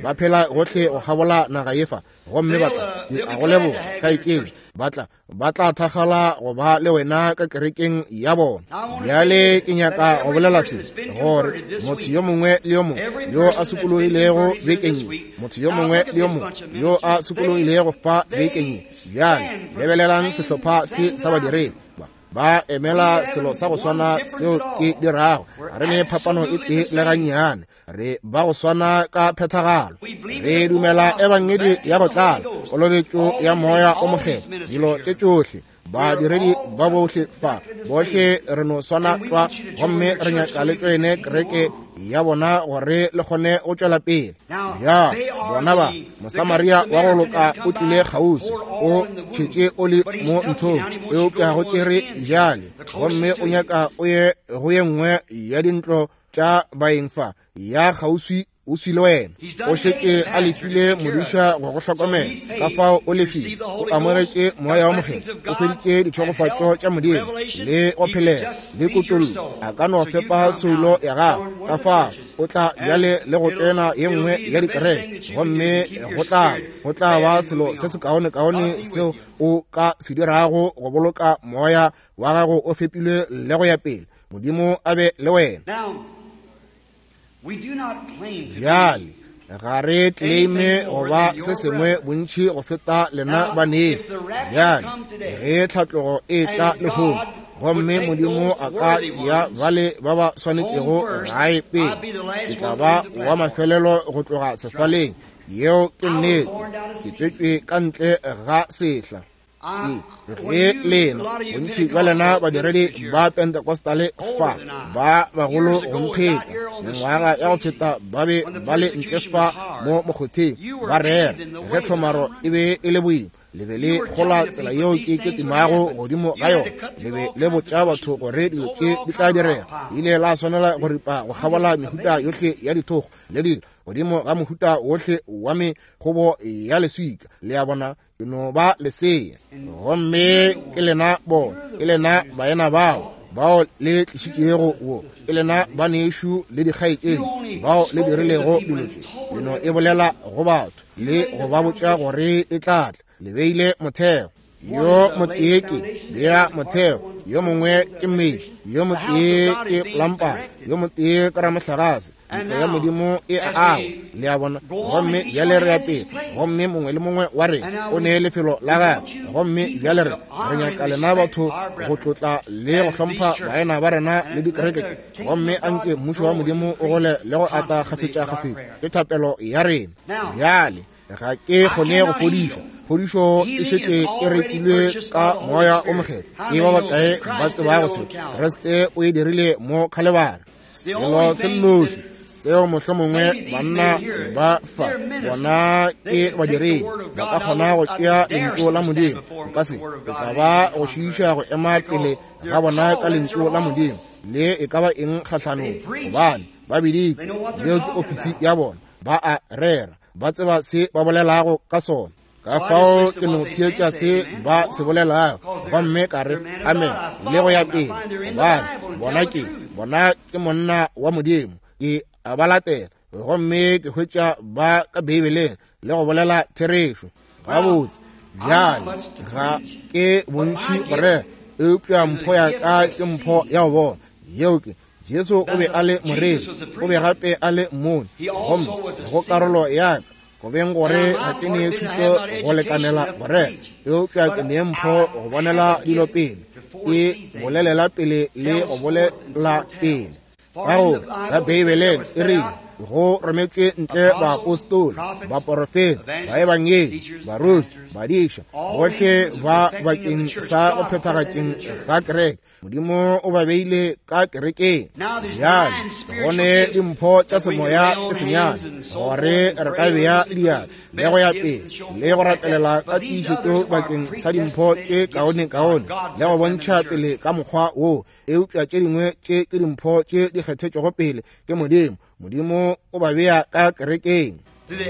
ba phela gohle go kgabola naga ye fa, gomme ba tla ke a go leboga kgaetšedi, ba tla ba tla thakgala go ba le wena ka kerekeng ya bona. Bjale ke nyaka go bolela se, gore motho yo mongwe le yo mongwe yo a sokologilego bekeng ye, motho yo mongwe le yo mongwe yo a sokologilego fa bekeng ye, bjale lebelelang sehlopha se sa badiredi ba emela selo sa go swana seo ke dirago. Ga re ne phapano e tee le gannyane, re ba go swana ka phethagalo. Re dumela ebangedi ya go tlala, kolobetšo ya moya o mokgethwa, dilo tše tšohle. Badiredi ba bohle fa, bohle re no swana tlwa, gomme re nyaka le tšoene kereke ya bona gore le kgone go tšwela pele. Ya bona ba Mosamaria wa go loka o tlile kgauswi, o tšhetše oli mo nthong, eupša go tšere bjale, gomme o nyaka o ye go ye nngwe ya dintlo tša baeng fa ya kgauswi o sile wena. O šetše a lefile modiša go go hlokomela, ka fao o lefile, o amogetše moya wa mokgethwa, o hweditše ditšhegofatšo tša Modimo le go phelela le kutollo. A ka no fepa soulo ya gago, ka fao o tla bjale le go tsena ye nngwe ya dikereke, gomme go tla go tla ba selo se sekaonekaone seo o ka se dirago go boloka moya wa gago o fepilwe le go ya pele. Modimo a be le wena. Bjale ga re claime go ba se sengwe bontši go feta lena baneng. Bjale ge tlhatlogo e tla lehono, gomme Modimo a ka ya bale ba ba swanetšego gae pele, ke tla ba wa mafelelo go tloga sefaleng. Yeo ke nnete. Ke tswetšwe ka ntle ga sehla. Ge lena bontši bja lena badiredi ba Pentecostale fa ba bagolo go mpheta mengwaga ya go feta ba be ba le ntle fa mo mokgotheng ba rera ge tlhomaro e be e le boima, le be le gola tsela yeo ke ketimago godimo ga yona, le be le botša batho gore dilo tše di tla direga. Ile la swanela go ripa go kgabola mehuta yohle ya dithogo le dilo godimo ga mohuta wohle wa mekgobo ya leswika. Le a bona, ke no ba lesea, gomme ke lena bona, ke lena baena bao bao le tlišitšego wo, ke lena banešu le dikgaetšedi bao le dirilego dilo tše. Le no e bolela go batho le go ba botša gore e tla tla. Le beile motheo. Yo motee ke bea motheo, yo mongwe ke mmetli, yo motee ke plampara, yo motee ke ramohlagase. Ntlo ya Modimo e a agwa, le a bona. Gomme bjale re ya pele, gomme mongwe le mongwe wa rena o ne lefelo la gagwe. Gomme bjale re re nyaka lena batho go tlotla le go hlompha baena ba rena le dikereke tše, gomme anke mmušo wa Modimo o gole le go ata kgafetša-kgafetša. Ke thapelo ya rena. Bjale ga ke kgone go fodiša, phodišo e šetše e rekilwe ka moya o mokgethwa. Ke ba bakae ba tsebago se? Kriste o e dirile mo Khalibari. Selo se nnoši Seo mohlomongwe banna ba fa bona ke badiredi ba ka kgona go tšea lentšu la Modimo. Ka se e tla ba go šiiša go ema pele ga bona ka lentšu la Modimo le e ka ba eng kgahlanong, gobane ba biditšwe. Yeo ke ofisi ya bona, ba a rera, ba tseba se ba bolelago ka sona. Ka fao ke no theetša se ba se bolelago gomme ka re amen le go ya pele, gobane bona ke bona ke monna wa Modimo. Ke a ba latela gomme ke hwetša ba ka Beibeleng le go bolela therešo. Gabotse bjale ga ke bontši go rera, eupša mpho ya ka ke mpho ya go bona. Yeo ke Jesu o be a le moreri, o be gape a le mmoni, gomme go karolo ya ka go beng gore ga ke nee thuto go lekanela go rera, eupša ke nee mpho go bonela dilo pele, ke bolelela pele le go bolela pele. Ka gore ka Beibeleng e rile go rometšwe ntle baapostola, baporofeta, baebangedi, baruti, badiša, bohle ba bakeng sa go phethagatšeng ga kereke. Modimo o ba beile ka kerekeng. Bjale go ne dimpho tša semoya tše senyane gore re ka bea diatla le go ya pele le go rapelela ka tiišetšo bakeng sa dimpho tše kaone-kaone le go bontšha pele ka mokgwa wo, eupša tše dingwe tše ke dimpho tše di kgethetšwego pele ke Modimo. Modimo o ba bea ka kerekeng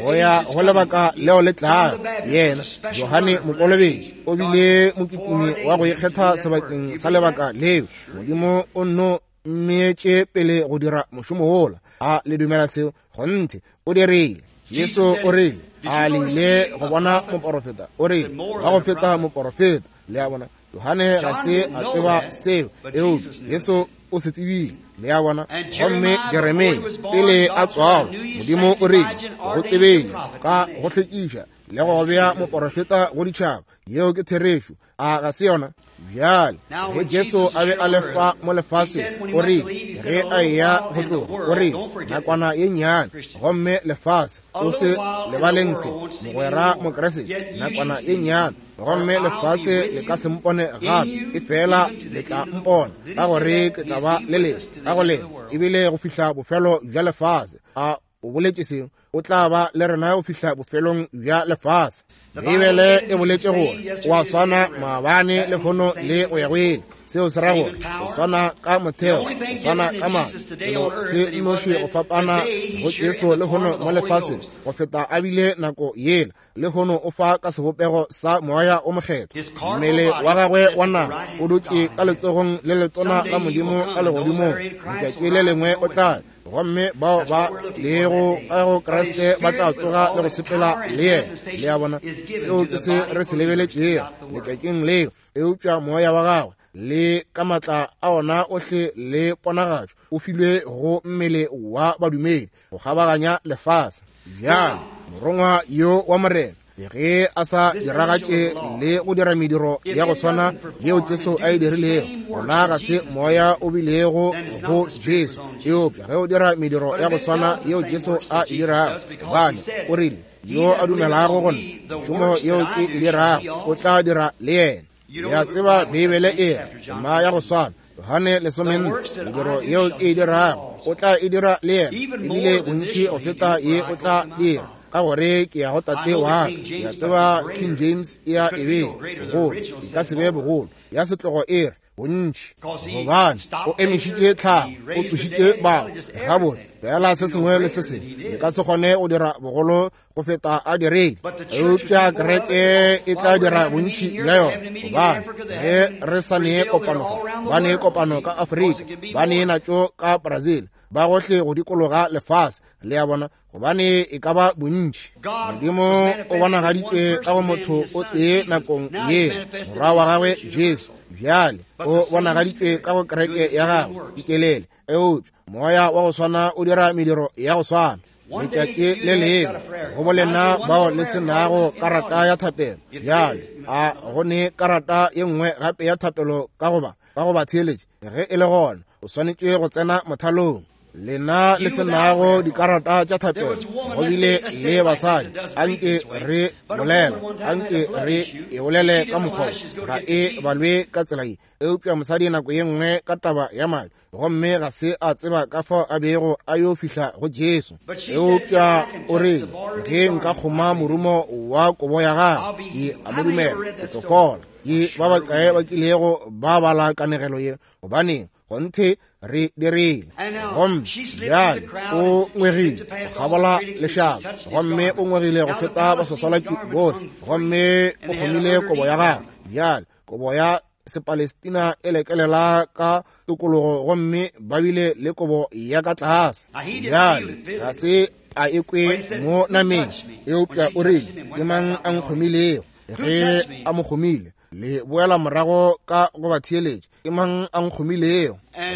go ya go lebaka leo le tlago. Yena Johane Mokolobetši o bile mokitimi wa go ikgetha sebakeng sa lebaka leo. Modimo o nno mmeetše pele go dira mošomo wola. A le dumela seo? Kgonthe o dirile. Jesu o rile a le ile go bona moporofeta, o rile ba go feta moporofeta. Le a bona, Johane ga se a tseba seo, eupša Jesu o se tsebile. Le a bona? Gomme Jeremia pele a tswalwa, Modimo o rile go tsebeng ka go hlwekiša le go bea moporofeta go ditšhaba. Yeo ke therešo, a ga se yona? Bjale ge Jesu a be a le fa mo lefaseng, o rile ge a eya go tloga, o rile nakwana ye nnyane gomme lefase, o se lebaleng se mogwera Mokriste, nakwana ye nnyane gomme lefase le ka se mpone gape, efela le tla mpona, ka gore ke tla ba le lena ka go lena ebile go fihla bofelo bja lefase. A o boletše seo? O tla ba le rena go fihla bofelong bja lefase. Beibele e boletše gore o a swana maabane lehono le go ya go ile. Seo se ra gore o swana ka motheo, o swana ka maatla. Selo se nnoši go fapana go Jesu lehono mo lefaseng go feta a bile nako yela, lehono o fa ka sebopego sa Moya o Mokgethwa. Mmele wa gagwe wa nama o dutše ka letsogong le letona la Modimo ka legodimong. Letšatši le lengwe o tla, gomme bao ba lego ka go Kriste ba tla tsoga le go sepela le yena. Le a bona, seo ke se re se lebeletšego letšatšing leo. Eupša moya wa gagwe le ka matla a ona ohle le ponagatšo o filwe go mmele wa badumedi go kgabaganya lefase. Bjale morongwa yo wa Morena ge a sa diragatše le go dira mediro ya go swana yeo Jesu a e dirilego, gona ga se moya o bilego go Jesu, eupša ge o dira mediro ya go swana yeo Jesu a e dirago, gobane o rile yo a dumelago go nna, mešomo yeo ke e dirago o tla dira le yena. Le a tseba Beibele e re tema ya go swana, Johane lesomenne, mediro yeo ke e dirago o tla e dira le yena, ebile bontši go feta ye o tla dira, ka gore ke ya go Tate wa ka. Ke a tseba King James e a e bea bogolo, e ka se be bogolo, ya setlogo e re bontši, gobane o emišitše tlhago, o tsošitše bao. Gabotse fela se sengwe le se sengwe le ka se kgone go dira bogolo go feta a dirile, eupša kereke e tla dira bontši bja yona, gobane ge re sa nee kopano fa, ba nee kopano ka Afrika, ba nee natšo ka Brazil, ba gohle go dikologa lefase. Le a bona, gobane e ka ba bontši. Modimo o bonagaditšwe ka go motho o tee nakong ye, morwa wa gagwe Jesu. Bjale o bonagaditšwe ka go kereke ya gagwe dikelele, eupša moya wa go swana o dira mediro ya go swana. Letšatši le lengwe go bolena bao le se nago karata ya thapelo. Bjale a go ne karata ye nngwe gape ya thapelo ka goba ka go ba theeletše? Ge e le gona, o swanetše go tsena mothalong. Lena le se nago dikarata tša thapelo, go bile le basadi. Anke re bolela, anke re e bolele ka mokgwa, ga e balwe ka tsela ye. Eupša mosadi nako ye nngwe ka taba ya madi, gomme ga se a tseba ka fao a bego a yo fihla go Jesu. Eupša o rile, ge nka kgoma morumo wa kobo ya gagwe, ke a mo dumela, ke tlo fola. Ke ba bakae ba kilego ba bala kanegelo ye? Gobaneng, gonthe re dirile. Gomme bjale o ngwegile go kgabola lešaba, gomme o ngwegile go feta baswaswalatši bohle, gomme o kgomile kobo ya gagwe. Bjale kobo ya Sepalestina e lekelela ka tokologo, gomme ba bile le kobo ya ka tlase. Bjale ga se a ekwe mo nameng, eupša o rile, ke mang a nkgomilego? Ge a mo kgomile, le boela morago ka go ba theeletša, ke mang a nkgomilego?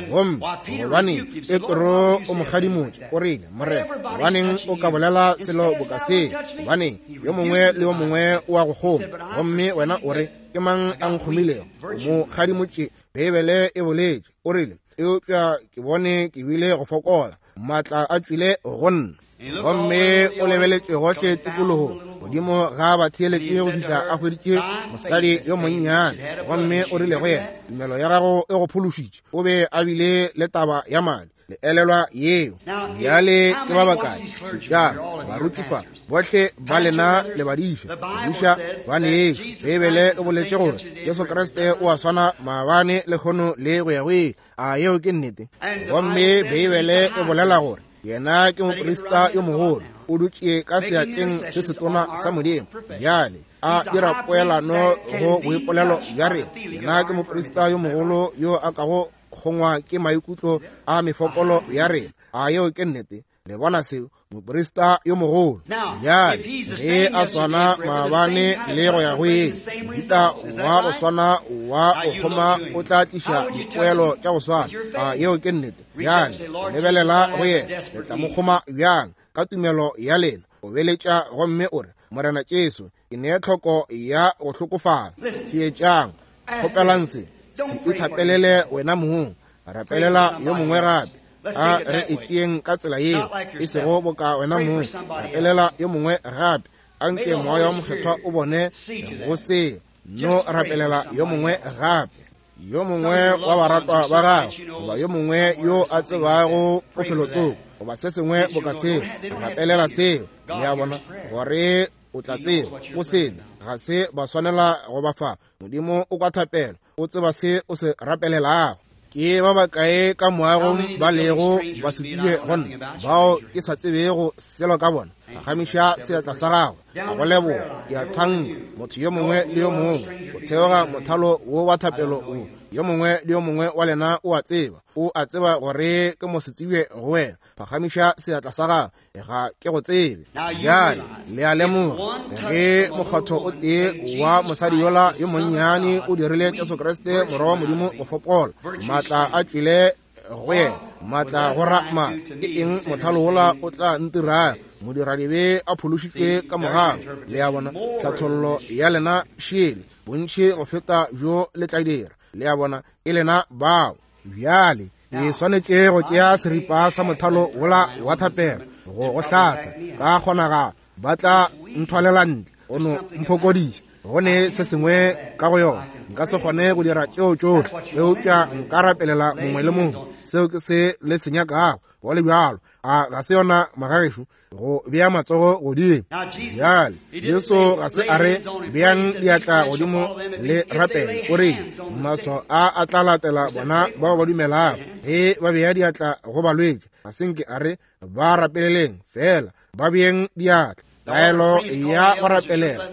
Gomme gobaneng Petro o mo kgadimotše, o rile, Morena, gobaneng o ka bolela selo boka se? Gobaneng yo mongwe le yo mongwe o a go kgoma, gomme wena o re, ke mang a nkgomilego? O mo kgadimotše. Beibele e boletše, o rile, eupša ke bone ke bile go fokola, maatla a tšwile go nna. Gomme o lebeletše gohle tikologong godimo ga batheeletše go fihla a hweditše mosadi yo monnyane, gomme o rile go yena, tumelo ya gago e go phološitše. O be a bile le taba ya madi, le elelwa yeo. Bjale ke ba bakae šetšang baruti fa, bohle ba lena le badiša, badiša ba neetše. Beibele e boletše gore Jesu Kriste o a swana maabane, lehono le go ya go ile. A yeo ke nnete? Gomme Beibele e bolela gore yena ke moprista yo mogolo, o dutše ka seatleng se setona sa Modimo. Bjale a dira poelano go boipolelo bja rena. Yena ke moprista yo mogolo yo a kago kgongwa ke maikutlo a mefokolo ya rena. A yeo ke nnete? Le bona seo? Moprista yo mogolo. Bjale ge a swana maabane le go ya go ile, mohuta wa go swana wa go kgoma o tla tliša dipoelo tša go swana. A yeo ke nnete? Bjale lebelela go yena, le tla mo kgoma bjang? Ka tumelo ya lena. O beletša gomme o re, Morena Jesu, ke nee tlhoko ya go hlokofala. Theetšang, kgopelang se, se ithapelele wena mong, rapelela yo mongwe gape. A re e tšeeng ka tsela yeo, e sego boka wena mong, rapelela yo mongwe gape. Anke Moya wa Mokgethwa o bone go se, no rapelela yo mongwe gape, yo mongwe wa baratwa ba gago, goba yo mongwe yo a tsebago o felotsoko, goba se sengwe boka seo. Rapelela seo, le a bona, gore o tla tseba o sena ga se ba swanela go ba fa. Modimo o kwa thapelo, o tseba se o se rapelelago. Ke ba bakae ka moagong ba lego ba se tsebe go nna, bao ke sa tsebego selo ka bona? Phagamiša seatla sa gago, a go leboga, ke a thanka motho yo mongwe le yo mongwe go theoga mothalo wo wa thapelo wo. Yo mongwe le yo mongwe wa lena o a tseba, o a tseba gore ke mo se tsebe go wena. Phagamiša seatla sa gago, ga ke go tsebe. Bjale le a lemoga ge mokgotho o tee wa mosadi yola yo monnyane o dirile Jesu Kriste morwa wa Modimo go fokola, maatla a tšwile go yena, maatla go ra maatla. Ke eng mothalo wola o tla ntirang? Modiradibe a phološitšwe ka mogau. Le a bona, tlhathollo ya lena šele bontši go feta bjo le tla dira. Le a bona, e lena bao. Bjale ke swanetše go tšea seripa sa mothalo wola wa thapelo go go hlatha ka kgonagalo ba tla nthwalela ntle o no mphokodiša. Go ne se sengwe ka go yona, nka se kgone go dira tšeo tšohle, eupša nka rapelela mongwe le mongwe. Seo ke se le se nyakago go le bjalo. A ga se yona magagešo go bea matsogo godimo? Bjale Jesu ga se a re beang diatla godimo le rapele, o rile maswao a a tla latela bona bao ba dumelago ge ba bea diatla go balwetši. Ga se nke a re ba rapeleleng fela, ba beeng diatla. Taelo ya go rapelela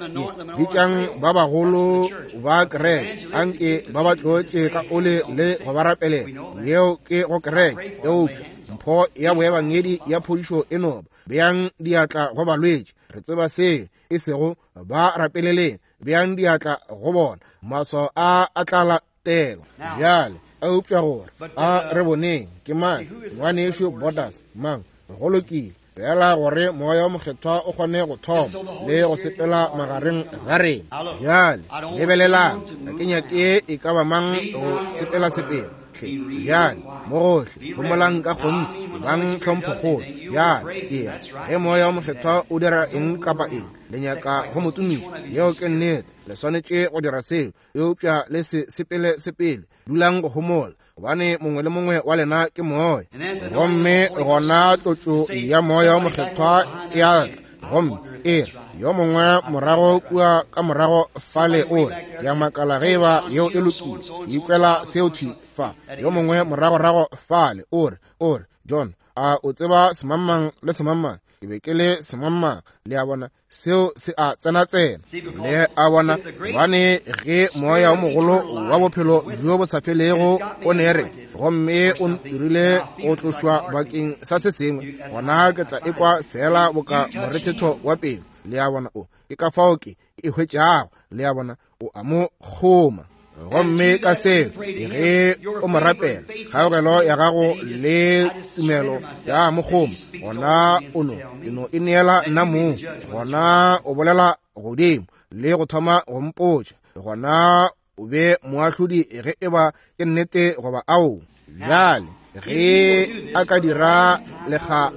bitšang ba bagolo ba kereke, anke ba ba tlotše ka ole le go ba rapelela. Yeo ke go kereke. Eupša mpho ya boebangedi ya phodišo e noba beang diatla go balwetši. Re tseba seo, e sego ba rapeleleng, beang diatla go bona, maswao a a tla latela. Bjale eupša gore a re boneng ke mang ngwanešo Borders mang. Go lokile, fela gore Moya wa Mokgethwa o kgone go thoma le go sepela magareng ga rena. Bjale lebelelang, ga ke nyake e ka ba mang go sepela sepela. Bjale mo gohle homolang ka kgonthe, Bang tlhomphokgolo. Bjale ke ge Moya o Mokgethwa o dira eng kapa eng, le nyaka go mo tumiša. Yeo ke nnete, le swanetše go dira seo, eupša le se sepele sepele. Dulang go homola, gobane mongwe le mongwe wa lena ke moya. Gomme gona tlotšo ya Moya o Mokgethwa e a tla, gomme e re yo mongwe morago kua ka morago fale o re, ke a makala ge eba yeo e lokile, ke ikwela seo thwi fa. Yo mongwe moragorago fale o re, o re, John, a o tseba semangmang le semangmang? Ke be ke le semangmang. Le a bona, seo se a tsenatsena. Le a bona, gobane ge moya o mogolo wa bophelo bjo bo sa felego o ne re, gomme o ntirile go tlošwa bakeng sa se sengwe, gona ke tla ekwa fela boka morethetho wa pelo. Le a bona, o ke ka fao ke e hwetšago. Le a bona, o a mo kgoma. Gomme ka seo, ge o mo rapela, kgaogelo ya gago le tumelo ya mo kgoma, gona o no e no e neela nna mong. Gona o bolela godimo le go thoma go mpotša, gona o be moahlodi ge eba ke nnete goba ao. Bjale ge a ka dira lekga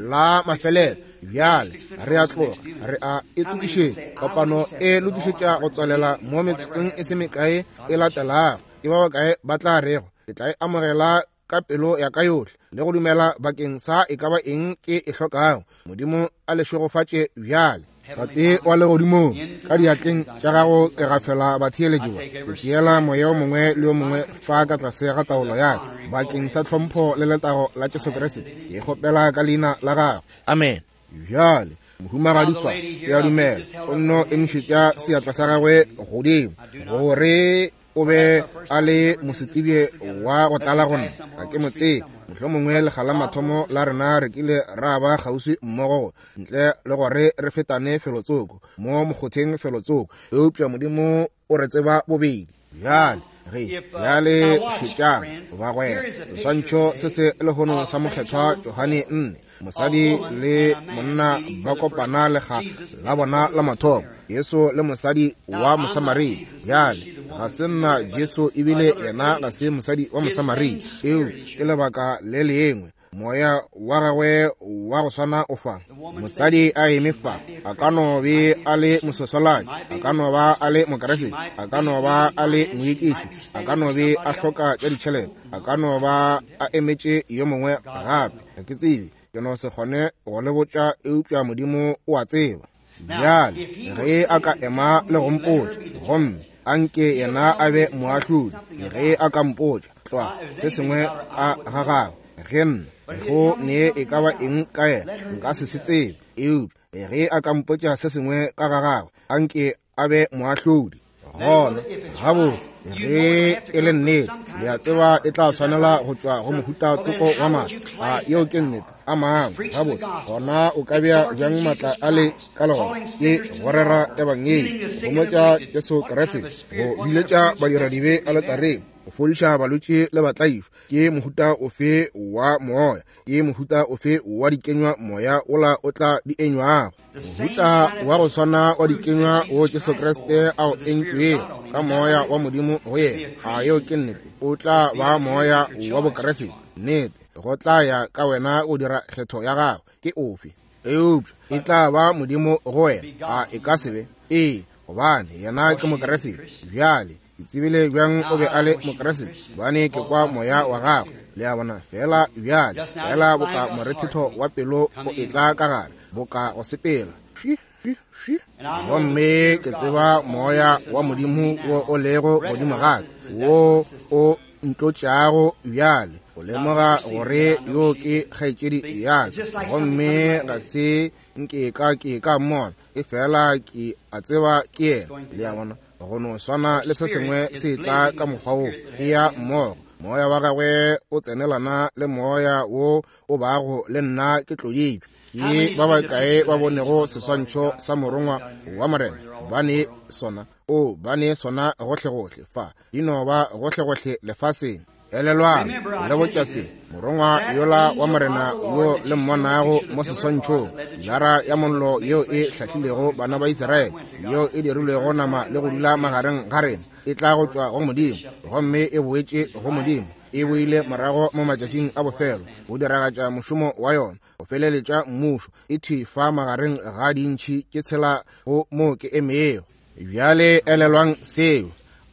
la mafelelo, bjale re a tloga, re a e tokišetša. Kopano e lokišetša go tswalela mo metsotsong e se mekae e latelago. Ke ba bakae ba tla rego, ke tla e amogela ka pelo ya ka yohle le go dumela bakeng sa e ka ba eng ke e hlokago? Modimo a le šegofatše bjale. Tate wa legodimong, ka diatleng tša gago ke gafela batheeletši ba. Ke tšeela moya o mongwe le o mongwe fa ka tlase ga taolo ya ka bakeng sa tlhompho le letago la Jesu Kriste. Ke kgopela ka leina la gagwe. Amen. Bjale mohumagadi fa, ke a dumela o nno emišetša seatla sa gagwe godimo gore o be a le mosetsebje wa go tlala go nna. Ga ke mo tsebe. Mohlomongwe lekga la mathomo la rena re kile ra ba kgauswi mmogo, ntle le gore re fetane felotsoko mo mokgotheng felotsoko, eupša Modimo o re tseba bobedi. Bjale ge bjale šetšang bagwera, seswantšho se se lehono sa Mokgethwa Johane nne, mosadi le monna ba kopana lekga la bona la mathomo, Jesu le mosadi wa Mosamaria. Bjale ga se nna Jesu, ebile yena ga se mosadi wa Mosamaria, eo ke lebaka le lengwe. Moya wa gagwe wa go swana o fa. Mosadi a eme fa, a ka no be a le mososolaji, a ka no ba a le Mokeresete, a ka no ba a le moikiši, a ka no be a hloka tša ditšhelete, a ka no ba a emetše yo mongwe gape. Ga ke tsebe, ke no se kgone go le botša, eupša Modimo o a tseba. Bjale ge a ka ema le go mpotša, gomme a nke yena a be moahlodi, ge a ka mpotša tlwa se sengwe ka ga gagwe, ge nna go ne e ka ba eng ka yena, nka se se tsebe, eupša ge a ka mpotša se sengwe ka ga gagwe, a nke a be moahlodi. Gona gabotse ge e le nnete, le a tseba e tla swanela go tšwa go mohuta tsoko wa maatla. A yeo ke nnete? A mangwe. Gabotse gona o ka bea bjang maatla a le ka legona? Ke go rera ebangedi, go homotša Jesu Kriste, go biletša badiradibe aletareng, go fodiša balwetši le batlaišwa. Ke mohuta ofe wa moya? Ke mohuta ofe wa dikenywa moya ola o tla di enywago? Mohuta wa go swana wa dikenywa wo Jesu Kriste a o entšwego ka moya wa Modimo go yena. A yeo ke nnete? O tla ba moya wa Bokriste. Nnete, go tla ya ka wena go dira kgetho ya gago ke ofe, eupša e tla ba Modimo go wena. A e ka se be? Ee, gobane yena ke Mokriste. Bjale ke tsebile bjang o be a le Mokriste? Gobane ke kwa moya wa gagwe. Le a bona? Fela bjale, fela boka morethetho wa pelo o etla ka gare, boka go sepela. Gomme ke tseba moya wa Modimo wo o lego godimo ga ka, wo o ntlotšago bjale, o lemoga gore yo ke kgaetšedi ya ka. Gomme ga se nke ka ke ka mmona, e fela ke a tseba ke yena. Le a bona? Go no swana le se sengwe se tla ka mokgwa wo, e ya mmogo. Moya wa gagwe o tsenelana le moya wo o bago le nna ke tloditšwe. Ke ba bakae ba bonego seswantšho sa morongwa wa Morena? Ba ne sona, o ba ne sona gohlegohle fa, di no ba gohlegohle lefaseng. Elelwang, le botša se, morongwa yola wa Morena yo le mmonago mo seswantšhong, pilara ya mollo yeo e hlahlilego bana ba Israele, yeo e dirilwego nama le go dula magareng ga rena, e tla go tšwa go Modimo, gomme e boetše go Modimo. E boile morago mo matšatšing a bofelo go diragatša mošomo wa yona, go feleletša mmušo. E thwi fa magareng ga dintšhi tše tshela go mo ke emego. Bjale elelwang seo.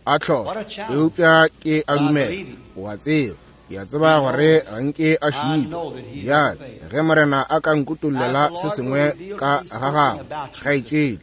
A tlhola, eupša ke a dumela, o a tseba. Ke a tseba gore ga nke a šitwa. Bjale ge Morena a ka nkutollela se sengwe ka ga gago, kgaetšedi,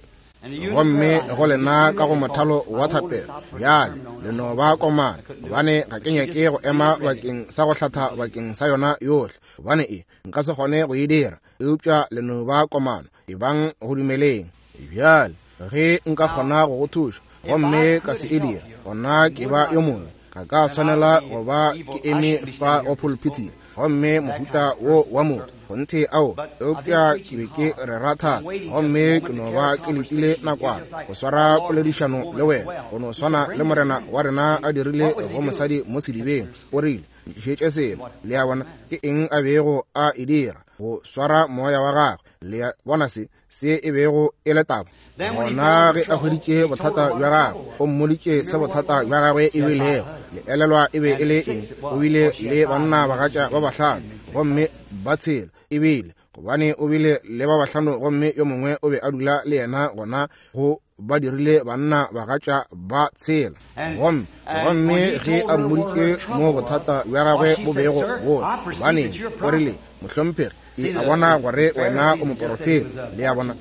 gomme go lena ka go mothalo wa thapelo, bjale le no ba komana, gobane ga ke nyake go ema bakeng sa go hlatha bakeng sa yona yohle, gobane e nka se kgone go e dira, eupša le no ba komana, ebang go dumeleng. Bjale ge nka kgona go go thuša gomme ka se e dira, gona ke ba yo mongwe. Ga ka swanela go ba ke eme fa go pulpiti gomme mohuta wo wa motho kgonthe ao, eupša ke be ke rera thata gomme ke no ba ke letile nakwana go swara poledišano le wena, go no swana le Morena wa rena a dirile go mosadi mo sedibeng. O rile, ntlišetše selo. Le a bona ke eng a bego a e dira? Go swara moya wa gagwe. Le a bona se se e bego e le taba. Gona ge a hweditše bothata bja gagwe, o mmoditše se bothata bja gagwe e bilego. Le elelwa e be e le eng? O bile le banna bagatša ba bahlano gomme ba tshela e bile, gobane o bile le ba bahlano gomme yo mongwe o be a dula le yena, gona go ba dirile banna bagatša ba tshela. Gomme gomme ge a mmoditše mo bothata bja gagwe bo bego bo, gobane o rile, mohlomphegi, ke a bona gore wena o moporofeta. Le a bona,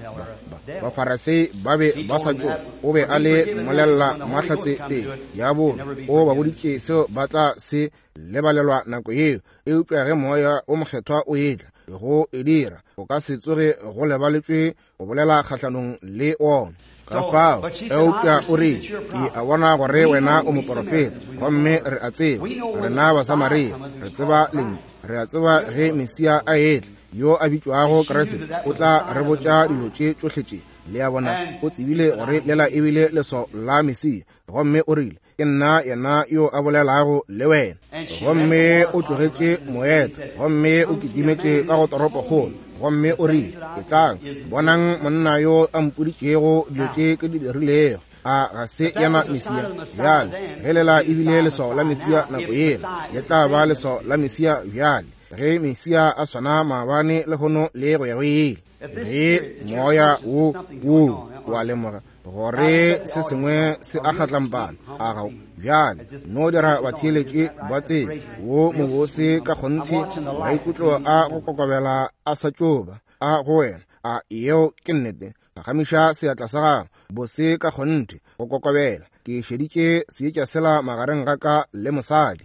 Bafarasei ba be ba sa tšo, o be a le mmolella mahlatse pele ya bona, o ba boditše seo ba tla se lebalelwa nako yeo. Eupša ge Moya o Mokgethwa o etla go e dira, o ka se tsoge go lebaletšwe go bolela kgahlanong le ona. Ka fao, eupša o rile, ke a bona gore wena o moporofeta, gomme re a tseba, rena Basamaria re tseba lentšu, re a tseba ge Mesia a etla, yo a bitšwago Kriste, o tla re botša dilo tše tšohle tše. Le a bona, o tsebile gore lela e bile leswao la Mesia, gomme o rile, ke nna yena yo a bolelago le wena. Gomme o tlogetše moeta, gomme o kitimetše ka go toropokgolo, gomme o rile, etlang, bonang monna yo a mpoditšego dilo tše ke di dirilego. A ga se yena Mesia? Bjale ge lela e bile leswao la Mesia nako yela, le tla ba leswao la Mesia bjale, ge Mesia a swana maabane lehono le go ya go ile. Ge moya wo wo wa lemoga gore se sengwe se a kgatlampana, a ga bjale no dira batheeletše ba tsebe wo mobose ka kgonthe, maikutlo a go kokobela a sa tšoba a go wena. A yeo ke nnete? Phagamiša seatla sa gago. Bose ka kgonthe go kokobela. Ke šeditše seetša sela magareng ga ka le mosadi.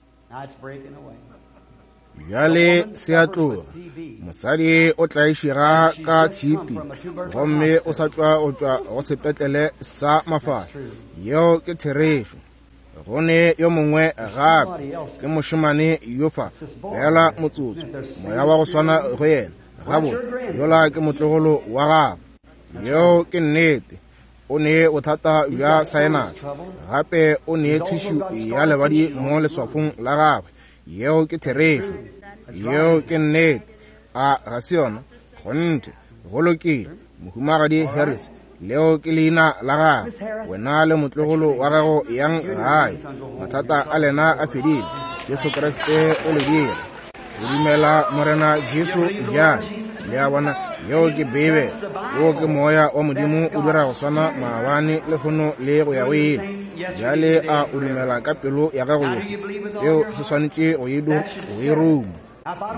Bjale se a tloga. Mosadi o tlaišega ka tshipi gomme o sa tšwa go tšwa go sepetlele sa mafahla. Yeo ke therešo. Go ne yo mongwe gape, ke mošemane yo fa, fela motsotso, moya wa go swana go yena. Gabotse, yola ke motlogolo wa gagwe. Yeo ke nnete. O ne bothata bja sinus, gape o ne tissue ya lebadi mo leswafong la gagwe. Yeo ke therešo. Yeo ke nnete. A ga se yona? Kgonthe. Go lokile. Mohumagadi Harris, leo ke leina la gagwe. Wena le motlogolo wa gago yang gae. Mathata a lena a fedile. Jesu Kriste o le dira. O dumela Morena Jesu bjale. Le a bona, yeo ke Beibe. Wo ke moya wa Modimo o dira go swana maabane lehono le go ya go ile. Bjale a o dumela ka pelo ya gago yohle? Seo se swanetše go e go e ruma.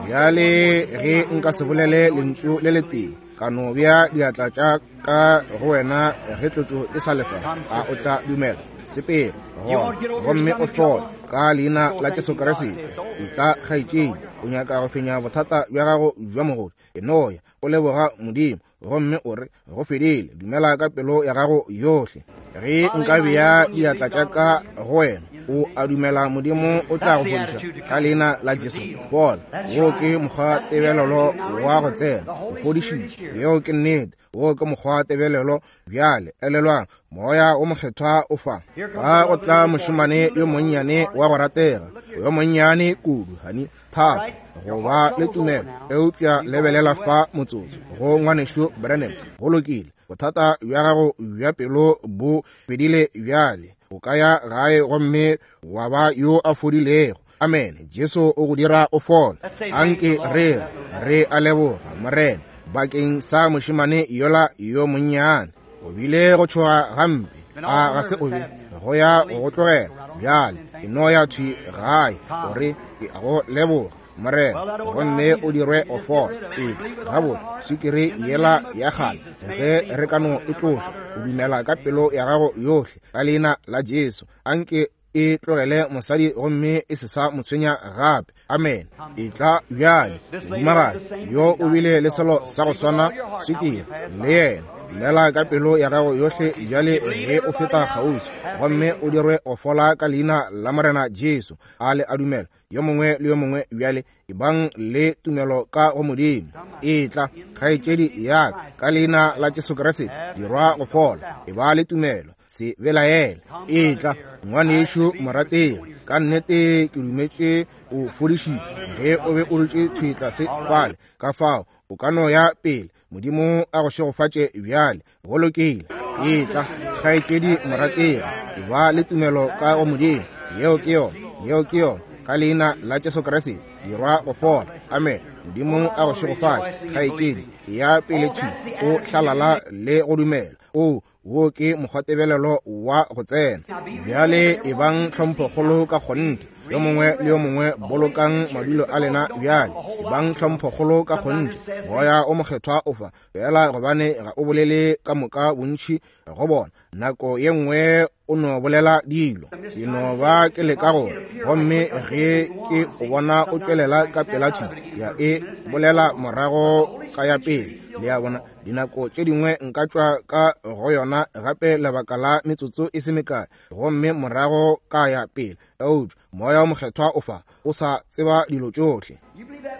Bjale ge nka se bolele lentšu le letee, ka no bea diatla tša ka go wena ge tlotšo e sa lefa, a o tla dumela? Sepela gona gomme o hlole ka leina la Jesu Kriste. Etla kgaetšedi, o nyaka go fenya bothata bja gago bja mogodu. E no ya o leboga Modimo gomme o re go fedile. Dumela ka pelo ya gago yohle. Ge nka bea diatla tša ka go wena, o a dumela Modimo o tla go fodiša ka leina la Jesu? Fola. Wo ke mokgwa tebelelo wa go tsena, o fodišitše. Yeo ke nnete. Wo ke mokgwa tebelelo. Bjale elelwang, Moya o Mokgethwa o fa. Fa go tla mošemane yo monnyane wa go ratega, yo monnyane kudu, hani thata go ba le tumelo, eupša lebelela fa motsotso go ngwanešu Branham. Go lokile, bothata bja gago bja pelo bo fedile bjale. O ka ya gae gomme wa ba yo a fodilego. Amene. Jesu o go dira o fole. Anke re re a leboga Morena bakeng sa mošemane yola yo monnyane. O bile go tšhoga gampe, a ga se o be go ya go tlogela bjale. E no ya thwi gae o re ke a go leboga Morena, gomme o dirwe o fole. Etla gabotse, sukiri yela ya kgale ge re ka no e tloša, o dumela ka pelo ya gago yohle ka leina la Jesu, anke e tlogele mosadi gomme e se sa mo tshwenya gape. Amen. Etla bjale, mohumagadi yo o bile le selo sa go swana, sukiri le yena. Dumela ka pelo ya gago yohle bjale ge o feta kgauswi, gomme o dirwe go fola ka leina la Morena Jesu. A le a dumela yo mongwe le yo mongwe bjale, ebang le tumelo ka go Modimo. Etla kgaetšedi ya ka leina la Jesu Kriste, dirwa go fola. Eba le tumelo, se belaele. Etla ngwanešu morategi, ka nnete ke dumetše o fodišitšwe ge o be o dutše thwi tlase fale. Ka fao o ka no ya pele. Modimo a go šegofatše bjale. Go lokile. Etla kgaetšedi morategi, eba le tumelo ka go Modimo. Yeo ke yona, yeo ke yona. Ka leina la Jesu Kriste, dirwa go fola. Amen. Modimo a go šegofatše kgaetšedi. Ya pele thwi o hlalala le go dumela. O wo ke mokgwatebelelo wa go tsena bjale. Ebang tlhomphokgolo ka kgonthe, yo mongwe le yo mongwe bolokang madulo a lena bjale. Ebang tlhomphokgolo ka kgonthe. Moya o mokgethwa o fa fela, gobane ga o bolele ka moka bontši go bona. Nako ye nngwe o no bolela dilo, ke no ba ke leka gore, gomme ge ke o bona o tšwelela ka pela thwi, ya e bolela morago ka ya pele. Le a bona, dinako tše dingwe nka tšwa ka go yona gape lebaka la metsotso e se mekae, gomme morago ka ya pele. Eupša moya o mokgethwa o fa o sa tseba dilo tšohle.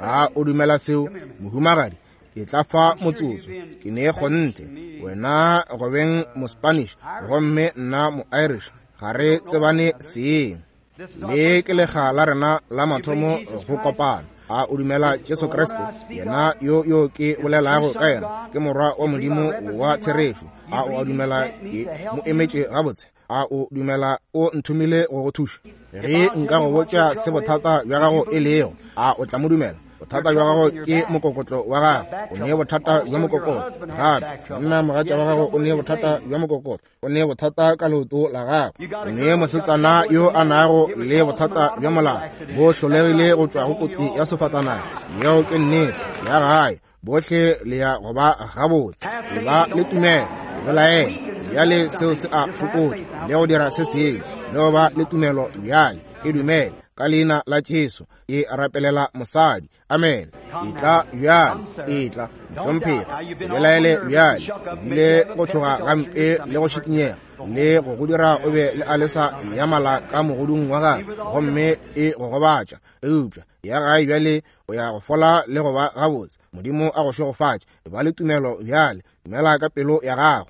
A o dumela seo, mohumagadi? E tla fa motsotso. Ke ne kgonthe wena go beng mo-Spanish gomme nna mo-Irish, ga re tsebane seng. Le ke lega la rena la mathomo go kopana. A o dumela Jesu Kriste, yena yo yo ke bolelago ka yena ke morwa wa Modimo wa therešo? A o a dumela ke mo emetše gabotse? A o dumela o nthomile go go thuša? Ge nka go botša se bothata bja gago e lego, a o tla mo dumela? Bothata bja gago ke mokokotlo wa gago. O ne bothata bja mokokotlo gape. Monna mogatša wa gago o ne bothata bja mokokotlo. O ne bothata ka leoto la gago. O ne mosetsana yo a nago le bothata bja molala, bo hlolegile go tšwa go kotsi ya sefatanaga. Yeo ke nnete ya gae. Bohle le ya go ba gabotse. E ba le tumelo, belaela bjale seo se a fokotša le go dira se sengwe. Le go ba le tumelo bjale, e dumele ka leina la Jesu. E rapelela mosadi. Amen. Etla bjale, etla mohlomphegi, se belaele bjale. Bile go tšhoga gampe le go šikinyega le go go dira o be le alesa ya mala ka mogodung wa gago, gomme e go gobatša. Eupša ya gae bjale o ya go fola le go ba gabotse. Modimo a go šegofatše. E ba le tumelo bjale, dumela ka pelo ya gago.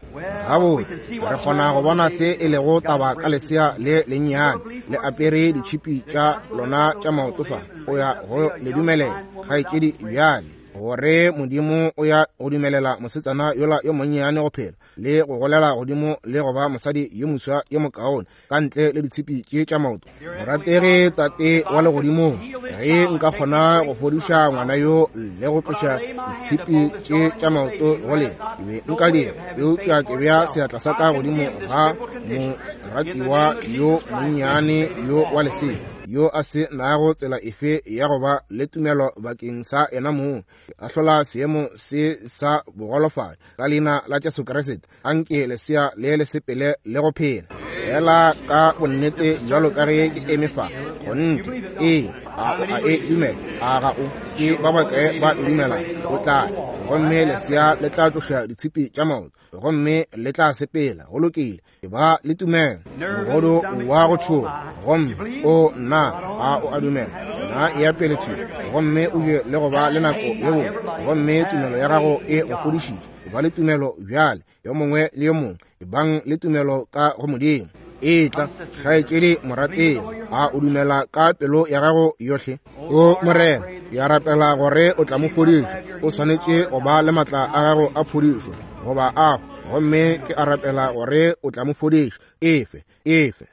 Gabotse, re kgona go bona se e lego taba ka lesea le lennyane le apere ditšhipi tša lona tša maoto fa. O ya go le dumelela kgaetšedi bjale, gore Modimo o ya go dumelela mosetsana yola yo monnyane go phela le go golela godimo le go ba mosadi yo moswa yo mokaone ka ntle le ditshipi tše tša maoto. Morategi Tate wa legodimong, ge nka kgona go fodiša ngwana yo le go tloša ditshipi tše tša maoto go lena, ke be nka dira. Eupša ke bea seatla sa ka godimo ga moratiwa yo monnyane yo wa lesea yo a se nago tsela efe ya go ba le tumelo bakeng sa yena mong. Ke ahlola seemo se sa bogolofadi ka leina la Jesu Kriste. Anke lesea le le sepele le go phela fela ka bonnete bjalo ka ge ke eme fa. Kgonthe, ee, a o a e dumela? A ga o? Ke ba bakae ba e dumela? O tla, gomme lesea le tla tloša ditshipi tša maoto gomme le tla sepela. Go lokile. E ba le tumelo. Mogodu wa go tšhoga, gomme o nna a o a dumela? Na e ya pele thwi gomme o je le go ba le nako ye botse, gomme tumelo ya gago e go fodišitše. E ba le tumelo bjale, yo mongwe le yo mongwe, e bang le tumelo ka go Modimo. Etla kgaetšedi morategi, a o dumela ka pelo ya gago yohle? O Morena, ke a rapela gore o tla mo fodiša. O swanetše go ba le matla a gago a phodišo, goba a Gomme ke a rapela gore o tla mo fodiša. Efe, efe.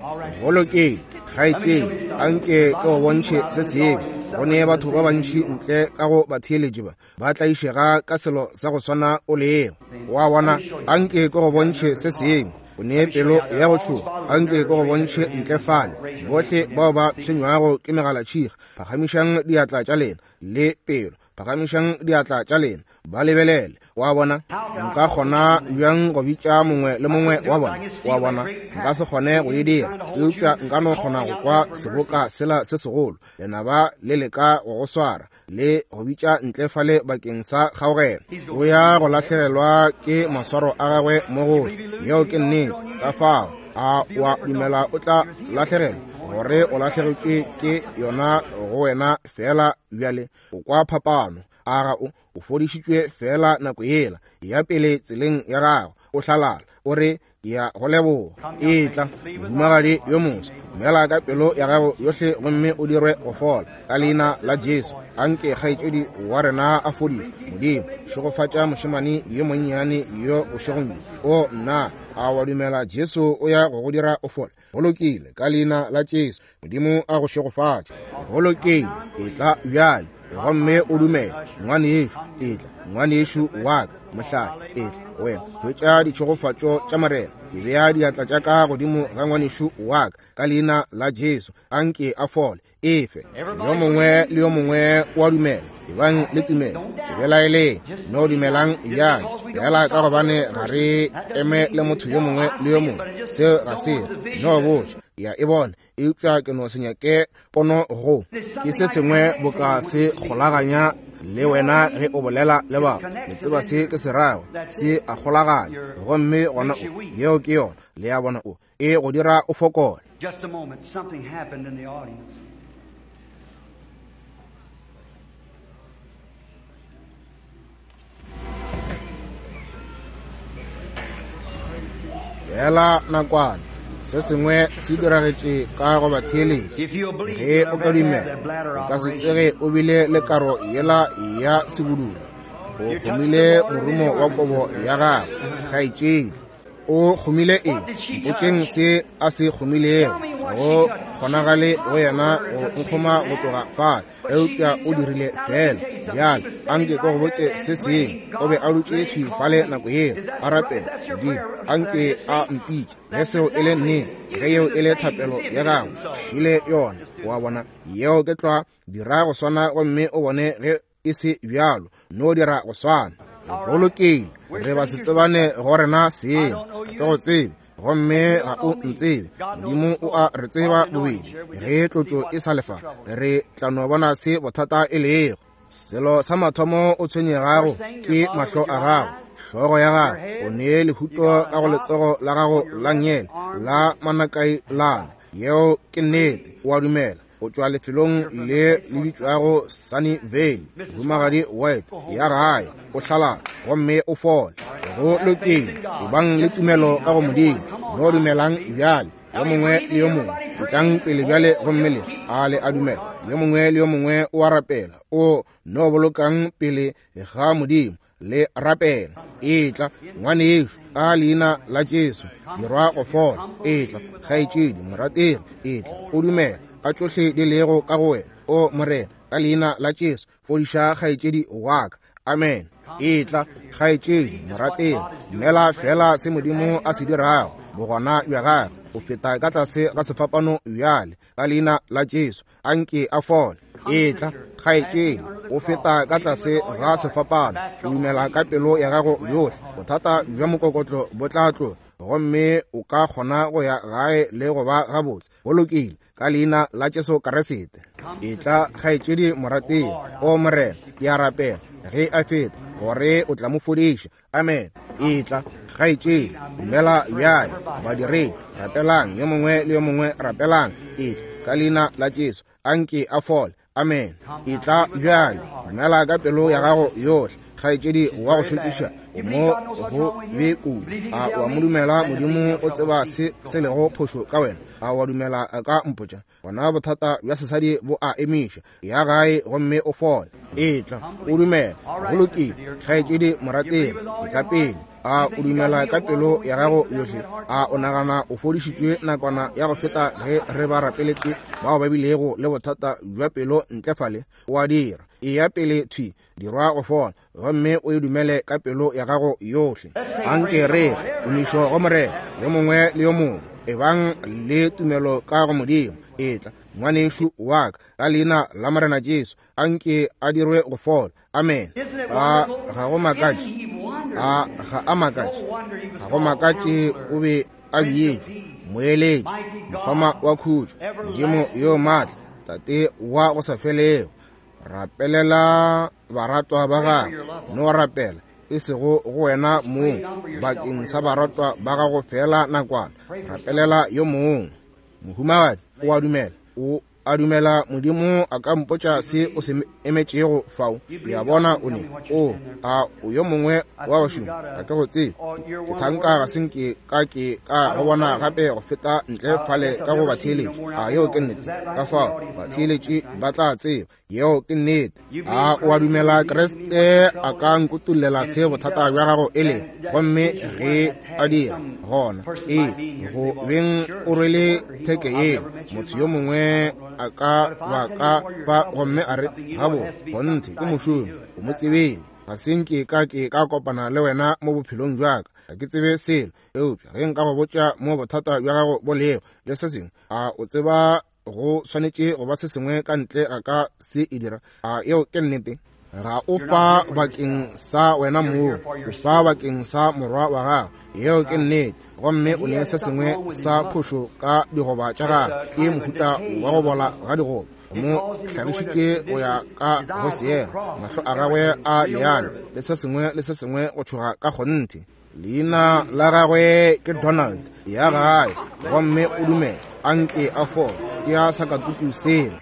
Go lokile, kgaetšedi, anke ke go bontšhe se sengwe. Go ne batho ba bantši ntle ka go batheeletši ba, ba tlaišega ka selo sa go swana o lego. Wa bona, anke ke go bontšhe se sengwe. O ne pelo ya go tšhoga, anke ke go bontšhe ntle fale. Bohle bao ba tshwenywago ke megalatšhiga, phagamišang diatla tša lena le pelo. Phagamišang diatla tša lena, ba lebelele. Wa bona, nka kgona bjang go bitša mongwe le mongwe wa bona? Wa bona, nka se kgone go e dira, eupša nka no kgona go kwa seboka sela se segolo. Lenaba le leka go go swara le go bitša ntle fale bakeng sa kgaogelo. O ya go lahlegelwa ke maswaro a gagwe mo gohle. Yeo ke nnete. Ka fao a wa dumela o tla lahlegelwa, gore o lahlegetšwe ke yona go wena fela bjale. O kwa phapano. A ga o o fodišitšwe fela nako yela ya pele tseleng ya gago, o hlalala, o re ke ya go leboga. Etla, mohumagadi yo moswa, dumela ka pelo ya gago yohle gomme o dirwe go fola ka leina la Jesu. Anke kgaetšedi wa rena a fodišwe. Modimo, šegofatša mošemane yo monnyane yo bošegong bjo. O nna, a wa dumela Jesu o ya go go dira o fole? Go lokile, ka leina la Jesu. Modimo a go šegofatše. Go lokile, etla bjale gomme o dumele. Ngwanešu, etla. Ngwanešu wa ka, mohlahli, etla wena. Hwetša ditšhegofatšo tša Morena. Ke bea diatla tša ka godimo ga ngwanešu wa ka ka leina la Jesu. Anke a fole. Efe. Yo mongwe le yo mongwe wa dumela. Ebang le tumelo. Se belaeleng. No dumelang bjale. Fela ka gobane ga re eme le motho yo mongwe le yo mongwe. Seo ga se. No botša. Ya e bona. Eupša ke no se nyake pono go. Ke se sengwe boka se kgolaganya le wena ge o bolela le batho. Le tseba se ke se rago. Se a kgolaganya. Gomme gona o. Yeo ke yona. Le ya bona o. E go dira o fokole. Just a moment, something happened in the audience. Fela nakwana, se sengwe se diragetše ka go batheeletši. Ge o ka dumela, o ka se tsoge o bile le karo yela ya sebudula. O kgomile morumo wa kobo ya gago, kgaetšedi. O kgomile eng? Mpotšeng se a se kgomilego. Go kgonagale go yena go nkgoma go tloga fale, eupša o dirile fela. Bjale anke ke go botše se sengwe. O be a dutše thwi fale nako yeo a rapela. Modimo, anke a mpitše. Ge seo e le nnete, ge yeo e le thapelo ya gago, šile yona. Wa bona, yeo ke tlwa. Dira go swana gomme o bone ge e se bjalo. No dira go swana. Go lokile, re ba se tsebane go rena seng. Ke go tsebe gomme ga o ntsebe. Modimo o a re tseba bobedi. Ge tlotšo e sa lefa, re tla no bona se bothata e lego. Selo sa mathomo o tshwenyegago ke mahlo a gago, hlogo ya gago. O ne lehuto ka go letsogo la gago la nngele la manakailana. Yeo ke nnete. O a dumela. O tšwa lefelong le le bitšwago Sunny Vale. Mohumagadi White ya gae, o hlalala gomme o fole. Go lokile, ebang le tumelo ka go Modimo. No dumelang bjale, yo mongwe le yo mongwe. Etlang pele bjale gomme le a le a dumela. Yo mongwe le yo mongwe o a rapela. O no bolokang pele ga Modimo le rapela. Etla, ngwanešu, ka leina la Jesu, dirwa go fola. Etla, kgaetšedi morategi, etla, o dumela ka tšohle di lego ka go wena. O Morena, ka leina la Jesu, fodiša kgaetšedi wa ka. Amen. Etla, kgaetšedi morategi, dumela fela se Modimo a se dirago. Bogona bja gagwe o feta ka tlase ga sefapano bjale, ka leina la Jesu, anke a fole. Etla, kgaetšedi, o feta ka tlase ga sefapano. O dumela ka pelo ya gago yohle. Bothata bja mokokotlo bo tla tloga, gomme o ka kgona go ya gae le go ba gabotse. Go lokile, ka leina la Jesu Kriste. Etla, kgaetšedi morategi. O Morena, ke a rapela ge a feta gore o tla mo fodiša. Amen. Etla, kgaetšedi, dumela bjale. Badiredi, rapelang. Yo mongwe le yo mongwe rapelang. Etla, ka leina la Jesu, anke a fole. Amen. Etla bjale, dumela ka pelo ya gago yohle. Kgaetšedi wa go šokiša, o mo go be kudu. A wa mo dumela? Modimo o tseba se se lego phošo ka wena. A wa dumela a ka mpotša? Gona bothata bja sesadi bo a emiša. Ya gae gomme o fole. Etla, o dumela. Go lokile. Kgaetšedi morategi, etla pele. A o dumela ka pelo ya gago yohle? A o nagana o fodišitšwe nakwana ya go feta ge re ba rapeletše bao ba bilego le bothata bja pelo ntle fale? O a dira. Eya pele thwi, dirwa go fola, gomme o e dumele ka pelo ya gago yohle. Anke re tumišo go Morena, yo mongwe le yo mongwe. Ebang le tumelo ka go Modimo. Etla, ngwanešu wa ka, ka leina la Morena Jesu, anke a dirwe go fola. Amen. A ga go makatše? A ga a makatše? Ga go makatše o be a bietšwe, moeletši, mokgoma wa khutšo, Modimo yo maatla, Tate wa go sa felego. Rapelela baratwa ba gago. No rapela, e sego go wena mong, bakeng sa baratwa ba gago fela nakwana. Rapelela yo mongwe. Mohumagadi, o a dumela? O a dumela Modimo a ka mpotša se o se emetšego fao? Ke a bona o ne. O a o yo mongwe wa bašomi? Ga ke go tsebe. Ke thanka ga se nke ka ke ka go bona gape go feta ntle fale ka go batheeletši. A yeo ke nnete? Ka fao batheeletši ba tla tseba yeo ke nnete. A o a dumela Kriste a ka nkutollela se bothata bja gago e lego? Gomme ge a dira, gona ee, go beng o rwele theke yeo, motho yo mongwe a ka ba ka ba gomme a re, gabo kgonthe ke mošomi, o mo tsebile. Ga se nke ka ke ka kopana le wena mo bophelong bja ka, ga ke tsebe selo, eupša ge nka go botša mo bothata bja gago bo lego le se sengwe, a o tseba go swanetše go ba se sengwe ka ntle ga ka se e dira? A yeo ke nnete? Ga o fa bakeng sa wena mong, o fa bakeng sa morwa wa gago. Yeo ke nnete. Gomme o ne se sengwe sa phošo ka digoba tša gagwe, ke mohuta wa go bola ga digoba. Mo hlagišitše go ya ka go seema, mahlo a gagwe a leano le se sengwe le se sengwe go tšhoga ka kgonthe. Leina la gagwe ke Donald. Ya gae gomme o dumela, anke a fole. Ke ya sakatuku sela.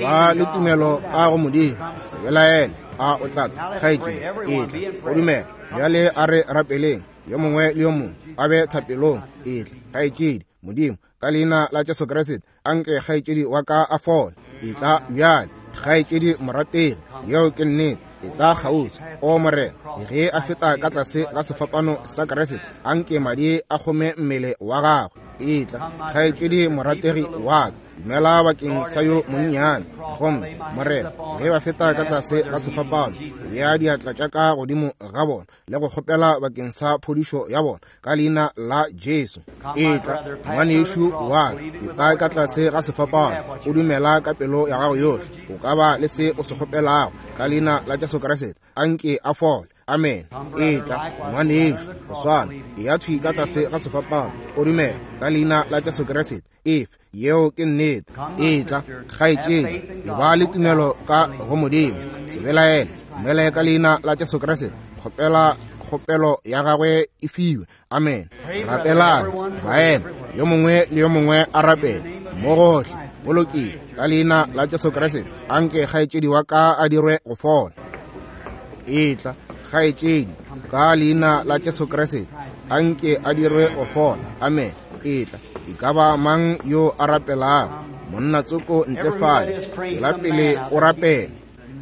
Ba le tumelo ka go Modimo. Se belaele. A o tla tla, kgaetšedi? Etla, o dumela. Bjale a re rapeleng, yo mongwe le yo mongwe a be thapelong. Etla, kgaetšedi. Modimo, ka leina la Jesu Kriste, anke kgaetšedi wa ka a fole. Etla bjale, kgaetšedi morategi. Yeo ke nnete. Etla kgauswi. O Morena, ge a feta ka tlase ga sefapano sa Kriste, anke madi a kgome mmele wa gagwe. Etla, kgaetšedi morategi wa ka, dumela bakeng sa yo monnyane. Gomme Morena, ge ba feta ka tlase ga sefapano, bea diatla tša ka godimo ga bona le go kgopela bakeng sa phodišo ya bona ka leina la Jesu. Etla, ngwanešu wa ka, etla ka tlase ga sefapano, o dumela ka pelo ya gago yohle, o ka ba le se o se kgopelago ka leina la Jesu Kriste. Anke a fole. Amen. Etla, ngwanešu, go swana, eya thwi ka tlase ga sefapano, o dumela ka leina la Jesu Kriste. Efe, yeo ke nnete. Etla, kgaetšedi, eba le tumelo ka go Modimo. Se belaele, dumela ka leina la Jesu Kriste. Kgopela kgopelo ya gagwe e fiwe. Amen. Rapelang, baena, yo mongwe le yo mongwe a rapele mo gohle. Go lokile, ka leina la Jesu Kriste, anke kgaetšedi wa ka a dirwe go fola. Etla, kgaetšedi, ka leina la Jesu Kriste, anke a dirwe go fola. Amen. Etla, e ka ba mang yo a rapelago? Monna tsoko ntle fale, tswela pele o rapele.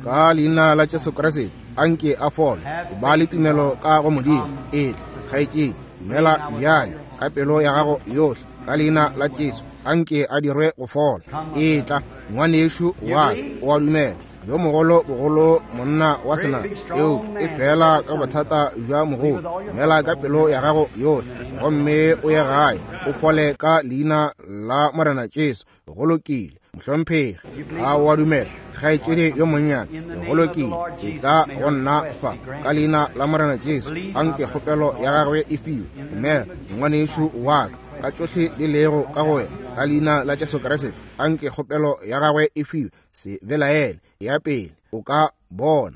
Ka leina la Jesu Kriste, anke a fole. Ba le tumelo ka go Modimo. Etla, kgaetšedi, dumela bjale ka pelo ya gago yohle, ka leina la Jesu, anke a dirwe go fola. Etla, ngwanešu wa ka, o a dumela? Yo mogolo bogolo monna wa sena, eupša e fela ka bothata bja mogolo. Dumela ka pelo ya gago yohle, gomme o ye gae, o fole ka leina la Morena Jesu. Go lokile, mohlomphegi. A o a dumela, kgaetšedi yo monnyane? Go lokile, etla go nna fa ka leina la Morena Jesu, anke kgopelo ya gagwe e fiwe. Dumela, ngwanešu wa ka, ka tšohle di lego ka go wena, ka leina la Jesu Kriste, anke kgopelo ya gagwe e fiwe. Se belaele, ya pele, o ka bona.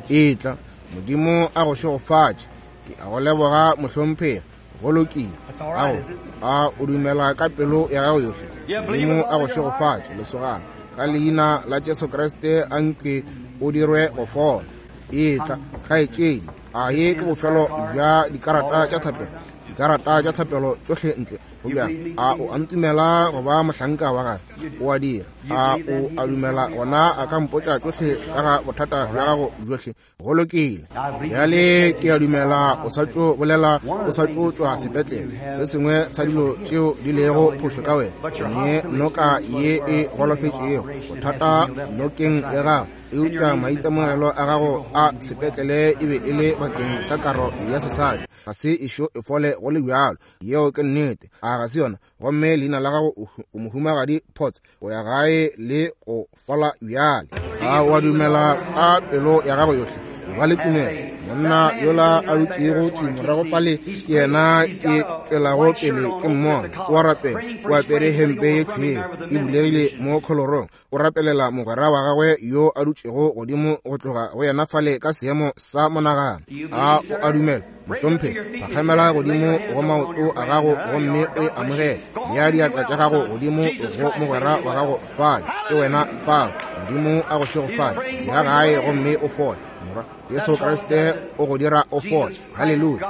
Etla, Modimo a go šegofatše. Ke a go leboga, mohlomphegi. Go lokile. Ao, a o dumela ka pelo ya gago yohle? Modimo a go šegofatše, lesogana. Ka leina la Jesu Kriste, anke o dirwe go fola. Etla, kgaetšedi, A ye ke bofelo bja dikarata tša thapelo, dikarata tša thapelo tšohle ntle. Go bjang? A o a ntumela go ba mohlanka wa gagwe? O a dira. A o a dumela gona a ka mpotša tšohle ka ga bothata bja gago bjohle? Go lokile. Bjale ke a dumela o sa tšo bolela, o sa tšo tšwa sepetlele. Se sengwe sa dilo tšeo di lego phošo ka wena, ne noka ye e golofetšego, bothata nokeng ya gago. Eupša maitemogelo a gago a sepetlele e be e le bakeng sa karo ya sesadi, ga se ešo e fole go le bjalo. Yeo ke nnete, a ga se yona? Gomme leina la gago o mohumagadi Potts, o ya gae le go fola bjale. A wa dumela ka pelo ya gago yohle? E ba le tumelo. Monna yola a dutšego thwi morago fale ke yena ke tšwelago pele ke mmona. O a rapela, o apere hempe ye tšhweu e bulegile mo kholorong. O rapelela mogwera wa gagwe yo a dutšego godimo go tloga go yena fale ka seemo sa monagano. A o a dumela, mohlomphegi? Phakgamela godimo go maoto a gago gomme o e amogele. Bea diatla tša gago godimo go mogwera wa gago fale, ke wena fao. Modimo a go šegofatše. Ya gae gomme o fole. Morwa Jesu Kriste o go dira o fole. Haleluya.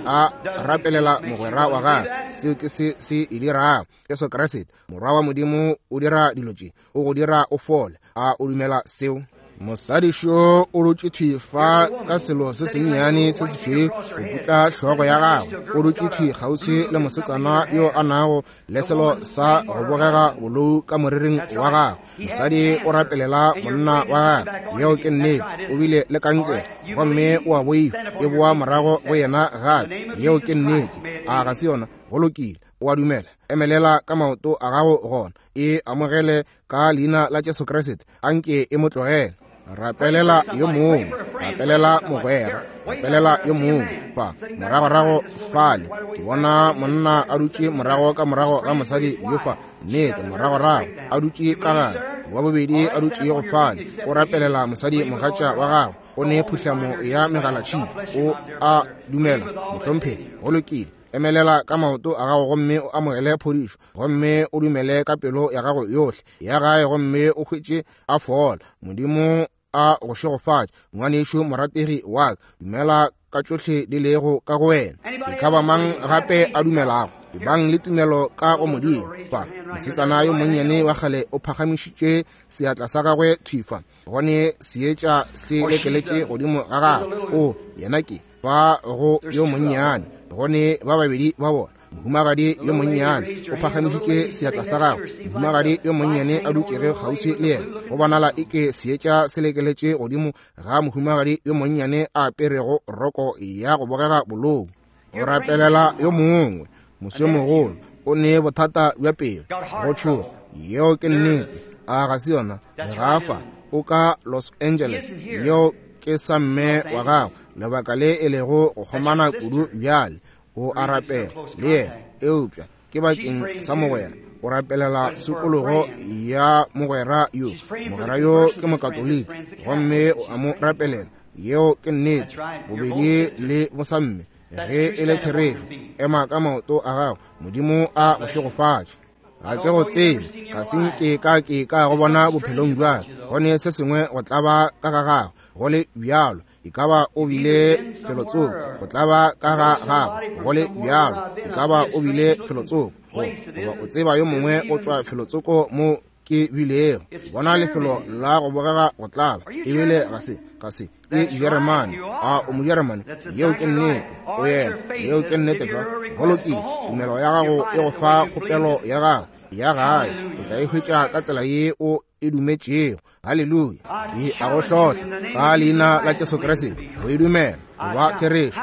A rapelela mogwera wa gagwe. Seo ke se se e dirago. Jesu Kriste, Morwa wa Modimo, o dira dilo tše, o go dira o fole. A o dumela seo? Mosadi šo o dutše thwi fa ka selo se sennyane se sešweu go putla hlogo ya gagwe. O dutše thwi kgauswi le mosetsana yo a nago le selo sa go bogega bolou ka moriring wa gagwe. Mosadi o rapelela monna wa gagwe. Yeo ke nnete. O bile le kankere gomme o a boifa, e boa morago go yena gape. Yeo ke nnete. A ga se yona? Go lokile. O a dumela? Emelela ka maoto a gago gona, e amogele ka leina la Jesu Kriste. Anke e mo tlogele. Rapelela yo mongwe, rapelela mogwera, rapelela yo mongwe. Fa moragorago fale ke bona monna a dutše morago ka morago ga mosadi yo fa, nnete, moragorago a dutše ka gare. Wa bobedi a dutšego fale o rapelela mosadi mogatša wa gagwe, o ne phuhlamo ya megalatšhika. O a dumela, mohlomphegi? Go lokile. Emelela ka maoto a gago gomme o amogele phodišo, gomme o dumele ka pelo ya gago yohle. Ya gae gomme o hwetše a fola. Modimo a go šegofatše, ngwanešu morategi wa ka. Dumela ka tšohle di lego ka go wena. E ka ba mang gape a dumelago? Ebang le tumelo ka go Modimo. Fa mosetsana yo monnyane wa kgale o phagamišitše seatla sa gagwe thwi fa, gone seetša se lekeletše godimo ga gagwe. O yena ke ba go yo monnyane, gone ba babedi ba bona. Mohumagadi yo monnyane o phagamišitše seatla sa gagwe. Mohumagadi yo monnyane a dutšego kgauswi le yena, go bonala eke seetša se lekeletše godimo ga mohumagadi yo monnyane a aperego roko ya go bogega bolou. O rapelela yo mongwe, moswemogolo, o ne bothata bja pelo, go tšhoga. Yeo ke nnete. A ga se yona? Legafa o ka Los Angeles. Yeo ke sa mme wa gagwe, lebaka le e lego go kgomana kudu bjale. O a rapela le yena, eupša ke bakeng sa mogwera. O rapelela tshokologo ya mogwera yo. Mogwera yo ke mokatoliki gomme o a mo rapelela. Yeo ke nnete. Bobedi le bosamme, ge e le therešo, ema ka maoto a gago. Modimo a go šegofatše. Ga ke go tsebe, ga se nke ka ke ka go bona bophelong bja ka. Gone se sengwe go tlaba ka ga gago, go le bjalo. E ka ba o bile felotsoko, go tlaba ka ga gago, go le bjalo. E ka ba o bile felotsoko, goba o tseba yo mongwe o tšwa felotsoko mo ke bilego. Bona lefelo la go bogega go tlaba, ebile ga se ga se ke Jeremane. A o Mojeremane? Yeo ke nnete. O yena. Yeo ke nnete jwa. Go lokile. Tumelo ya gago e go fa kgopelo ya gago ya gae, o tla e hwetša ka tsela ye o e dumetšego. Haleluya. Ke a go hlohla ka leina la Jesu Kriste go e dumela go ba therešo.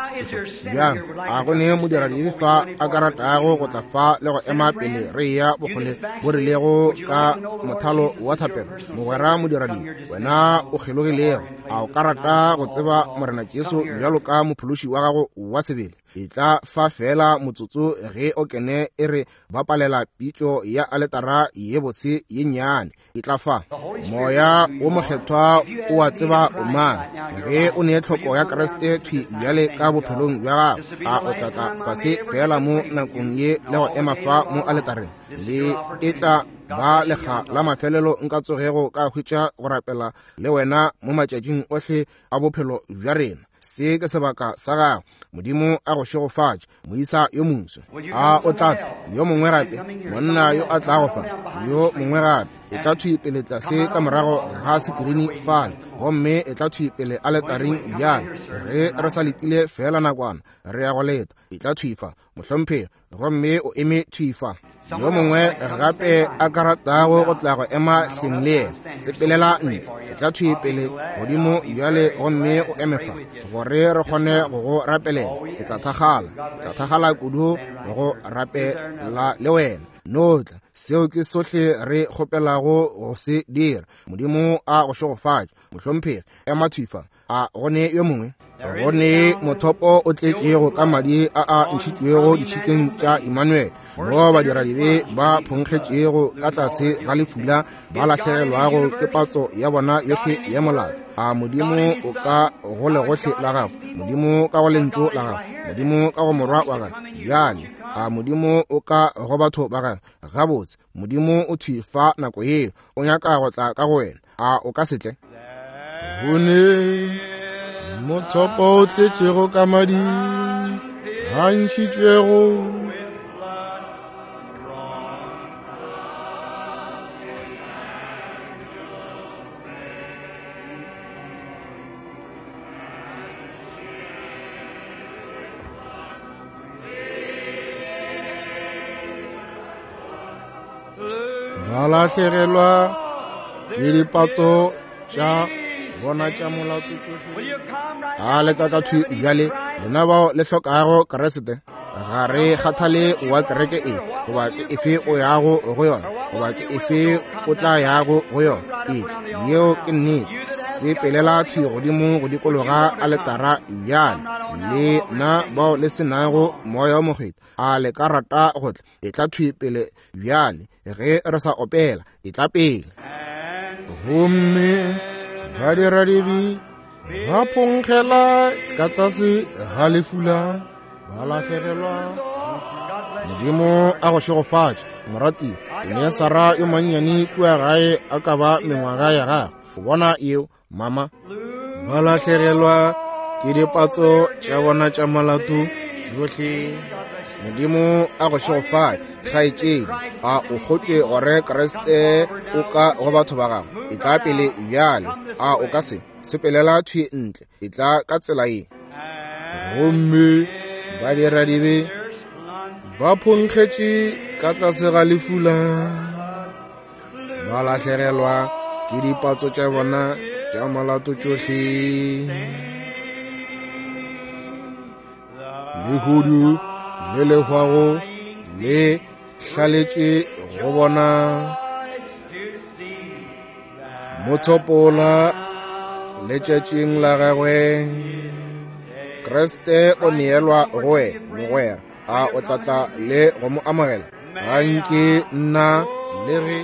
Bjang a go ne modiradibe fa a ka ratago go tla fa le go ema pele re ya bokgole bo rilego ka mothalo wa thapelo? Mogwera modiradibe, wena o kgelogilego, a o ka rata go tseba Morena Jesu bjalo ka mophološi wa gago wa sebele? E tla fa fela motsotso ge o kene e re bapalela pitšo ya aletara ye bose ye nnyane. E tla fa. Moya wo mokgethwa o a tseba o mang. Ge o ne tlhoko ya Kriste thwi bjale ka bophelong bja gago, a o tla tla fase fela mo nakong ye le go ema fa mo aletareng? Le e tla ba lekga la mafelelo nka tsogego ka hwetša go rapela le wena mo matšatšing ohle a bophelo bja rena. Se ke sebaka sa gago. Modimo a go šegofatše, moisa yo moso. A o tla tla yo mongwe gape, monna yo a tlago fa, yo mongwe gape. E tla thwi pele tlase ka morago ga sekirini fale, gomme e tla thwi pele aletaring bjale. Ge re sa letile fela nakwana, re ya go leta. E tla thwi fa, mohlomphegi, gomme o eme thwi fa. Yo mongwe gape a ka ratago go tla go ema hleng le yena, sepelela ntle. E tla thwi pele godimo bjale gomme o eme fa, gore re kgone go go rapelela. E tla thakgala, e tla thakgala kudu go rapela le wena. No tla, seo ke sohle re kgopelago go se dira. Modimo a go šegofatše, mohlomphegi. Ema thwi fa. A go ne yo mongwe? Go ne mothopo o tletšego ka madi a a ntšhitšwego ditšhikeng tša Emmanuel, mo badiradibe ba phonkgetšego ka tlase ga lefula, ba lahlegelwago ke patso ya bona yohle ya molato. A Modimo o ka go legohle la gago, Modimo ka go lentšu la gago, Modimo ka go morwa wa gago bjale. A Modimo o ka go batho ba gago. Gabotse, Modimo o thwi fa nako yeo, o nyaka go tla ka go wena. A o ka se tle? Go ne mothopo o tletšego ka madi a ntšhitšwego ba lahlegelwa ke dipatso tša bona tša molato tšohle. A le tla tla thwi bjale, lena bao le hlokago Kriste. Ga re kgathale wa kereke e, goba ke efe o yago go yona, goba ke efe o tla yago go yona. E yeo ke nnete. Sepelela thwi godimo go dikologa aletara bjale. Le na bao le senago Moya wo Mokgethwa, a le ka rata go tla? E tla thwi pele bjale ge re sa opela. E tla pele. Gomme badiradibe ba phonkgela ka tlase ga lefula, ba lahlegelwa. Modimo a go šegofatše, moratiwa. O ne Sara yo mannyane kua gae a ka ba mengwaga ya gagwe. O bona eo, mama. Ba lahlegelwa ke dipatso tša bona tša molato tšohle. Modimo a go šegofatše, kgaetšedi. A o kgotše gore Kriste o ka go batho ba gago. E tla pele bjale. A o ka se sepelela thwi ntle. E tla ka tsela ye. Gomme badiradibe ba phonkgetše ka tlase ga lefula, ba lahlegelwa ke dipatso tša bona tša molato tšohle. Lehudu le le hwago le hlaletše go bona mothopola letšatšing la gagwe. Kriste o neelwa go wena, mogwera. A o tla tla le go mo amogela? Ga nke nna le ge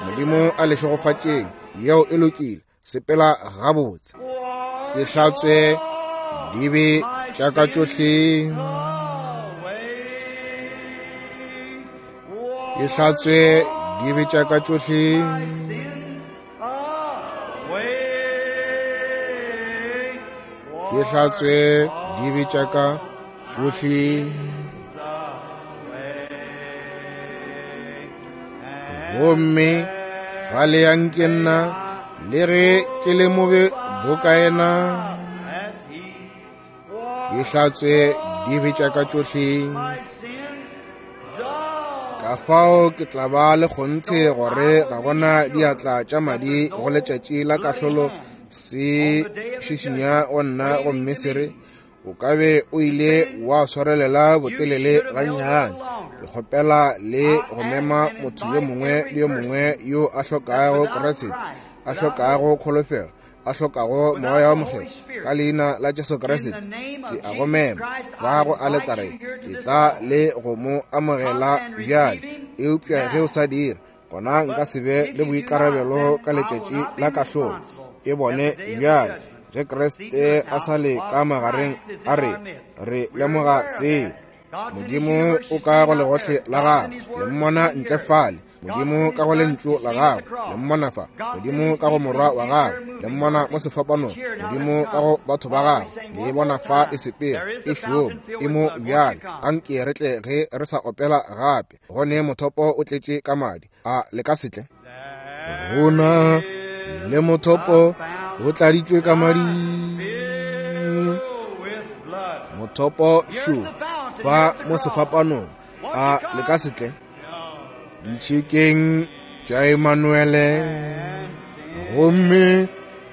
Modimo a le šegofatšeng. Yeo e lokile. Sepela gabotse. Ke hlatswe dibe tša ka tšohle. Ke hlatswe dibe tša ka tšohle. Ke hlatswe dibe tša ka tšohle. Gomme fale ya nke nna, le ge ke le mobe boka yena, ke hlatswe dibe tša ka tšohle. Ka fao ke tla ba le kgonthe gore ga gona diatla tša madi go letšatši la kahlolo se šišinya go nna gomme se re, o ka be o ile wa swarelela botelele gannyane. Ke kgopela le go mema motho yo mongwe le yo mongwe yo a hlokago Kriste, a hlokago kholofelo, a hlokago Moya wo Mokgethwa, ka leina la Jesu Kriste ke a go mema fa go aletare. E tla le go mo amogela bjale. Eupša ge o sa dire, gona nka se be le boikarabelo ka letšatši la kahlolo. E bone bjale ge Kriste a sa le ka magareng a re, re lemoga seo. Modimo o ka go legohle la gagwe, le mmona ntle fale. Modimo ka go lentšu la gagwe, le mmona fa. Modimo ka go morwa wa gagwe, le mmona mo sefapanong. Modimo ka go batho ba gagwe, le e bona fa e sepela, e šoma, e mo bjale. Anke re tle ge re sa opela gape, go ne mothopo o tletše ka madi. A le ka se tle? Go na le mothopo o tladitšwe ka madi. Mothopo šo fa mo sefapanong. A le ka se tle? Ditšhikeng tša Emanuele, gomme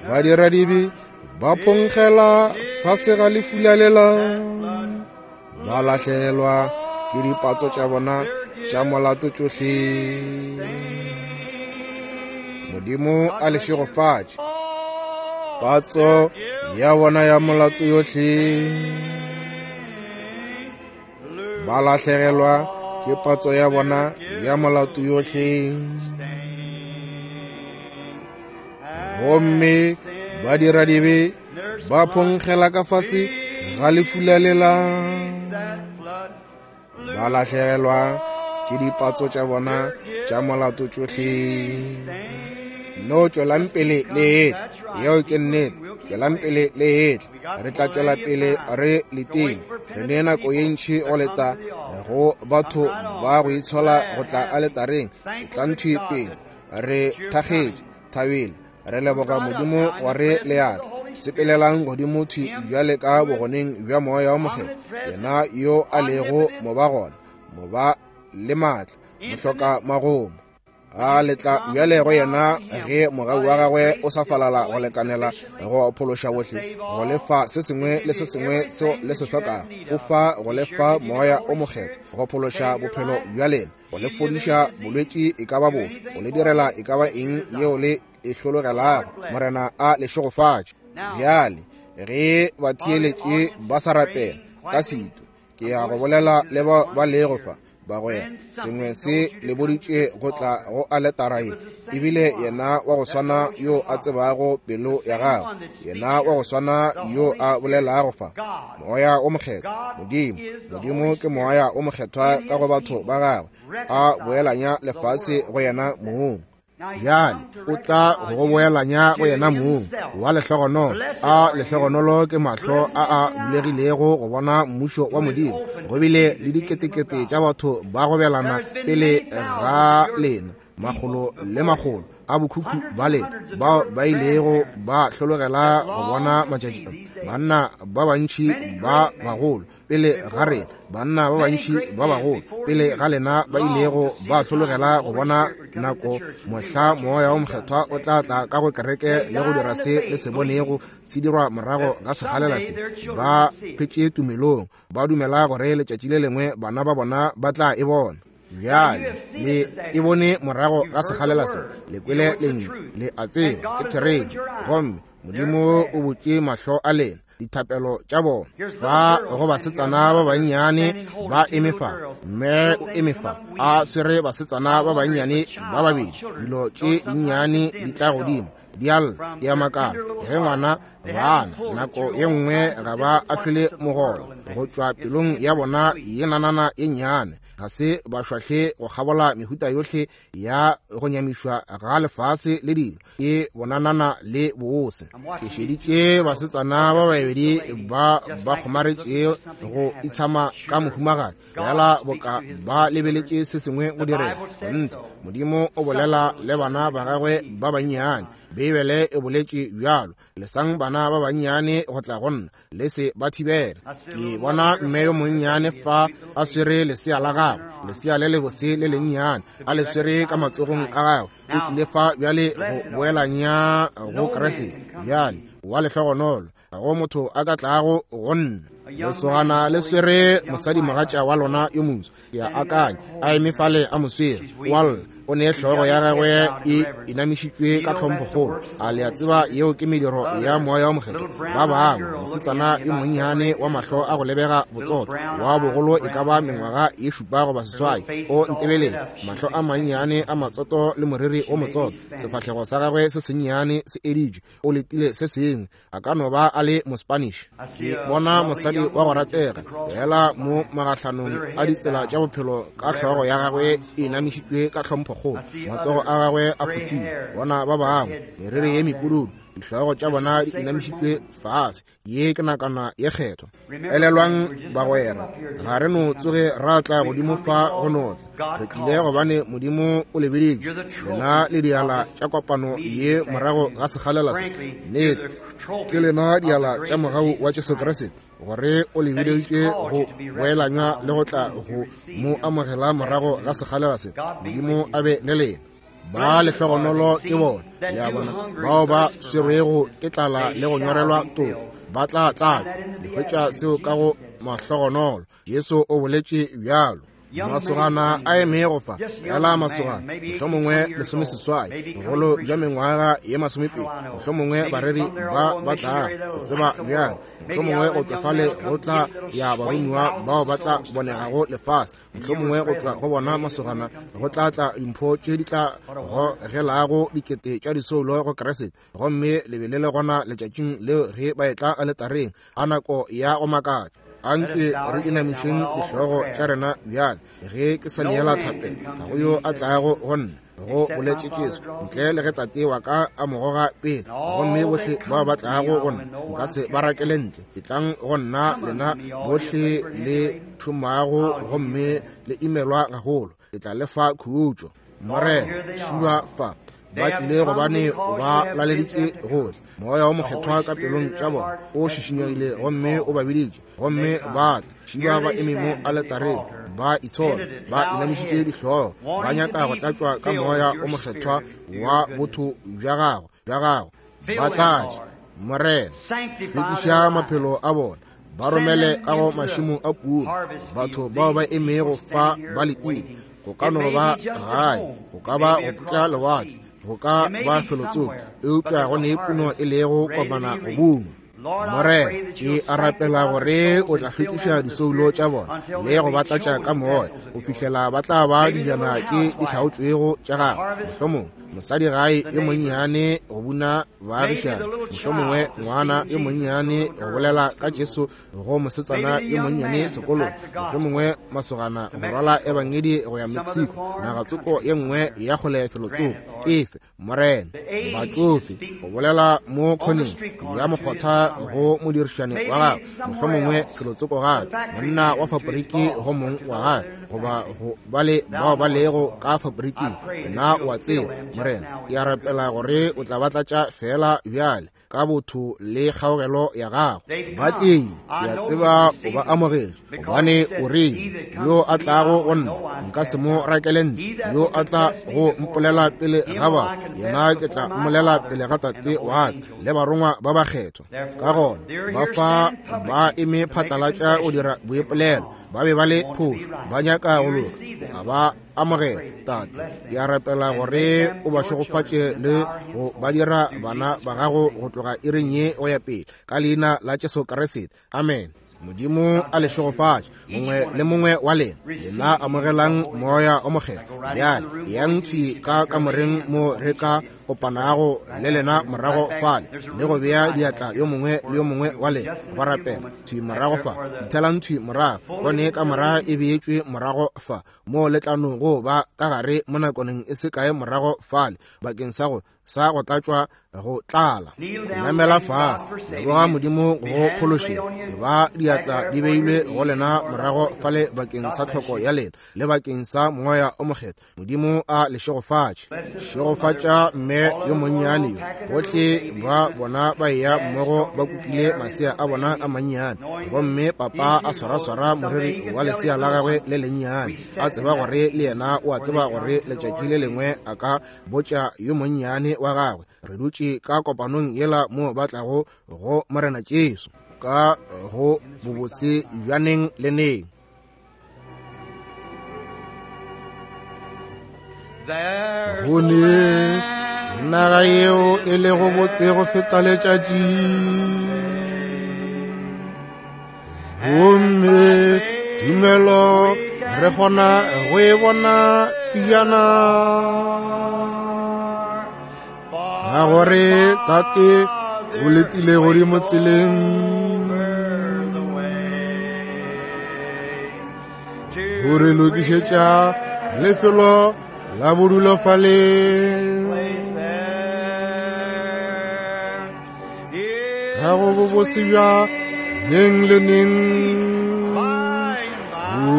badiradibe ba phonkgela fase ga lefula lela, ba lahlegelwa ke dipatso tša bona tša molato tšohle. Modimo a le šegofatše. Patso ya bona ya molato yohle, ba lahlegelwa ke patso ya bona ya molato yohle. Gomme badiradibe ba phonkgela ka fase ga lefula lela, ba lahlegelwa ke dipatso tša bona tša molato tšohle. No tšwelang pele le etla, yeo ke nnete. Tšwelang pele le etla, re tla tšwela pele re letile. Re ne nako ye ntši go leta go batho ba go itshola go tla aletareng. Etlang thwi pele, re thakgetše, thabile, re leboga Modimo gore le atla. Sepelelang godimo thwi bjale ka bogoneng bja Moya wa Mokgethwa, yena yo a lego mobagona, moba le maatla, mohloka magomo. A letla bjale go yena ge mogau wa gagwe o sa falala go lekanela go phološa bohle, go lefa se sengwe le se sengwe seo le se hlokago, go fa go lefa Moya o Mokgethwa, go phološa bophelo bja lena, go le fodiša bolwetši e ka ba bofe, go le direla e ka ba eng yeo le e hlologelago. Morena a le šegofatše. Bjale ge batheeletši ba sa rapela ka setu, ke ya go bolela le ba ba lego fa. Bagwera, sengwe se le boditše go tla go aletara ye, ebile yena wa go swana yo a tsebago pelo ya gagwe, yena wa go swana yo a bolelago fa, Moya o Mokgethwa. Modimo, Modimo ke Moya o Mokgethwa ka go batho ba gagwe, a boelanya lefase go yena mong. Bjale o tla go boelanya go yena mong wa lehlogonolo. A lehlogonolo ke mahlo a a bulegilego go bona mmušo wa Modimo. Go bile le diketekete tša batho ba gobelana pele ga lena, makgolo le makgolo a bokhukhu ba lena bao ba ilego ba hlologela go bona matšatši. Banna ba bantši ba bagolo pele ga rena, banna ba bantši ba bagolo pele ga lena ba ilego ba hlologela go bona nako mohla Moya wa Mokgethwa o tla tla ka go kereke le go dira se le se bonego se dirwa morago ga sekgalela se. Ba hwetše tumelong, ba dumela gore letšatši le lengwe bana ba bona ba tla e bona. Bjale le e bone morago ga sekgalela se, le kwele lentšu, le a tseba ke therešo, gomme Modimo o butše mahlo a lena, dithapelo tša bona. Fa go basetsana ba bannyane ba eme fa, mme o eme fa a swere basetsana ba bannyane ba babedi. Dilo tše dinnyane di tla godimo, di a lla, di a makala ge ngwana bana nako ye nngwe ga ba ahlole mogolo go tšwa pelong ya bona ye nanana ye nnyane. Ga se ba šwahle go kgabola mehuta yohle ya go nyamišwa ga lefase le dilo, ke bonanana le bose. Ke šeditše basetsana ba babedi ba ba kgomaretše go itshama ka mohumagadi, fela boka ba lebeletše se sengwe go direga. Kgonthe, Modimo o bolela le bana ba gagwe ba bannyane. Beibele e boletše bjalo, lesang bana ba bannyane go tla go nna, le se ba thibele. Ke bona mme yo monnyane fa a swere lesea la gagwe, lesea le lebose le lennyane, a le swere ka matsogong a gagwe. O tlile fa bjale go boelanya go Kriste. Bjale wa lehlogonolo, ga go motho a ka tlago go nna. Lesogana le swere mosadimogatša wa lona yo moso, ke a akanya, a eme fale a mo swere, wa lla, o ne hlogo ya gagwe e inamišitšwe ka tlhomphokgolo. A le a tseba yeo ke mediro ya Moya wa Mokgethwa? Ba bangwe, mosetsana yo monnyane wa mahlo a go lebega botsotso, wa bogolo e ka ba mengwaga ye šupa goba seswai, o ntebeletše, mahlo a mannyane a matsoto le moriri o motsotso, sefahlego sa gagwe se sennyane se editšwe, o letile se sengwe. A ka no ba a le Mospanish. Ke bona mosadi Mosadi wa go ratega fela mo magahlanong a ditsela tša bophelo ka hlogo ya gagwe e inamišitšwe ka tlhomphokgolo, matsogo a gagwe a phuthile. Bona ba bangwe meriri ye mepududu, dihlogo tša bona di inamišitšwe fase. Ye ke nakana ye kgethwa. Elelwang bagwera, ga re no tsoge ra tla godimo fa go no tla. Re tlile gobane Modimo o le biditše. Lena le diala tša kopano ye morago ga sekgalela se. Nnete, ke lena diala tša mogau wa Jesu Kriste, gore o le biditše go boelanywa le go tla go mo amogela morago ga sekgalela se. Modimo a be le lena. Ba lehlogonolo ke bona, le a bona, bao ba swerwego ke tlala le go nyorelwa toko, ba tla tlatšwa. Le hwetša seo ka go mahlogonolo. Jesu o boletše bjalo. Masogana a emego fa, fela masogana, mohlomongwe lesomeseswai, bogolo bja mengwaga ye masomepedi, mohlomongwe bareri ba ba tlago go tseba bjang, mohlomongwe go tšwa fale go tla ya baromiwa bao ba tla bonegago lefase, mohlomongwe go tšwa go bona masogana go tla tla dimpho tše di tla gogelago dikete tša disoulo go Kriste. Gomme le be le le gona letšatšing leo ge ba etla aletareng a nako ya go makatša. Anke re inamišeng dihlogo tša rena bjale ge ke sa neela thapelo. Ga go yo a tlago go nna, go boletše Jesu, ntle le ge Tate wa ka a mo goga pele. Gomme bohle bao ba tlago go nna nka se ba rakele ntle. Etlang go nna lena bohle le šomago gomme le imelwa gagolo, ke tla le fa khutšo. Morena, šua fa. Ba tlile gobane o ba laleditše gohle. Moya o mokgethwa ka pelong tša bona o šišinyegile gomme o ba biditše, gomme ba tla. Šiba ba eme mo aletareng, ba itshola, ba inamišitše dihlogo, ba nyaka go tlatšwa ka moya o mokgethwa wa botho bja gago bja gago. Ba tlatše, Morena. Hlwekiša maphelo a bona, ba romele ka go mašemo a puno. Batho bao ba emego fa ba letile, go ka no ba gae, go ka ba go putla lewatle, go ka ba felotsoko, eupša go ne puno e lego kopana go bunwa. Morena, ke a rapela gore o tla hlwekiša disoulo tša bona le go ba tlatša ka moya go fihlela ba tla ba dijana tše di hlaotšwego tša gago. Mohlomongwe mosadi gae yo monnyane go buna baagišane, mohlomongwe ngwana yo monnyane go bolela ka Jesu go mosetsana yo monnyane sekolong, mohlomongwe masogana go rwala ebangedi go ya Mexico, nagatsoko ye nngwe ya kgole felotsoko. Efe, Morena, batšofe go bolela mo khoneng ya mokgotha go modirišane wa gagwe, mohlomongwe felotsoko gape, monna wa faporiki go mong wa gagwe, goba go bale bao ba lego ka fabriking. Nna o a tseba, Morena, ke a rapela gore o tla ba tlatša fela bjale ka botho le kgaogelo ya gago. Ba tlile, ke a tseba o ba amogetše, gobane o rile, yo a tlago go nna nka se mo rakele ntle, yo a tla go mpolela pele ga batho, yena ke tla mmolela pele ga Tate wa ka le barongwa ba bakgethwa. Ka gona ba fa ba eme phatlalatša go dira boipolelo, ba be ba le phošo, ba nyaka go loka, a ba amogela. Tate, ke a rapela gore o ba šegofatše le go ba dira bana ba gago go tloga iring ye go ya pele, ka leina la Jesu Kriste. Amen. Modimo a le šegofatše mongwe le mongwe wa lena. Lena amogelang moya o mokgethwa. Bjale yang thwi ka kamoreng mo re ka kopanago le lena morago fale, le go bea diatla yo mongwe le yo mongwe wa lena go rapela thwi morago fa. Dithelang thwi morago, bone kamora e beetšwe morago fa, mo le tla no go ba ka gare mo nakoneng e se kae morago fale, bakeng sa go sa go tlatšwa go tlala. Namela fase, leboga Modimo go phološeng. E ba diatla di beilwe go lena morago fale bakeng sa tlhoko ya lena le bakeng sa moya o mokgethwa. Modimo a le šegofatše. Šegofatša mme yo monnyane yo. Bohle ba bona ba eya mmogo ba kukile masea a bona a mannyane, gomme papa a swaraswara moriri wa lesea la gagwe le lennyane, a tseba gore le yena o a tseba gore letšatši le lengwe a ka botša yo monnyane wa gagwe, re dutše ka kopanong yela mo ba tlago go Morena Jesu ka go bobotse bja neng le neng. Go ne naga yeo e lego botse go feta letšatši, gomme tumelo re kgona go e bona pejana, ka gore Tate o letile godimo tseleng. Go re lokišetša lefelo la bodulo fale. Place there. Ka go bobose bja neng le neng. By and by. O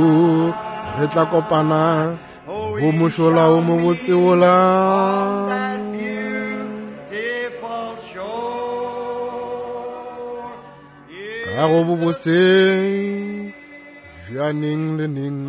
re tla kopana go mošola o mobotse wola. That beautiful shore. Ka go bobose bja neng le neng.